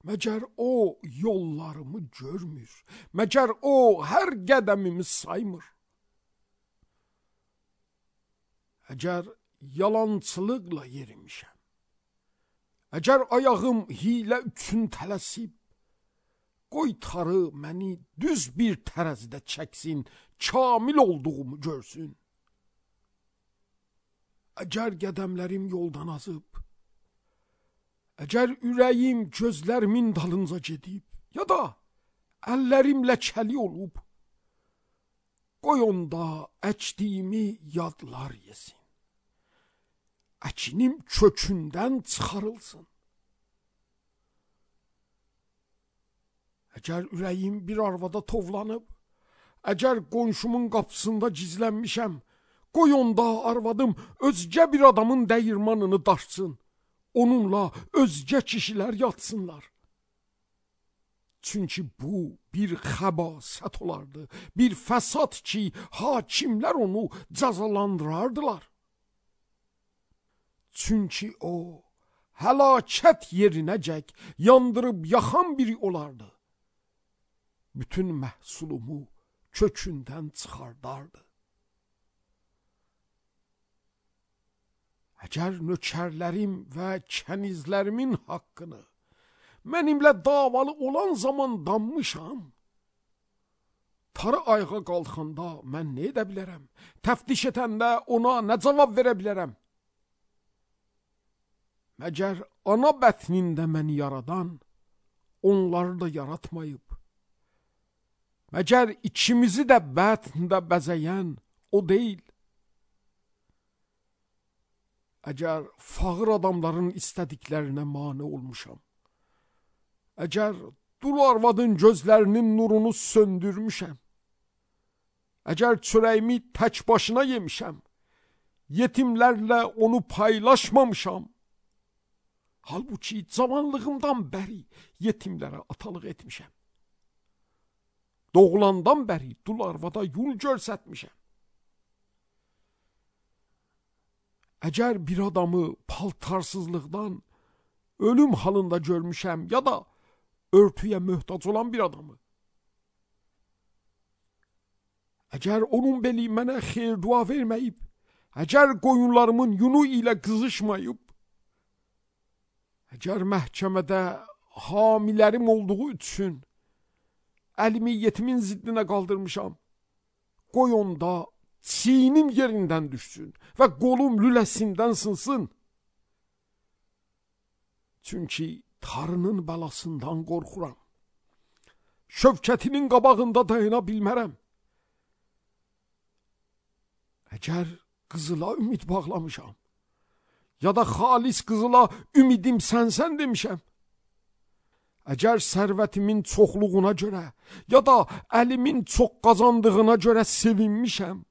Məcər o yollarımı görmür. Məcər o hər qədəmimi saymır. Əgər yalançılıqla yerimişəm, əgər ayağım hilə üçün tələsib, qoy Tanrı məni düz bir tərəzidə çəksin, kamil olduğumu görsün. Əgər qədəmlərim yoldan azıb, əgər ürəyim gözlərimin dalınca gedib, ya da əllərim ləkəli olub, qoy onda əkdiyimi yadlar yesin. Əkinim kökündən çıxarılsın. Əgər ürəyim bir arvada tovlanıb, əgər qonşumun qapısında gizlənmişəm, qoy onda arvadım özgə bir adamın dəyirmanını daşsın, onunla özgə kişilər yatsınlar. Çünki bu bir xəbasət olardı, bir fəsad ki, hakimlər onu cəzalandırardılar. Çünki o, həlakət yerinəcək yandırıb yaxan biri olardı. Bütün məhsulumu kökündən çıxardardı. Əgər nökərlərim və kənizlərimin haqqını mənimlə davalı olan zaman danmışam, Tanrı ayağa qalxanda mən nə edə bilərəm? Təftiş edəndə ona nə cavab verə bilərəm? Məgər ana bətnində məni yaradan onları da yaratmayıb? Məgər ikimizi də bətndə bəzəyən o deyil? Əgər fağır adamların istədiklərinə mane olmuşam, əgər dul arvadın gözlərinin nurunu söndürmüşəm, əgər çörəyimi tək başına yemişəm, yetimlərlə onu paylaşmamışam, halbuki cavanlığımdan bəri yetimlərə atalıq etmişəm, doğulandan bəri dul arvada yol görsətmişəm. Əgər bir adamı paltarsızlıqdan ölüm halında görmüşəm, ya da örtüyə möhtac olan bir adamı, əgər onun beli mənə xeyir dua verməyib, əgər qoyunlarımın yunu ilə qızışmayıb, əgər məhkəmədə hamilərim olduğu üçün əlimi yetimin ziddinə qaldırmışam, qoy onda çiynim yerindən düşsün və qolum lüləsindən sınsın. Çünki Tanrının bəlasından qorxuram. Şövkətinin qabağında dayana bilmərəm. Əgər qızıla ümid bağlamışam, ya da xalis qızıla ümidim sənsən demişəm, əgər sərvətimin çoxluğuna görə, ya da əlimin çox qazandığına görə sevinmişəm,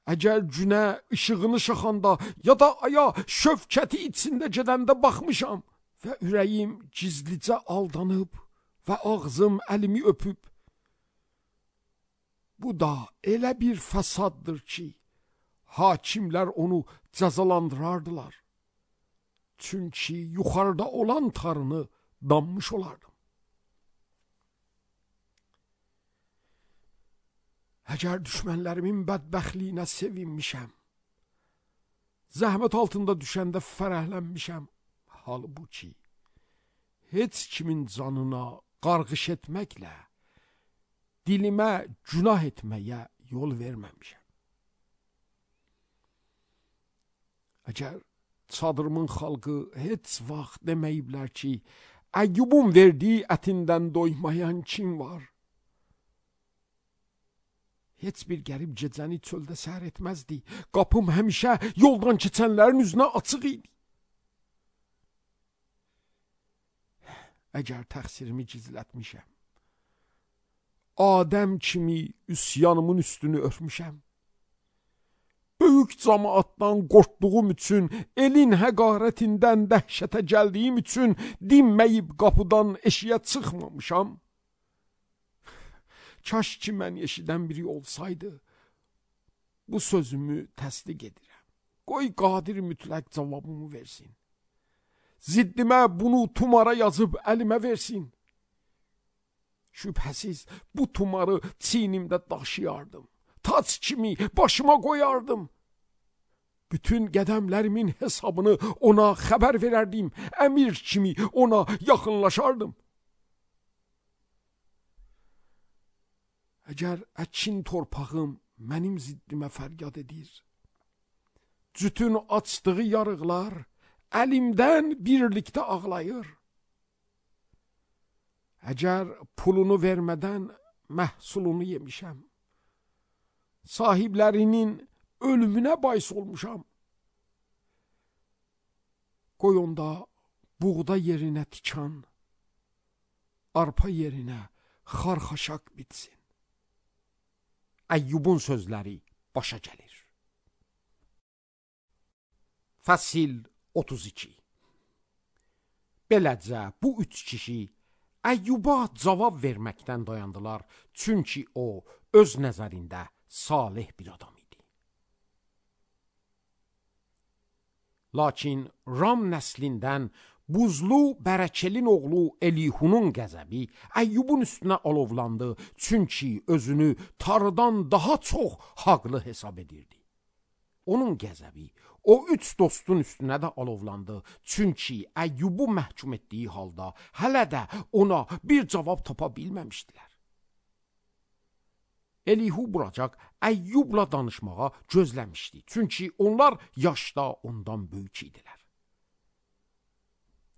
əgər günə işığını şaxanda, ya da aya şövkəti içində gedəndə baxmışam və ürəyim gizlicə aldanıb və ağzım əlimi öpüb, bu da elə bir fəsaddır ki, hakimlər onu cəzalandırardılar. Çünki yuxarıda olan Tanrını danmış olardım. Əgər düşmənlərimin bədbəxtliyinə sevinmişəm, zəhmət altında düşəndə fərəhlənmişəm, halbuki heç kimin canına qarğış etməklə dilimə günah etməyə yol verməmişəm. Əgər çadırımın xalqı heç vaxt deməyiblər ki, Əyyubun verdiyi ətindən doymayan kim var? Heç bir qərib gecəni çöldə səhər etməzdi. Qapım həmişə yoldan keçənlərin üzünə açıq idi. Əgər təqsirimi gizlətmişəm, Adəm kimi üsyanımın üstünü örmüşəm. Böyük cəmaatdan qorxduğum üçün, elin həqarətindən dəhşətə gəldiyim üçün dinməyib qapıdan eşiyə çıxmamışam. Kaş ki mən eşidən biri olsaydı, bu sözümü təsdiq edirəm. Qoy qadir mütləq cavabımı versin. Ziddimə bunu tumara yazıb əlimə versin. Şübhəsiz bu tumarı çiynimdə daşıyardım. Tac kimi başıma qoyardım. Bütün qədəmlərimin hesabını ona xəbər verərdim. Əmir kimi ona yaxınlaşardım. Əgər əkin torpağım mənim ziddimə fəryad edir, cütün açdığı yarıqlar əlimdən birlikdə ağlayır. Əgər pulunu vermədən məhsulunu yemişəm, sahiblərinin ölümünə bais olmuşam. Qoy onda buğda yerinə tikan, arpa yerinə xarxaşaq bitsin. Əyyubun sözləri başa gəlir. Fəsil otuz iki. Beləcə bu üç kişi Əyyuba cavab verməkdən dayandılar, çünki o öz nəzərində salih bir adam idi. Lakin Ram nəslindən Buzlu Bərəkəlin oğlu Elihunun qəzəbi Əyyubun üstünə alovlandı, çünki özünü Tanrıdan daha çox haqlı hesab edirdi. Onun qəzəbi o üç dostun üstünə də alovlandı, çünki Əyyubu məhkum etdiyi halda hələ də ona bir cavab tapa bilməmişdilər. Elihu buracaq Əyyubla danışmağa gözləmişdi, çünki onlar yaşda ondan böyük idilər.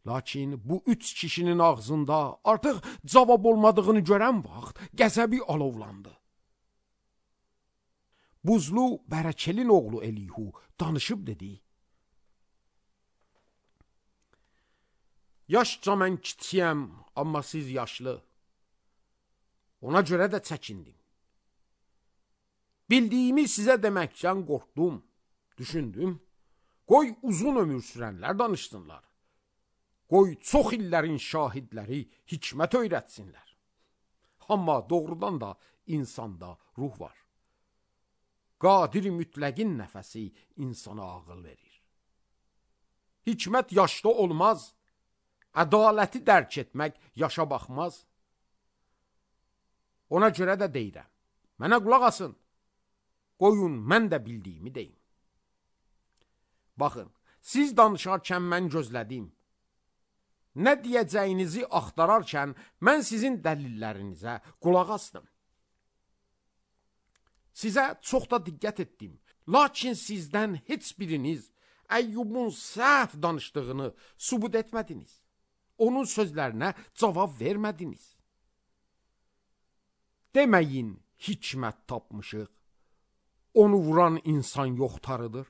Lakin bu üç kişinin ağzında artıq cavab olmadığını görən vaxt qəzəbi alovlandı. Buzlu Bərəkəlin oğlu Elihu danışıb dedi: Yaşca mən kiçiyəm, amma siz yaşlı. Ona görə də çəkindim. Bildiyimi sizə deməkdən qorxdum, düşündüm. Qoy uzun ömür sürənlər danışsınlar. Qoy çox illərin şahidləri hikmət öyrətsinlər. Amma doğrudan da insanda ruh var. Qadir mütləqin nəfəsi insana ağıl verir. Hikmət yaşda olmaz, ədaləti dərk etmək yaşa baxmaz. Ona görə də deyirəm, mənə qulaq asın, qoyun mən də bildiyimi deyim. Baxın, siz danışarkən mən gözlədim. Nə deyəcəyinizi axtararkən mən sizin dəlillərinizə qulaq asdım. Sizə çox da diqqət etdim. Lakin sizdən heç biriniz Əyyubun səhv danışdığını sübut etmədiniz. Onun sözlərinə cavab vermədiniz. Deməyin, hikmət tapmışıq. Onu vuran insan yoxtarıdır.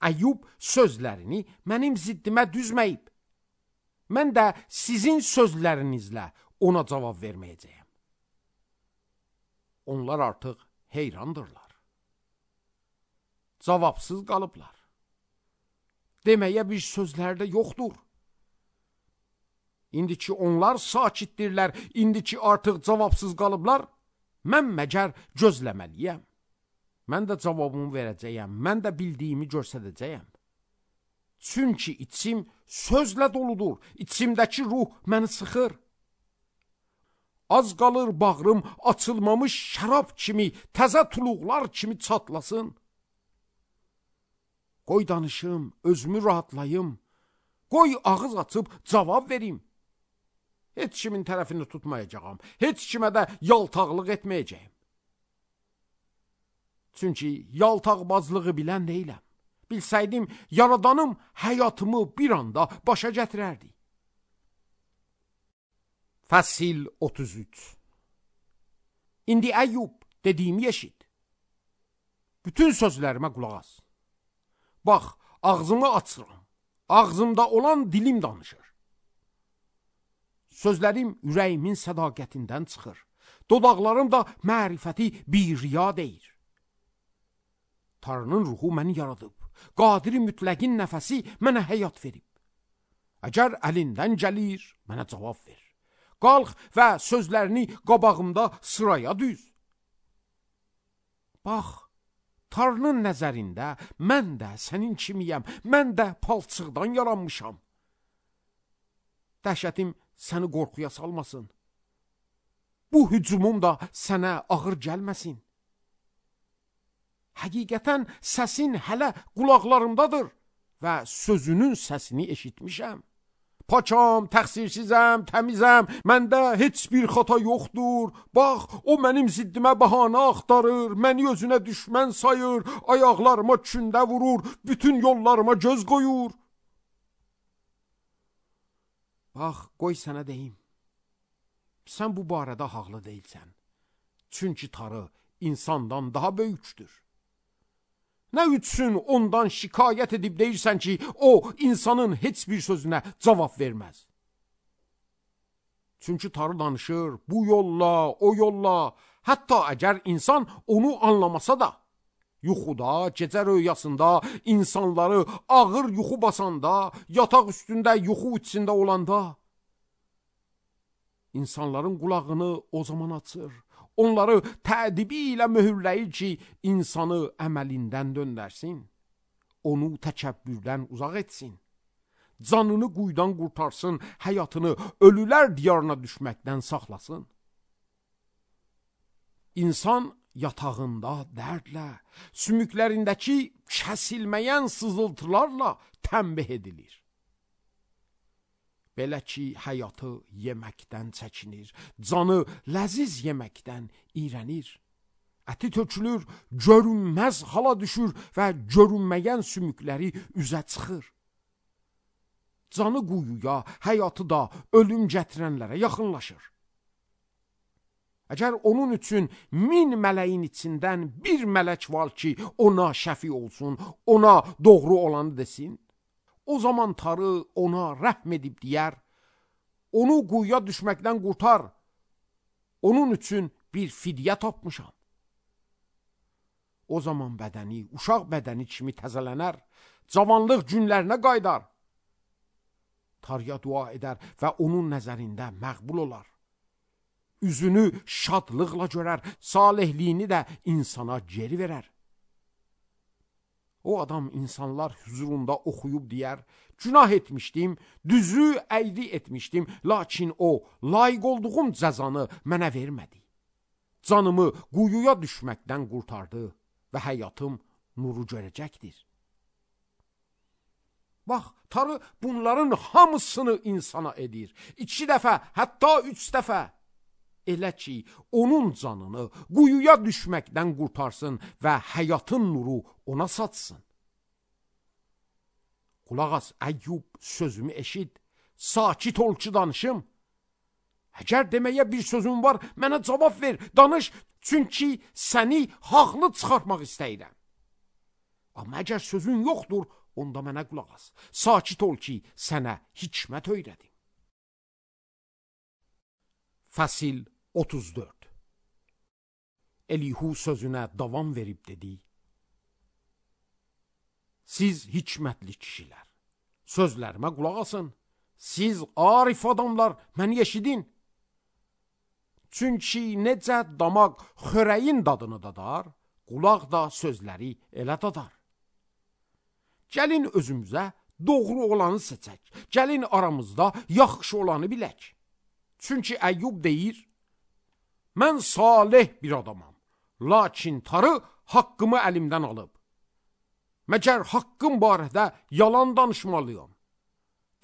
Əyyub sözlərini mənim ziddimə düzməyib. Mən də sizin sözlərinizlə ona cavab verməyəcəyəm. Onlar artıq heyrandırlar. Cavabsız qalıblar. Deməyə bir sözlər də yoxdur. İndi ki onlar sakitdirlər, indi ki artıq cavabsız qalıblar, mən məgər gözləməliyəm. Mən də cavabımı verəcəyəm, mən də bildiyimi göstərəcəyəm. Çünki içim sözlə doludur, içimdəki ruh məni sıxır. Az qalır bağrım açılmamış şərab kimi, təzə tuluqlar kimi çatlasın. Qoy danışım, özümü rahatlayım. Qoy ağız açıb cavab verim. Heç kimin tərəfini tutmayacağam, heç kimə də yaltaqlıq etməyəcəyim. Çünki yaltaqbazlığı bilən deyiləm. Bilsəydim, yaradanım həyatımı bir anda başa gətirərdi. Fəsil otuz üç. İndi Əyyub, dediyimi eşit. Bütün sözlərimə qulaq as. Bax, ağzımı açıram. Ağzımda olan dilim danışır. Sözlərim ürəyimin sədaqətindən çıxır. Dodaqlarım da mərifəti bir riya deyir. Tanrının ruhu məni yaradıb. Qadiri mütləqin nəfəsi mənə həyat verib. Əgər əlindən gəlir, mənə cavab ver. Qalx və sözlərini qabağımda sıraya düz. Bax, Tanrının nəzərində mən də sənin kimiyəm, mən də palçıqdan yaranmışam. Dəhşətim səni qorxuya salmasın. Bu hücumum da sənə ağır gəlməsin. Həqiqətən səsin hələ qulaqlarımdadır və sözünün səsini eşitmişəm. Paçam, təqsirsizəm, təmizəm, məndə heç bir xata yoxdur. Bax, o mənim ziddimə bəhanə axtarır, məni özünə düşmən sayır, ayaqlarıma kündə vurur, bütün yollarıma göz qoyur. Bax, qoy sənə deyim. Sən bu barədə haqlı deyilsən. Çünki Tanrı insandan daha böyükdür. Nə üçün ondan şikayət edib deyirsən ki, o insanın heç bir sözünə cavab verməz? Çünki Tanrı danışır bu yolla, o yolla, hətta əgər insan onu anlamasa da, yuxuda, gecə röyasında, insanları ağır yuxu basanda, yataq üstündə yuxu içində olanda, insanların qulağını o zaman açır. Onları tədibi ilə möhürləyir ki, insanı əməlindən döndərsin, onu təkəbbürdən uzaq etsin, canını quyudan qurtarsın, həyatını ölülər diyarına düşməkdən saxlasın. İnsan yatağında dərdlə, sümüklərindəki kəsilməyən sızıltılarla tənbih edilir. Belə ki, həyatı yeməkdən çəkinir, canı ləziz yeməkdən iyrənir. Əti tökülür, görünməz hala düşür və görünməyən sümükləri üzə çıxır. Canı quyuya, həyatı da ölüm gətirənlərə yaxınlaşır. Əgər onun üçün min mələyin içindən bir mələk var ki, ona şəfi olsun, ona doğru olanı desin, o zaman Tanrı ona rəhm edib deyər, onu quyuya düşməkdən qurtar, onun üçün bir fidyə tapmışam. O zaman bədəni, uşaq bədəni kimi təzələnər, cavanlıq günlərinə qaydar. Tanrıya dua edər və onun nəzərində məqbul olar. Üzünü şadlıqla görər, salehliyini də insana geri verər. O adam insanlar huzurunda oxuyub deyər, günah etmişdim, düzü əyri etmişdim, lakin o, layiq olduğum cəzanı mənə vermədi. Canımı quyuya düşməkdən qurtardı və həyatım nuru görəcəkdir. Bax, Tanrı bunların hamısını insana edir. İki dəfə, hətta üç dəfə. Elə ki, onun canını quyuya düşməkdən qurtarsın və həyatın nuru ona satsın. Qulaq as, Əyyub, sözümü eşit, sakit ol ki danışım. Əgər deməyə bir sözün var, mənə cavab ver, danış, çünki səni haqlı çıxartmaq istəyirəm. Amma əgər sözün yoxdur, onda mənə qulaq as, sakit ol ki, sənə hikmət öyrədim. Fəsil otuz dörd. Elihu sözünə davam verib dedi. Siz hikmətli kişilər, sözlərimə qulaq asın. Siz arif adamlar, məni eşidin. Çünki necə damaq xörəyin dadını dadar, qulaq da sözləri elə dadar. Gəlin özümüzə doğru olanı seçək. Gəlin aramızda yaxşı olanı bilək. Çünki Əyyub deyir, mən salih bir adamam, lakin Tanrı haqqımı əlimdən alıb. Məgər haqqım barədə yalan danışmalıyam.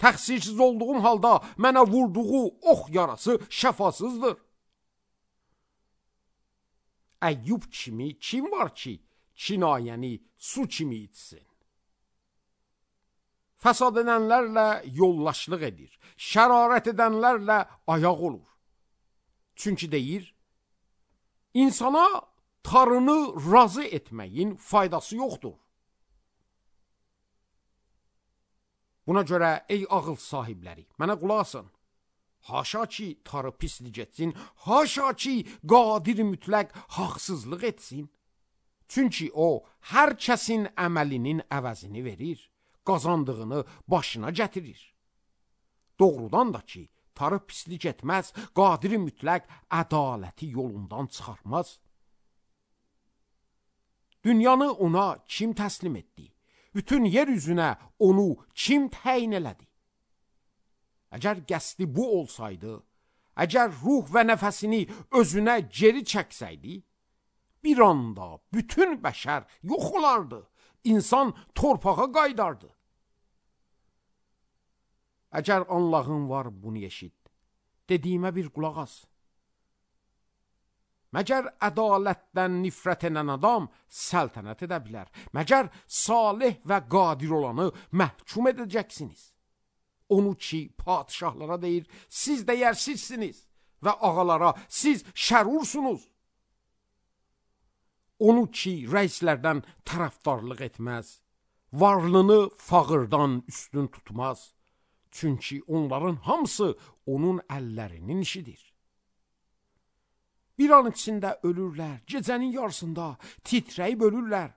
Təqsirsiz olduğum halda mənə vurduğu ox yarası şəfasızdır. Əyyub kimi kim var ki, kinayəni su kimi içsin? Fəsad edənlərlə yollaşlıq edir, şərarət edənlərlə ayaq olur. Çünki deyir, insana Tanrını razı etməyin faydası yoxdur. Buna görə ey ağıl sahibləri, mənə qulaq asın. Haşa ki tarı pislik etsin, haşa ki qadir mütləq haqsızlıq etsin. Çünki o, hər kəsin əməlinin əvəzini verir, qazandığını başına gətirir. Doğrudan da ki, tarı pislik etməz, qadir mütləq ədaləti yolundan çıxarmaz. Dünyanı ona kim təslim etdi? Bütün yer üzünə onu kim təyin elədi? Əgər qəsdi bu olsaydı, əgər ruh və nəfəsini özünə geri çəksəydi, bir anda bütün bəşər yox olardı, insan torpağa qaydardı. Əgər Allahın var bunu eşit, dediyimə bir qulaq as. Məgər ədalətdən nifrət edən adam səltənət edə bilər? Məgər salih və qadir olanı məhkum edəcəksiniz? Onu ki padişahlara deyir, siz dəyərsizsiniz və ağalara siz şərursunuz. Onu ki rəislərdən tərəfdarlıq etməz, varlığını fağırdan üstün tutmaz. Çünki onların hamısı onun əllərinin işidir. Bir an içində ölürlər, gecənin yarısında titrəyib ölürlər.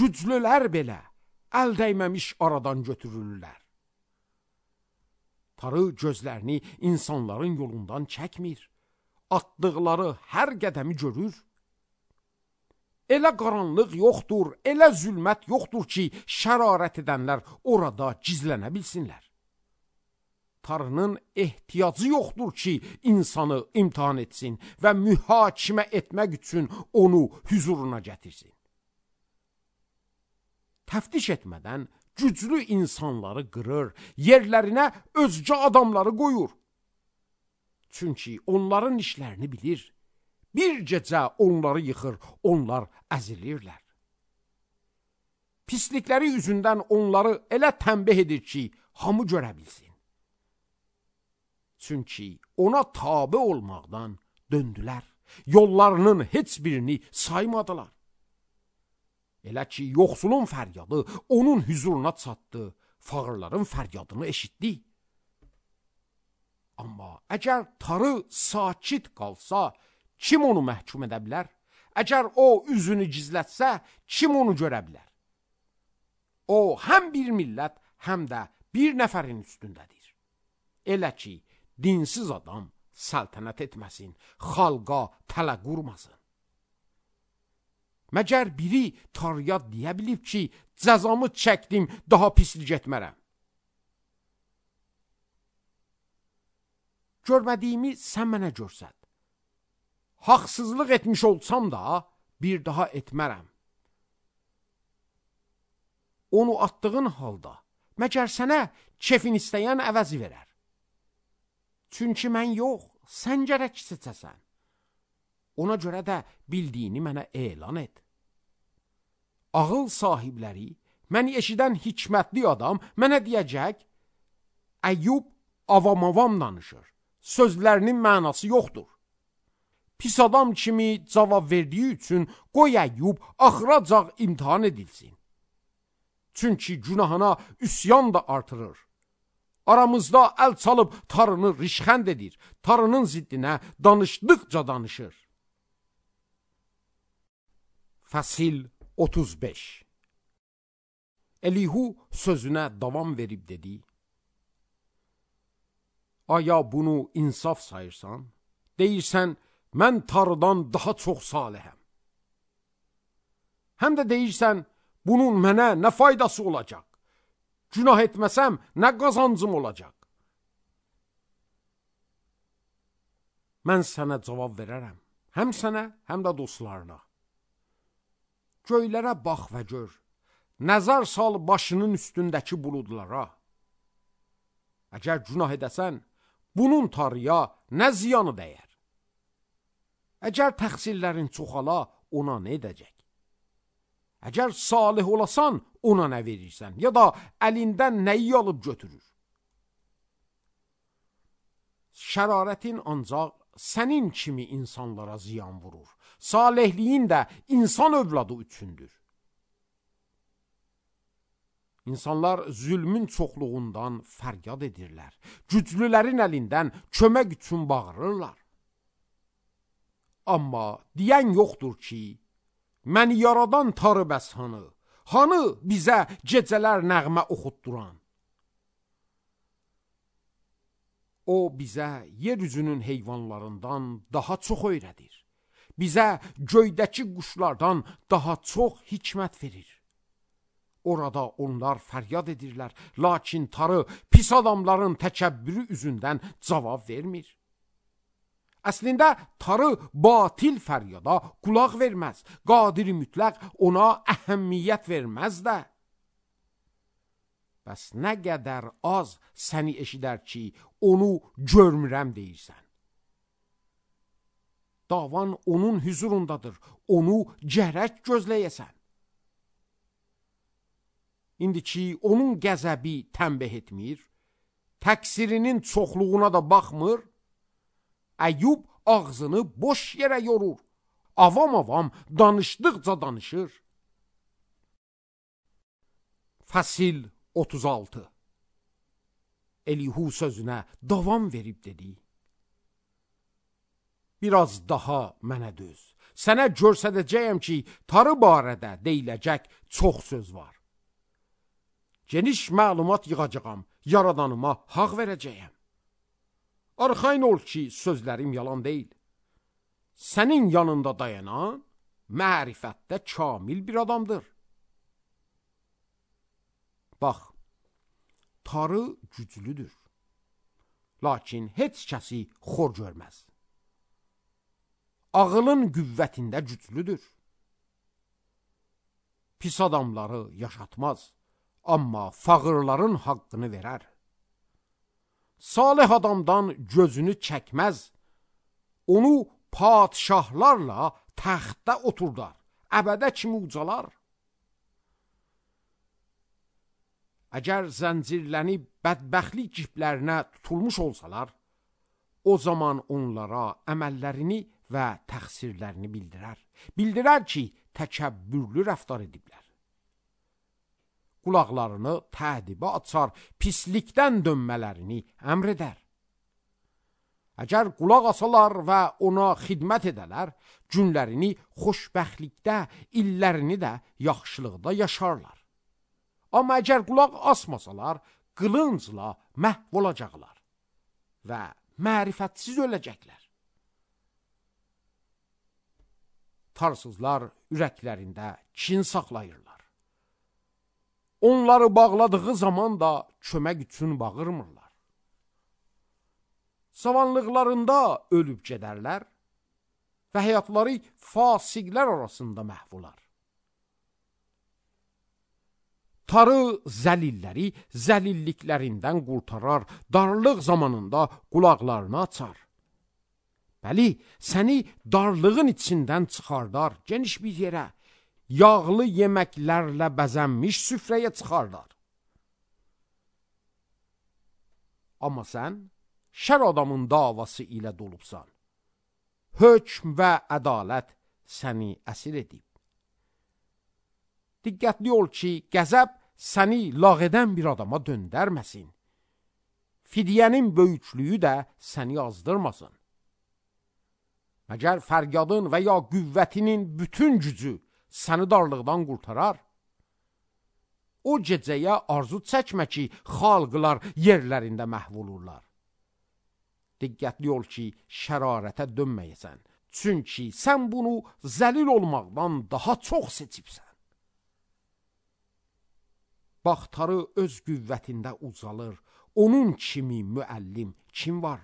Güclülər belə əl dəyməmiş aradan götürürlər. Tarı gözlərini insanların yolundan çəkmir, atdıqları hər qədəmi görür. Elə qaranlıq yoxdur, elə zülmət yoxdur ki, şərarət edənlər orada gizlənə bilsinlər. Tarının ehtiyacı yoxdur ki, insanı imtihan etsin və mühakimə etmək üçün onu hüzuruna gətirsin. Təftiş etmədən güclü insanları qırır, yerlərinə özgə adamları qoyur. Çünki onların işlərini bilir. Bir gecə onları yıxır, onlar əzilirlər. Pislikləri üzündən onları elə tənbih edir ki, hamı görə bilsin. Çünki ona tabe olmaqdan döndülər, yollarının heç birini saymadılar. Elə ki, yoxsulun fəryadı onun hüzuruna çatdı, fağırların fəryadını eşitdi. Amma əgər tarı sakit qalsa, kim onu məhkum edə bilər? Əgər o üzünü gizlətsə, kim onu görə bilər? O, həm bir millət, həm də bir nəfərin üstündədir. Elə ki, dinsiz adam səltənət etməsin, xalqa tələ qurmasın. Məgər biri tarıya deyə bilib ki, cəzamı çəkdim, daha pislik etmərəm. Görmədiyimi sən mənə görsət. Haqsızlıq etmiş olsam da, bir daha etmərəm. Onu atdığın halda, məgər sənə kefin istəyən əvəzi verər. Çünki mən yox, sən gərək seçəsən. Ona görə də bildiyini mənə elan et. Ağıl sahibləri, məni eşidən hikmətli adam mənə deyəcək, Əyyub avam-avam danışır, sözlərinin mənası yoxdur. Pis adam kimi cavab verdiyi üçün qoy Əyyub axıracaq imtihan edilsin. Çünki günahına üsyan da artırır. Aramızda əl çalıb tarını rişxənd edir, tarının ziddinə danışdıqca danışır. Fəsil otuz beş. Elihu sözünə davam verib dedi: Aya bunu insaf sayırsan? Deyirsən, mən tarıdan daha çox salihəm. Həm də deyirsən, bunun mənə nə faydası olacaq? Günah etməsəm, nə qazancım olacaq? Mən sənə cavab verərəm, həm sənə, həm də dostlarına. Göylərə bax və gör, nəzər sal başının üstündəki buludlara. Əgər günah edəsən, bunun tarıya nə ziyanı dəyər? Əgər təqsirlərin çoxala, ona nə edəcək? Əgər salih olasan, ona nə verirsən, ya da əlindən nəyi alıb götürür? Şərarətin ancaq sənin kimi insanlara ziyan vurur. Salihliyin də insan övladı üçündür. İnsanlar zülmün çoxluğundan fəryad edirlər. Güclülərin əlindən kömək üçün bağırırlar. Amma deyən yoxdur ki, məni yaradan Tanrı bəs hanı? Hanı bizə gecələr nəğmə oxutduran? O bizə yeryüzünün heyvanlarından daha çox öyrədir. Bizə göydəki quşlardan daha çox hikmət verir. Orada onlar fəryad edirlər, lakin Tanrı pis adamların təkəbbürü üzündən cavab vermir. Əslində Tanrı batil fəryada qulaq verməz, qadir mütləq ona əhəmiyyət verməz də. Bəs nə qədər az səni eşidər ki, onu görmürəm deyirsən. Davan onun hüzurundadır, onu gərək gözləyəsən. İndi ki, onun qəzəbi tənbih etmir, təqsirinin çoxluğuna da baxmır, Əyyub ağzını boş yerə yorur, avam-avam danışdıqca danışır. Fəsil otuz altı. Elihu sözünə davam verib dedi: biraz daha mənə döz, sənə görsədəcəyəm ki, Tanrı barədə deyiləcək çox söz var. Geniş məlumat yığacağam, yaradanıma haqq verəcəyəm. Arxain ol ki, sözlərim yalan deyil. Sənin yanında dayanan mərifətdə kamil bir adamdır. Bax, Tanrı güclüdür, lakin heç kəsi xor görməz. Ağılın qüvvətində güclüdür. Pis adamları yaşatmaz, amma fağırların haqqını verər. Salih adamdan gözünü çəkməz, onu padişahlarla təxtdə oturdar, əbədə kimi ucalar. Əgər zəncirlənib bədbəxtlik ciplərinə tutulmuş olsalar, o zaman onlara əməllərini və təqsirlərini bildirər. Bildirər ki, təkəbbürlü rəftar ediblər. Qulaqlarını tədibə açar, pislikdən dönmələrini əmr edər. Əgər qulaq asalar və ona xidmət edələr, günlərini xoşbəxtlikdə, illərini də yaxşılıqda yaşarlar. Amma əgər qulaq asmasalar, qılıncla məhv olacaqlar və mərifətsiz öləcəklər. Tarsızlar ürəklərində kin saxlayırlar. Onları bağladığı zaman da kömək üçün bağırmırlar. Savanlıqlarında ölüb gedərlər və həyatları fasiqlər arasında məhv olar. Tanrı zəlilləri zəlilliklərindən qurtarar, darlıq zamanında qulaqlarını açar. Bəli, səni darlığın içindən çıxardar, geniş bir yerə, yağlı yeməklərlə bəzənmiş süfrəyə çıxardar. Amma sən şər adamın davası ilə dolubsan. Hökm və ədalət səni əsir edib. Diqqətli ol ki, qəzəb səni lağ edən bir adama döndərməsin. Fidyənin böyüklüyü də səni azdırmasın. Məgər fəryadın və ya qüvvətinin bütün gücü səni darlıqdan qurtarar? O gecəyə arzu çəkmə ki, xalqlar yerlərində məhv olurlar. Diqqətli ol ki, şərarətə dönməyəsən. Çünki sən bunu zəlil olmaqdan daha çox seçibsən. Bax, Tanrı öz qüvvətində ucalır. Onun kimi müəllim kim var?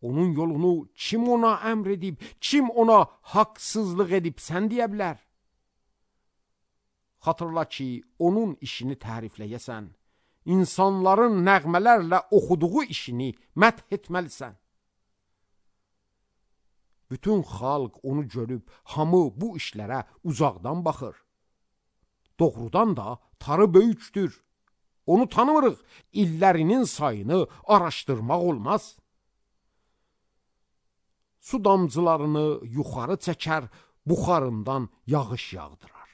Onun yolunu kim ona əmr edib, kim ona haqsızlıq edib sən deyə bilər? Xatırla ki, onun işini tərifləyəsən, insanların nəğmələrlə oxuduğu işini məth etməlisən. Bütün xalq onu görüb, hamı bu işlərə uzaqdan baxır. Doğrudan da Tanrı böyükdür. Onu tanımırıq, illərinin sayını araşdırmaq olmaz. Su damcılarını yuxarı çəkər, buxarından yağış yağdırar.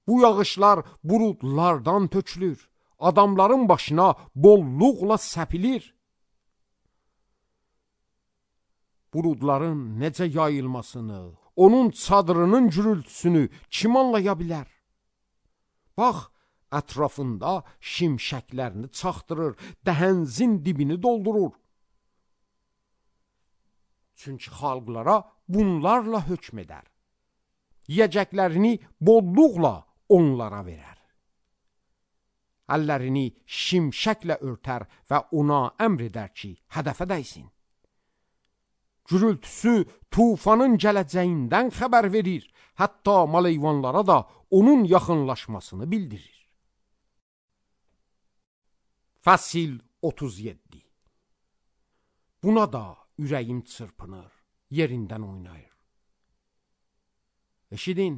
Bu yağışlar buludlardan tökülür. Adamların başına bolluqla səpilir. Buludların necə yayılmasını, onun çadırının gürültüsünü kim anlaya bilər? Bax, ətrafında şimşəklərini çaxdırır, dəhənzin dibini doldurur. Çünki xalqlara bunlarla hökm edər. Yiyəcəklərini bolluqla onlara verər. Əllərini şimşəklə örtər və ona əmr edər ki, hədəfə dəysin. Gürültüsü tufanın gələcəyindən xəbər verir, hətta maleyvanlara da onun yaxınlaşmasını bildirir. Fəsil otuz yeddi. Buna da ürəyim çırpınır, yerindən oynayır. Eşidin,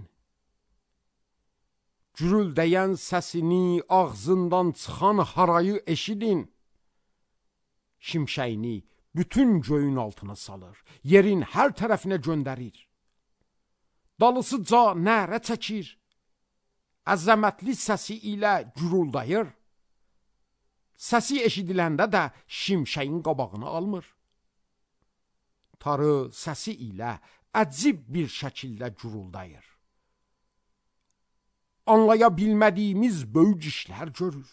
gürüldəyən səsini, ağzından çıxan harayı eşidin. Şimşəyini bütün göyün altına salır, yerin hər tərəfinə göndərir. Dalısıca nərə çəkir, əzəmətli səsi ilə gürüldayır. Səsi eşidiləndə də şimşəyin qabağını almır. Tarı səsi ilə əcib bir şəkildə gürüldayır. Anlaya bilmədiyimiz böyük işlər görür.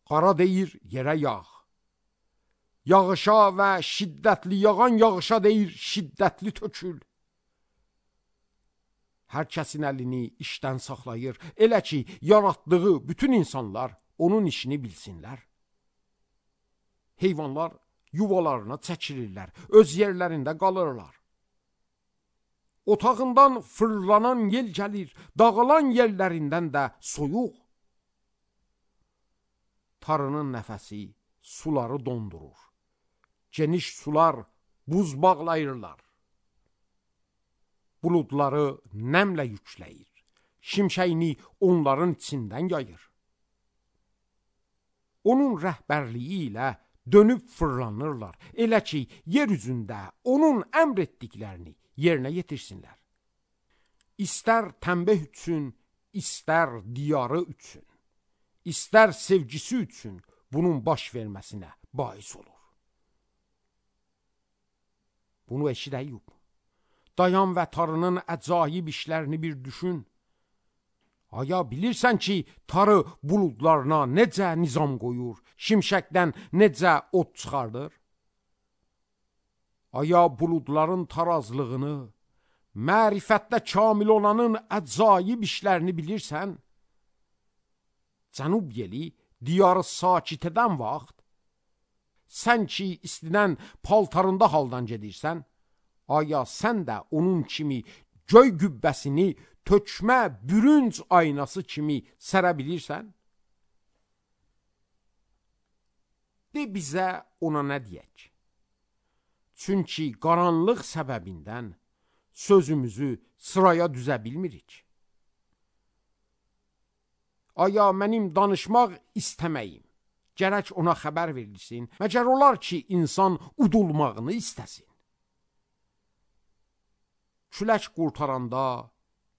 Qara deyir, yerə yağ. Yağışa və şiddətli yağan yağışa deyir, şiddətli tökül. Hər kəsin əlini işdən saxlayır, elə ki, yaratdığı bütün insanlar onun işini bilsinlər. Heyvanlar yuvalarına çəkilirlər, öz yerlərində qalırlar. Otağından fırlanan yel gəlir, dağılan yerlərindən də soyuq. Tarının nəfəsi suları dondurur. Geniş sular buz bağlayırlar. Buludları nəmlə yükləyir. Şimşəyini onların içindən yayır. Onun rəhbərliyi ilə dönüb fırlanırlar. Elə ki, yer üzündə onun əmr etdiklərini yerinə yetirsinlər. İstər tənbeh üçün, istər diyarı üçün, istər sevgisi üçün bunun baş verməsinə bais olur. Bunu eşid Əyyub. Dayan və tarının əcaib işlərini bir düşün. Aya bilirsən ki, tarı buludlarına necə nizam qoyur, şimşəkdən necə od çıxardır? Aya buludların tarazlığını, mərifətdə kamil olanın əcaib işlərini bilirsən? Cənub yeli diyarı sakit edən vaxt, sən ki istidən paltarında haldan gedirsən, aya sən də onun kimi göy gübbəsini tökmə bürünc aynası kimi sərə bilirsən? De bizə ona nə deyək? Çünki qaranlıq səbəbindən sözümüzü sıraya düzə bilmirik. Aya mənim danışmaq istəməyim, gərək ona xəbər verilsin, məgər olar ki, insan udulmağını istəsin. Külək qurtaranda,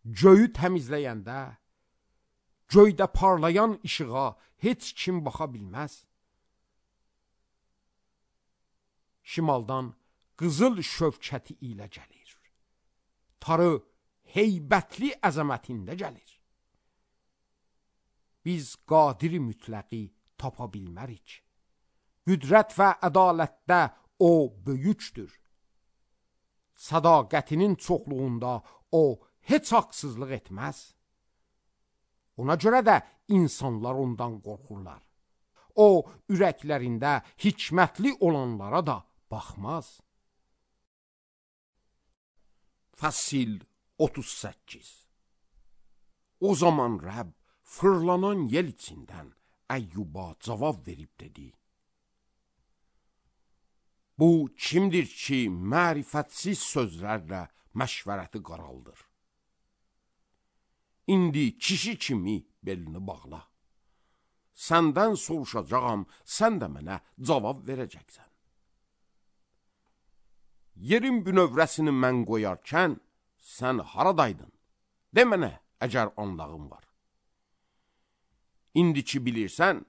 göyü təmizləyəndə, göydə parlayan işığa heç kim baxa bilməz. Şimaldan qızıl şövkəti ilə gəlir. Tarı heybətli əzəmətində gəlir. Biz qadiri mütləqi tapa bilmərik. Qüdrət və ədalətdə o böyükdür. Sədaqətinin çoxluğunda o heç haqsızlıq etməz. Ona görə də insanlar ondan qorxurlar. O, ürəklərində hikmətli olanlara da baxmaz. Fəsil otuz səkkiz. O zaman Rəbb fırlanan yel içindən Əyyuba cavab verib dedi: Bu kimdir ki, mərifətsiz sözlərlə məşvərəti qaraldır? İndi kişi kimi belini bağla. Səndən soruşacağam, sən də mənə cavab verəcəksən. Yerin bünövrəsini mən qoyarkən, sən haradaydın? De mənə, əgər anlağın var. İndiki bilirsən,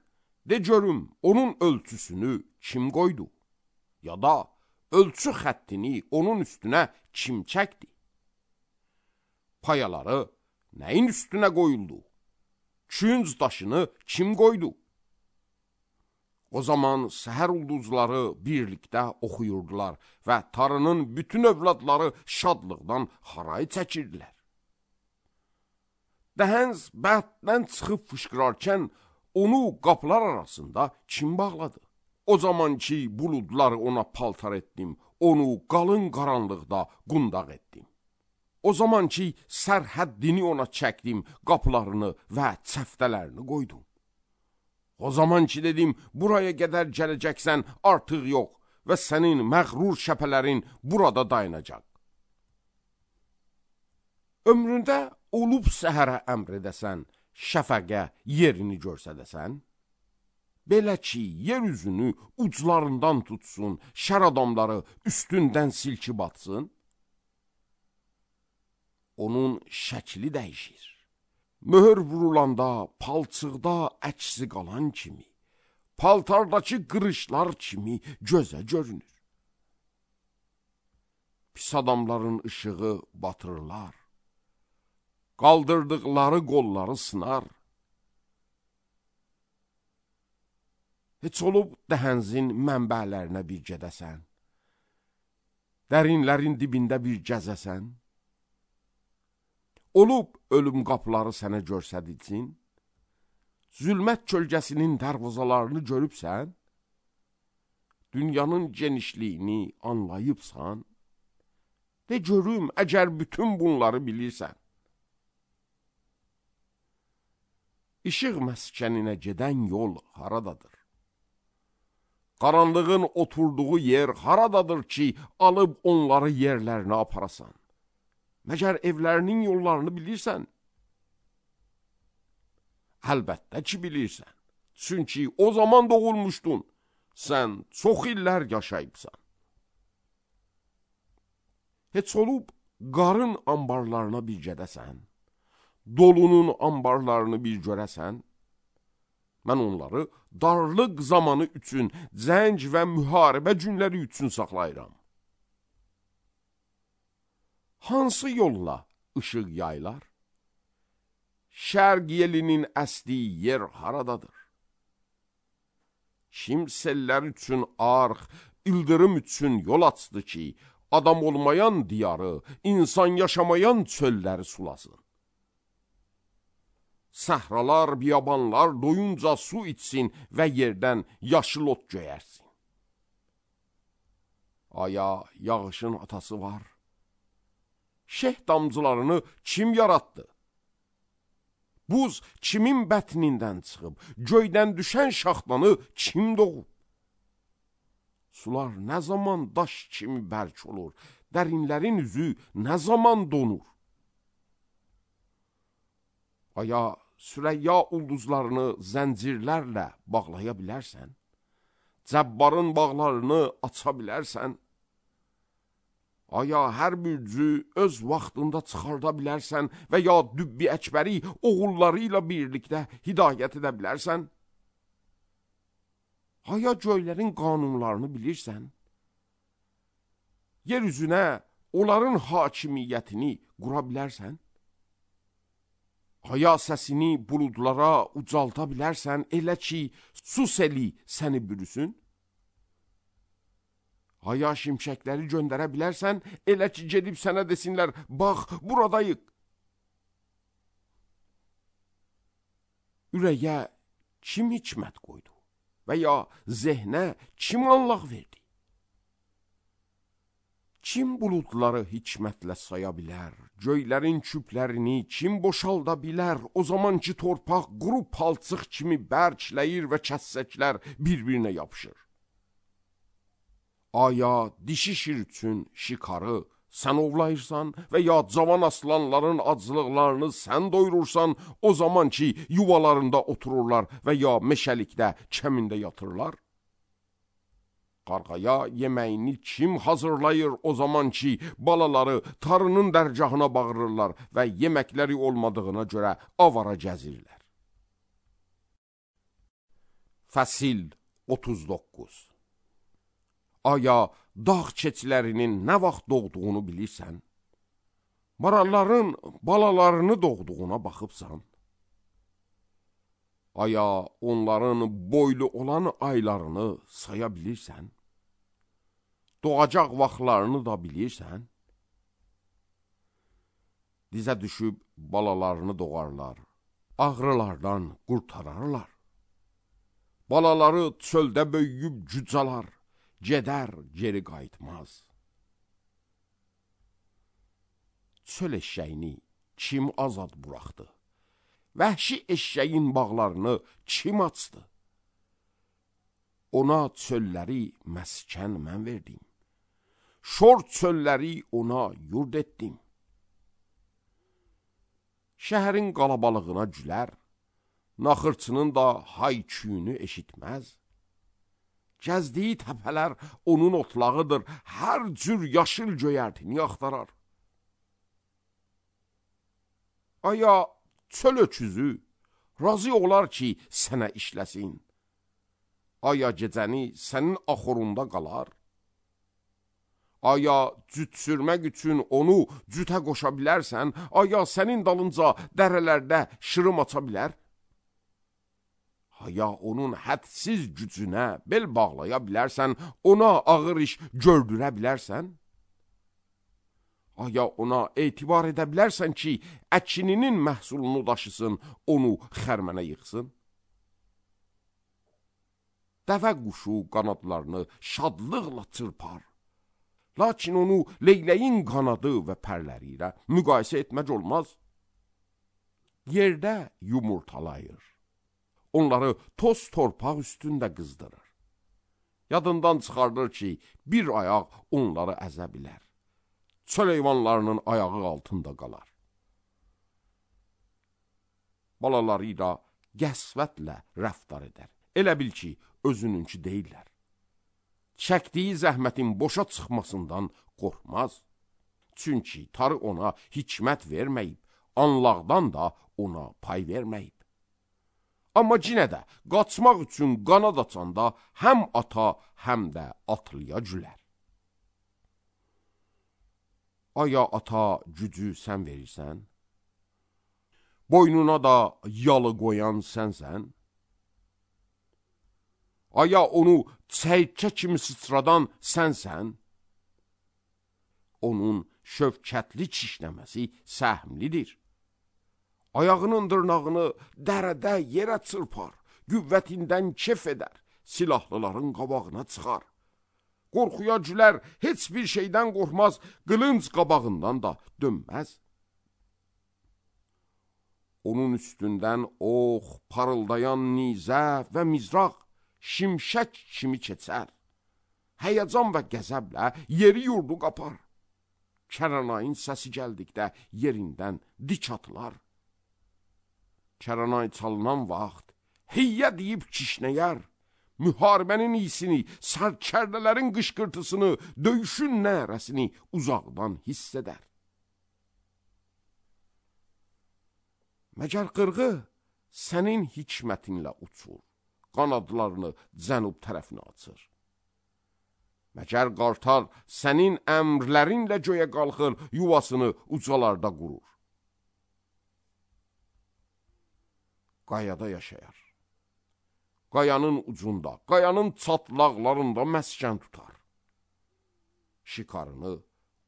de görüm, onun ölçüsünü kim qoydu? Ya da ölçü xəttini onun üstünə kim çəkdi? Payaları nəyin üstünə qoyuldu? Künc daşını kim qoydu? O zaman səhər ulduzları birlikdə oxuyurdular və tarının bütün övladları şadlıqdan haray çəkirdilər. Dəhəns bətdən çıxıb fışqırarkən onu qapılar arasında kim bağladı? O zaman ki buludları ona paltar etdim, onu qalın qaranlıqda qundaq etdim. O zaman ki sərhəddini ona çəkdim, qapılarını və çəftələrini qoydum. O zaman ki dedim, buraya qədər gələcəksən, artıq yox və sənin məğrur şəpələrin burada dayanacaq. Ömründə olub səhərə əmr edəsən, şəfəqə yerini görsədəsən, belə ki, yer üzünü uclarından tutsun, şər adamları üstündən silki batsın, onun şəkli dəyişir. Möhür vurulanda, palçıqda əksi qalan kimi, paltardakı qırışlar kimi gözə görünür. Pis adamların ışığı batırırlar, qaldırdıqları qolları sınar. Heç olub dəhənzin mənbələrinə bir gedəsən, dərinlərin dibində bir gəzəsən, olub ölüm qapıları sənə görsədilsin, zülmət kölgəsinin dərvazalarını görübsən, dünyanın genişliyini anlayıbsan, de görüm, əgər bütün bunları bilirsən. İşıq məskəninə gedən yol haradadır? Qaranlığın oturduğu yer haradadır ki, alıb onları yerlərinə aparasan? Məgər evlərinin yollarını bilirsən? Əlbəttə ki bilirsən. Çünki o zaman doğulmuşdun. Sən çox illər yaşayıbsan. Heç olub qarın ambarlarına bir gedəsən, dolunun ambarlarını bir görəsən, mən onları darlıq zamanı üçün, cəng və müharibə günləri üçün saxlayıram. Hansı yolla ışıq yaylar? Şərq yelinin əsdiyi yer haradadır? Kim sellər üçün arx, ildırım üçün yol açdı ki, adam olmayan diyarı, insan yaşamayan çölləri sulasın. Səhralar, biyabanlar doyunca su içsin və yerdən yaşıl ot göyərsin. Aya, yağışın atası var. Şeh damcılarını kim yarattı? Buz kimin bətnindən çıxıb, göydən düşən şaxtanı kim doğub? Sular nə zaman daş kimi bərk olur, dərinlərin üzü nə zaman donur? Aya, Sürəyya ulduzlarını zəncirlərlə bağlaya bilərsən? Cəbbarın bağlarını aça bilərsən? Aya, hər bürcü öz vaxtında çıxarda bilərsən və ya Dübbi Əkbəri oğulları ilə birlikdə hidayət edə bilərsən? Aya, göylərin qanunlarını bilirsən? Yer üzünə onların hakimiyyətini qura bilərsən? Aya, səsini buludlara ucalta bilərsən, elə ki, su seli səni bürüsün? Aya, şimşəkləri göndərə bilərsən, elə ki, gedib sənə desinlər, bax, buradayıq. Ürəyə kim hikmət qoydu və ya zehnə kim anlaq verdi? Kim buludları hikmətlə saya bilər, göylərin küplərini kim boşalda bilər, o zaman ki, torpaq quru palçıq kimi bərkləyir və kəssəklər bir-birinə yapışır. Aya, dişi şir üçün şikarı sən ovlayırsan və ya cavan aslanların acılıqlarını sən doyurursan, o zaman ki, yuvalarında otururlar və ya meşəlikdə kəmində yatırlar. qarğaya yeməyini kim hazırlayır o zaman ki, balaları tarının dərgahına bağırırlar və yeməkləri olmadığına görə avara gəzirlər. Fəsil otuz doqquz. Aya, dağ keçilərinin nə vaxt doğduğunu bilirsən? Maralların balalarını doğduğuna baxıbsan? Aya, onların boylu olan aylarını saya bilirsən? Doğacaq vaxtlarını da bilirsən? Dizə düşüb balalarını doğarlar, ağrılardan qurtararlar. Balaları çöldə böyüyüb cücalar, gedər geri qayıtmaz. Çöl eşşəyini kim azad buraxdı? Vəhşi eşşəyin bağlarını kim açdı? Ona çölləri məskən mən verdim. Şor çölləri ona yurd etdim. Şəhərin qalabalığına gülər, naxırçının da hay-küyünü eşitməz. Gəzdiyi təpələr onun otlağıdır, hər cür yaşıl göyərtini axtarar. Aya, çöl öküzü razı olar ki, sənə işləsin. Aya, gecəni sənin axurunda qalar. Aya, cüt sürmək üçün onu cütə qoşa bilərsən, aya, sənin dalınca dərələrdə şırım aça bilər. Aya, onun hədsiz gücünə bel bağlaya bilərsən, ona ağır iş gördürə bilərsən. Aya, ona etibar edə bilərsən ki, əkininin məhsulunu daşısın, onu xərmənə yıxsın. Dəvə quşu qanadlarını şadlıqla çırpar. Lakin onu leyləyin qanadı və pərləri ilə müqayisə etmək olmaz. Yerdə yumurtalayır. Onları toz torpaq üstündə qızdırır. Yadından çıxardır ki, bir ayaq onları əzə bilər. Çöl heyvanlarının ayağı altında qalar. Balaları ilə qəsvətlə rəftar edər. Elə bil ki, özününki deyirlər. Çəkdiyi zəhmətin boşa çıxmasından qorxmaz. Çünki tarı ona hikmət verməyib, anlaqdan da ona pay verməyib. Amma cinə də qaçmaq üçün qanad açanda həm ata, həm də atlıya gülər. Aya, ata, gücü sən verirsən? Boynuna da yalı qoyan sənsən? Aya, onu çəykə kimi sıçradan sənsən? Onun şövkətli çişləməsi səhmlidir. Ayağının dırnağını dərədə yerə çırpar, qüvvətindən kef edər, silahlıların qabağına çıxar. Qorxuya gülər, heç bir şeydən qorxmaz, qılınc qabağından da dönməz. Onun üstündən ox, parıldayan nizə və mizraq, şimşək kimi keçər. Həyəcan və qəzəblə yeri yurdu qapar. Kəranayın səsi gəldikdə yerindən dik atılar. Kəranay çalınan vaxt hiyyə deyib kişnəyər. Müharibənin iyisini, sərkərdələrin qışqırtısını, döyüşün nərəsini uzaqdan hiss edər. Məgər qırğı sənin hikmətinlə uçur, qanadlarını cənub tərəfinə açır. Məgər qartal sənin əmrlərinlə göyə qalxır, yuvasını ucalarda qurur. Qayada yaşayar. Qayanın ucunda, qayanın çatlaqlarında məskən tutar. Şikarını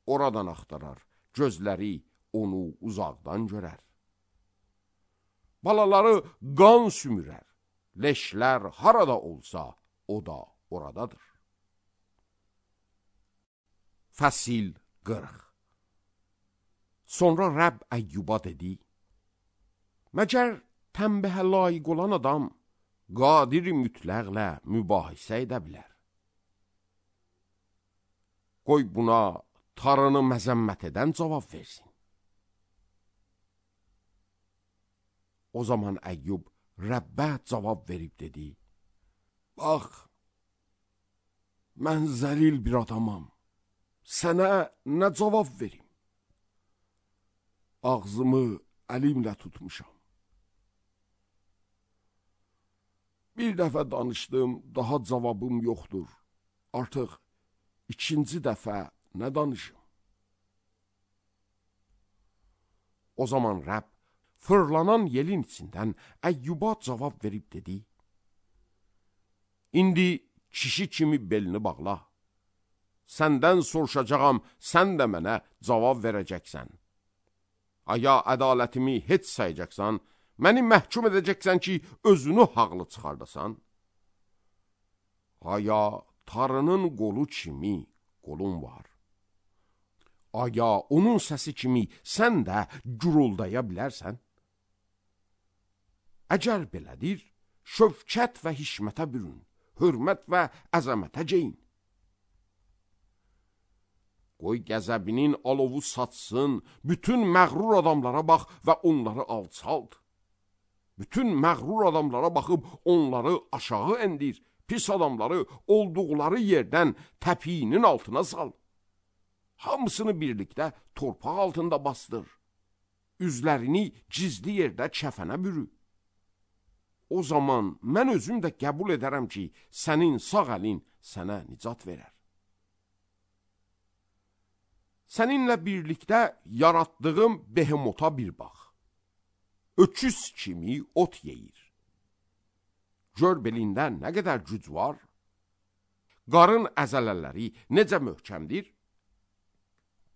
oradan axtarar, gözləri onu uzaqdan görər. Balaları qan sümürər, leşlər harada olsa, o da oradadır. Fəsil qırx. Sonra Rəbb Əyyuba dedi, məgər tənbəhə layiq olan adam qadir mütləqlə mübahisə edə bilər. Qoy buna tarını məzəmmət edən cavab versin. O zaman Əyyub Rəbbə cavab verib dedi, bax, mən zəlil bir adamam, sənə nə cavab verim? Ağzımı əlimlə tutmuşam. Bir dəfə danışdım, daha cavabım yoxdur. Artıq ikinci dəfə nə danışım? O zaman Rəbb fırlanan yelin içindən Əyyuba cavab verib dedi: İndi kişi kimi belini bağla. Səndən soruşacağam, sən də mənə cavab verəcəksən. Aya ədalətimi heç sayacaqsan, məni məhkum edəcəksən ki, özünü haqlı çıxardasan. Aya tarının qolu kimi qolun var. Aya onun səsi kimi sən də guruldaya bilərsən. Əgər belədir, şövkət və hişmətə bürün, hörmət və əzəmətə ceyin. Qoy qəzəbinin alovu satsın, bütün məğrur adamlara bax və onları alçalt. Bütün məğrur adamlara baxıb onları aşağı endir, pis adamları olduqları yerdən təpiyinin altına sal. Hamısını birlikdə torpaq altında basdır. Üzlərini gizli yerdə kəfənə bürü. O zaman mən özüm də qəbul edərəm ki, sənin sağ əlin sənə nicat verər. Səninlə birlikdə yaratdığım behemota bir bax. Öküz kimi ot yeyir. Gör belində nə qədər güc var. Qarın əzələləri necə möhkəmdir.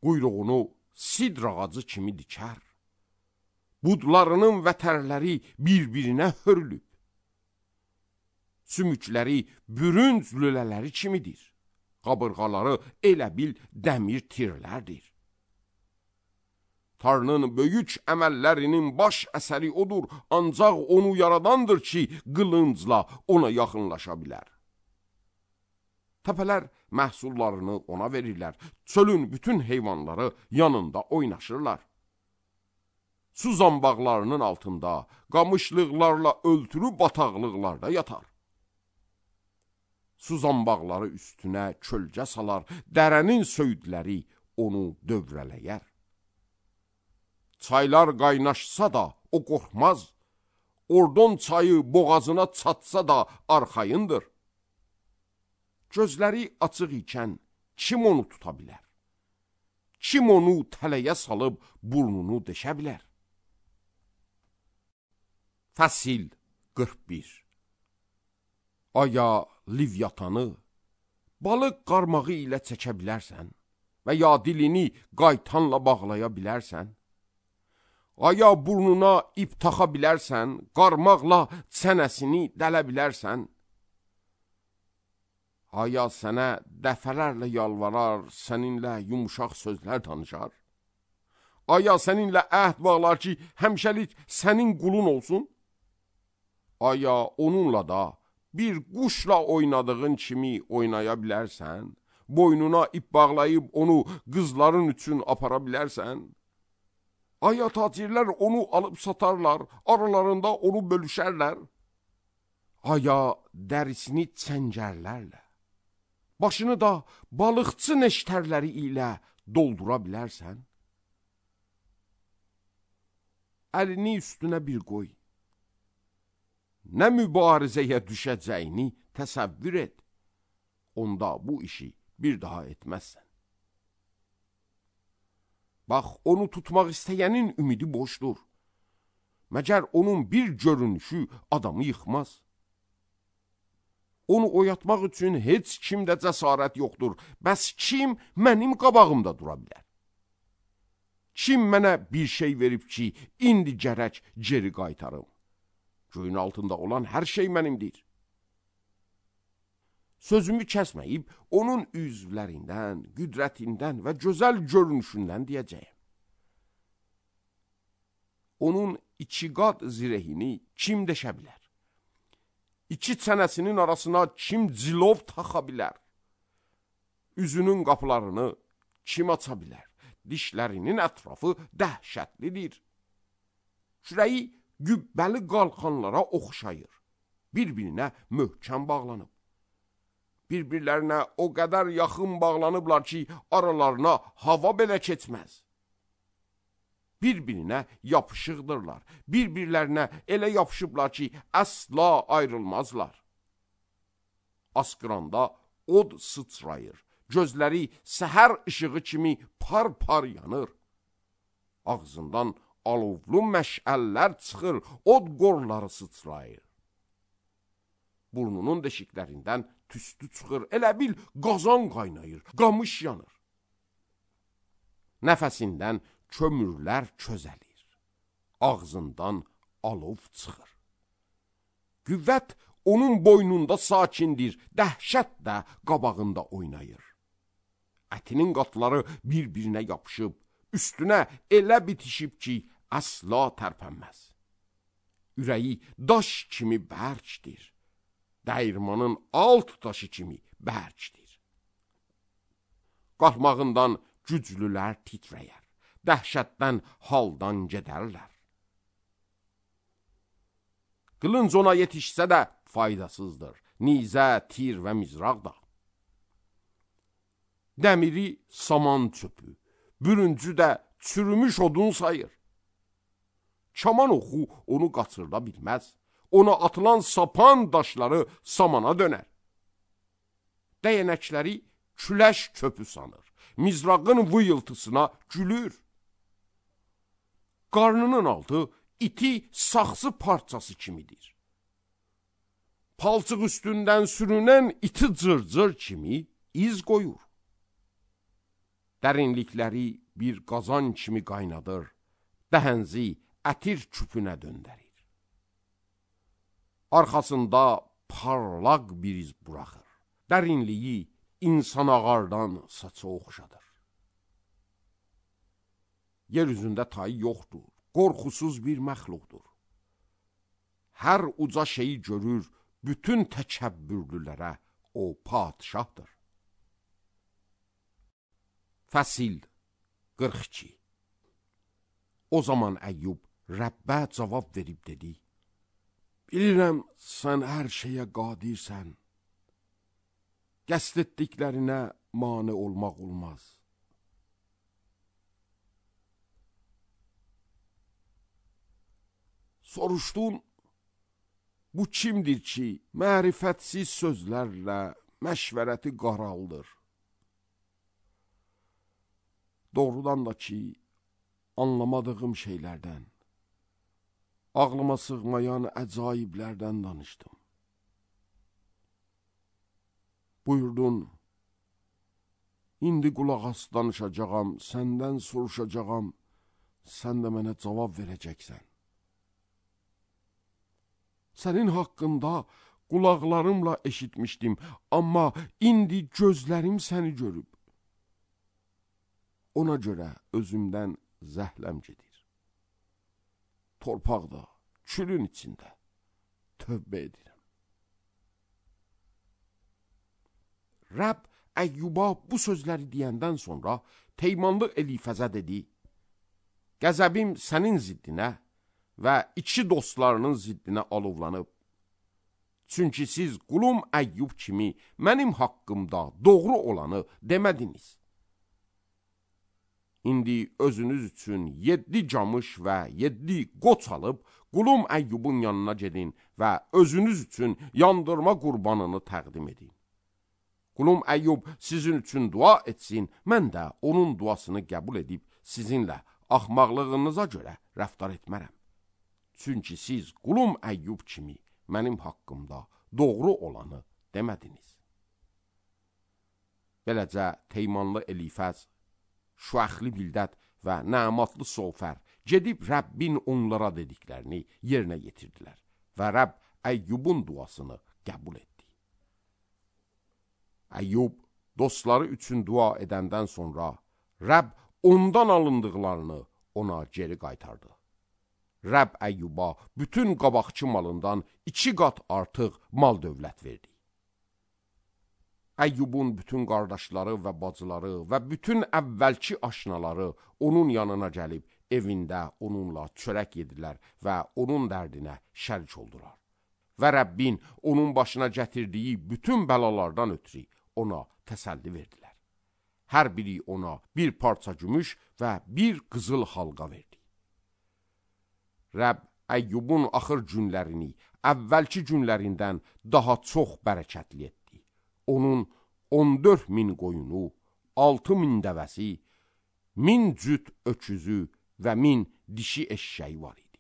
Quyruğunu sidr ağacı kimi dikər. Budlarının vətərləri bir-birinə hörülüb. Sümükləri bürünc lülələri kimidir. Qabırğaları elə bil dəmir tirlərdir. Tanrının böyük əməllərinin baş əsəri odur, ancaq onu yaradandır ki, qılıncla ona yaxınlaşa bilər. Təpələr məhsullarını ona verirlər, çölün bütün heyvanları yanında oynaşırlar. Su zambaqlarının altında, qamışlıqlarla öltülü bataqlıqlarda yatar. Su zambaqları üstünə kölgə salar, dərənin söyüdləri onu dövrələyər. Çaylar qaynaşsa da o qorxmaz, Ordon çayı boğazına çatsa da arxayındır. Gözləri açıq ikən kim onu tuta bilər? Kim onu tələyə salıb burnunu deşə bilər? Fəsil qırx bir. Aya Livyatanı balıq qarmağı ilə çəkə bilərsən və ya dilini qaytanla bağlaya bilərsən? Aya burnuna ip taxa bilərsən, qarmaqla çənəsini dələ bilərsən? Aya sənə dəfələrlə yalvarar, səninlə yumuşaq sözlər danışar? Aya səninlə əhd bağlar ki, həmişəlik sənin qulun olsun? Aya onunla da bir quşla oynadığın kimi oynaya bilərsən? Boynuna ip bağlayıb onu qızların üçün apara bilərsən? Aya tacirlər onu alıb satarlar, aralarında onu bölüşərlər? Aya dərisini çəngərlərlə, başını da balıqçı neştərləri ilə doldura bilərsən? Əlini üstünə bir qoy. Nə mübarizəyə düşəcəyini təsəvvür et. Onda bu işi bir daha etməzsən. Bax, onu tutmaq istəyənin ümidi boşdur. Məgər onun bir görünüşü adamı yıxmaz. Onu oyatmaq üçün heç kimdə cəsarət yoxdur. Bəs kim mənim qabağımda dura bilər? Kim mənə bir şey verib ki, indi gərək geri qaytarım? Göyün altında olan hər şey mənimdir. Sözümü kəsməyib, onun üzvlərindən, qüdrətindən və gözəl görünüşündən deyəcəyim. Onun iki qat zirehini kim deşə bilər? İki çənəsinin arasına kim cilov taxa bilər? Üzünün qapılarını kim aça bilər? Dişlərinin ətrafı dəhşətlidir. Şürəyi gübbəli qalxanlara oxşayır. Bir-birinə möhkəm bağlanıb. Bir-birlərinə o qədər yaxın bağlanıblar ki, aralarına hava belə keçməz. Bir-birinə yapışıqdırlar. Bir-birlərinə elə yapışıblar ki, əsla ayrılmazlar. Asqıranda od sıçrayır. Gözləri səhər işığı kimi par-par yanır. Ağzından alovlu məşəllər çıxır, od qorları sıçrayır. Burnunun deşiklərindən tüstü çıxır, elə bil qazan qaynayır, qamış yanır. Nəfəsindən kömürlər çözəlir, ağzından alov çıxır. Qüvvət onun boynunda sakindir, dəhşət də qabağında oynayır. Ətinin qatları bir-birinə yapışıb, üstünə elə bitişib ki, əsla tərpənməz. Ürəyi daş kimi bərkdir, dəyirmanın alt daşı kimi bərkdir. Qalxmağından güclülər titrəyər, dəhşətdən haldan gedərlər. Qılınc ona yetişsə də faydasızdır, nizə, tir və mizraq da. Dəmiri saman çöpü, bürüncü də çürümüş odun sayır. Kaman oxu onu qaçırda bilməz, ona atılan sapan daşları samana dönər. Dəyənəkləri küləş köpü sanır, mizrağın vıyıltısına gülür. Qarnının altı iti saxsı parçası kimidir. Palçıq üstündən sürünən iti cırcır kimi iz qoyur. Dərinlikləri bir qazan kimi qaynadır, dəhənzi ətir küpünə döndərir. Arxasında parlaq bir iz buraxır, dərinliyi insan ağardan saça oxşadır. Yer üzündə tayı yoxdur, qorxusuz bir məxluqdur. Hər uca şeyi görür, bütün təkəbbürlülərə o padişahdır. Fəsil qırx iki. O zaman Əyyub Rəbbə cavab verib dedi: Bilirəm, sən hər şeyə qadirsən. Qəsd etdiklərinə mane olmaq olmaz. Soruşdun, bu kimdir ki, mərifətsiz sözlərlə məşvərəti qaraldır? Doğrudan da ki, anlamadığım şeylərdən, ağlıma sığmayan əcaiblərdən danışdım. Buyurdun, indi qulaq as danışacağam, səndən soruşacağam, sən də mənə cavab verəcəksən. Sənin haqqında qulaqlarımla eşitmişdim, amma indi gözlərim səni görüb. Ona görə özümdən zəhləm gedir. Torpaqda, külün içində tövbə edirəm. Rəbb Əyyuba bu sözləri deyəndən sonra Teymanlı Elifəzə dedi: Qəzəbim sənin ziddinə və iki dostlarının ziddinə alovlanıb. Çünki siz qulum Əyyub kimi mənim haqqımda doğru olanı demədiniz. İndi özünüz üçün yeddi camış və yeddi qoç alıb, qulum Əyyubun yanına gedin və özünüz üçün yandırma qurbanını təqdim edin. Qulum Əyyub sizin üçün dua etsin, mən də onun duasını qəbul edib sizinlə axmaqlığınıza görə rəftar etmərəm. Çünki siz qulum Əyyub kimi mənim haqqımda doğru olanı demədiniz. Beləcə Teymanlı Elifəz, Şuaxli Bildad və Nəmatlı Sofər gedib Rəbbin onlara dediklərini yerinə yetirdilər və Rəbb Əyyubun duasını qəbul etdi. Əyyub dostları üçün dua edəndən sonra Rəbb ondan alındıqlarını ona geri qaytardı. Rəbb Əyyuba bütün qabaqçı malından iki qat artıq mal dövlət verdi. Əyyubun bütün qardaşları və bacıları və bütün əvvəlki aşnaları onun yanına gəlib evində onunla çörək yedilər və onun dərdinə şərik oldular. və Rəbbin onun başına gətirdiyi bütün bəlalardan ötürü ona təsəlli verdilər. Hər biri ona bir parça gümüş və bir qızıl halqa verdi. Rəbb Əyyubun axır günlərini əvvəlki günlərindən daha çox bərəkətli etdi. Onun on dörd min qoyunu, altı min dəvəsi, min cüt öküzü və min dişi eşşəyi var idi.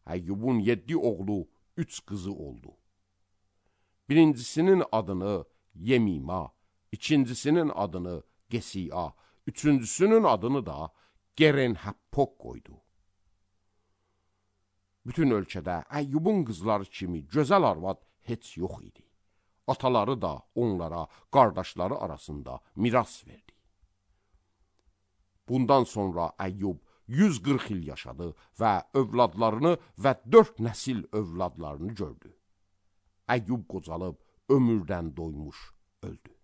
Əyyubun yeddi oğlu, üç qızı oldu. Birincisinin adını Yemima, ikincisinin adını Gesiya, üçüncüsünün adını da Gerenhappok qoydu. Bütün ölkədə Əyyubun qızları kimi gözəl arvad heç yox idi. Ataları da onlara qardaşları arasında miras verdi. Bundan sonra Əyyub yüz qırx il yaşadı və övladlarını və dörd nəsil övladlarını gördü. Əyyub qocalıb ömürdən doymuş öldü.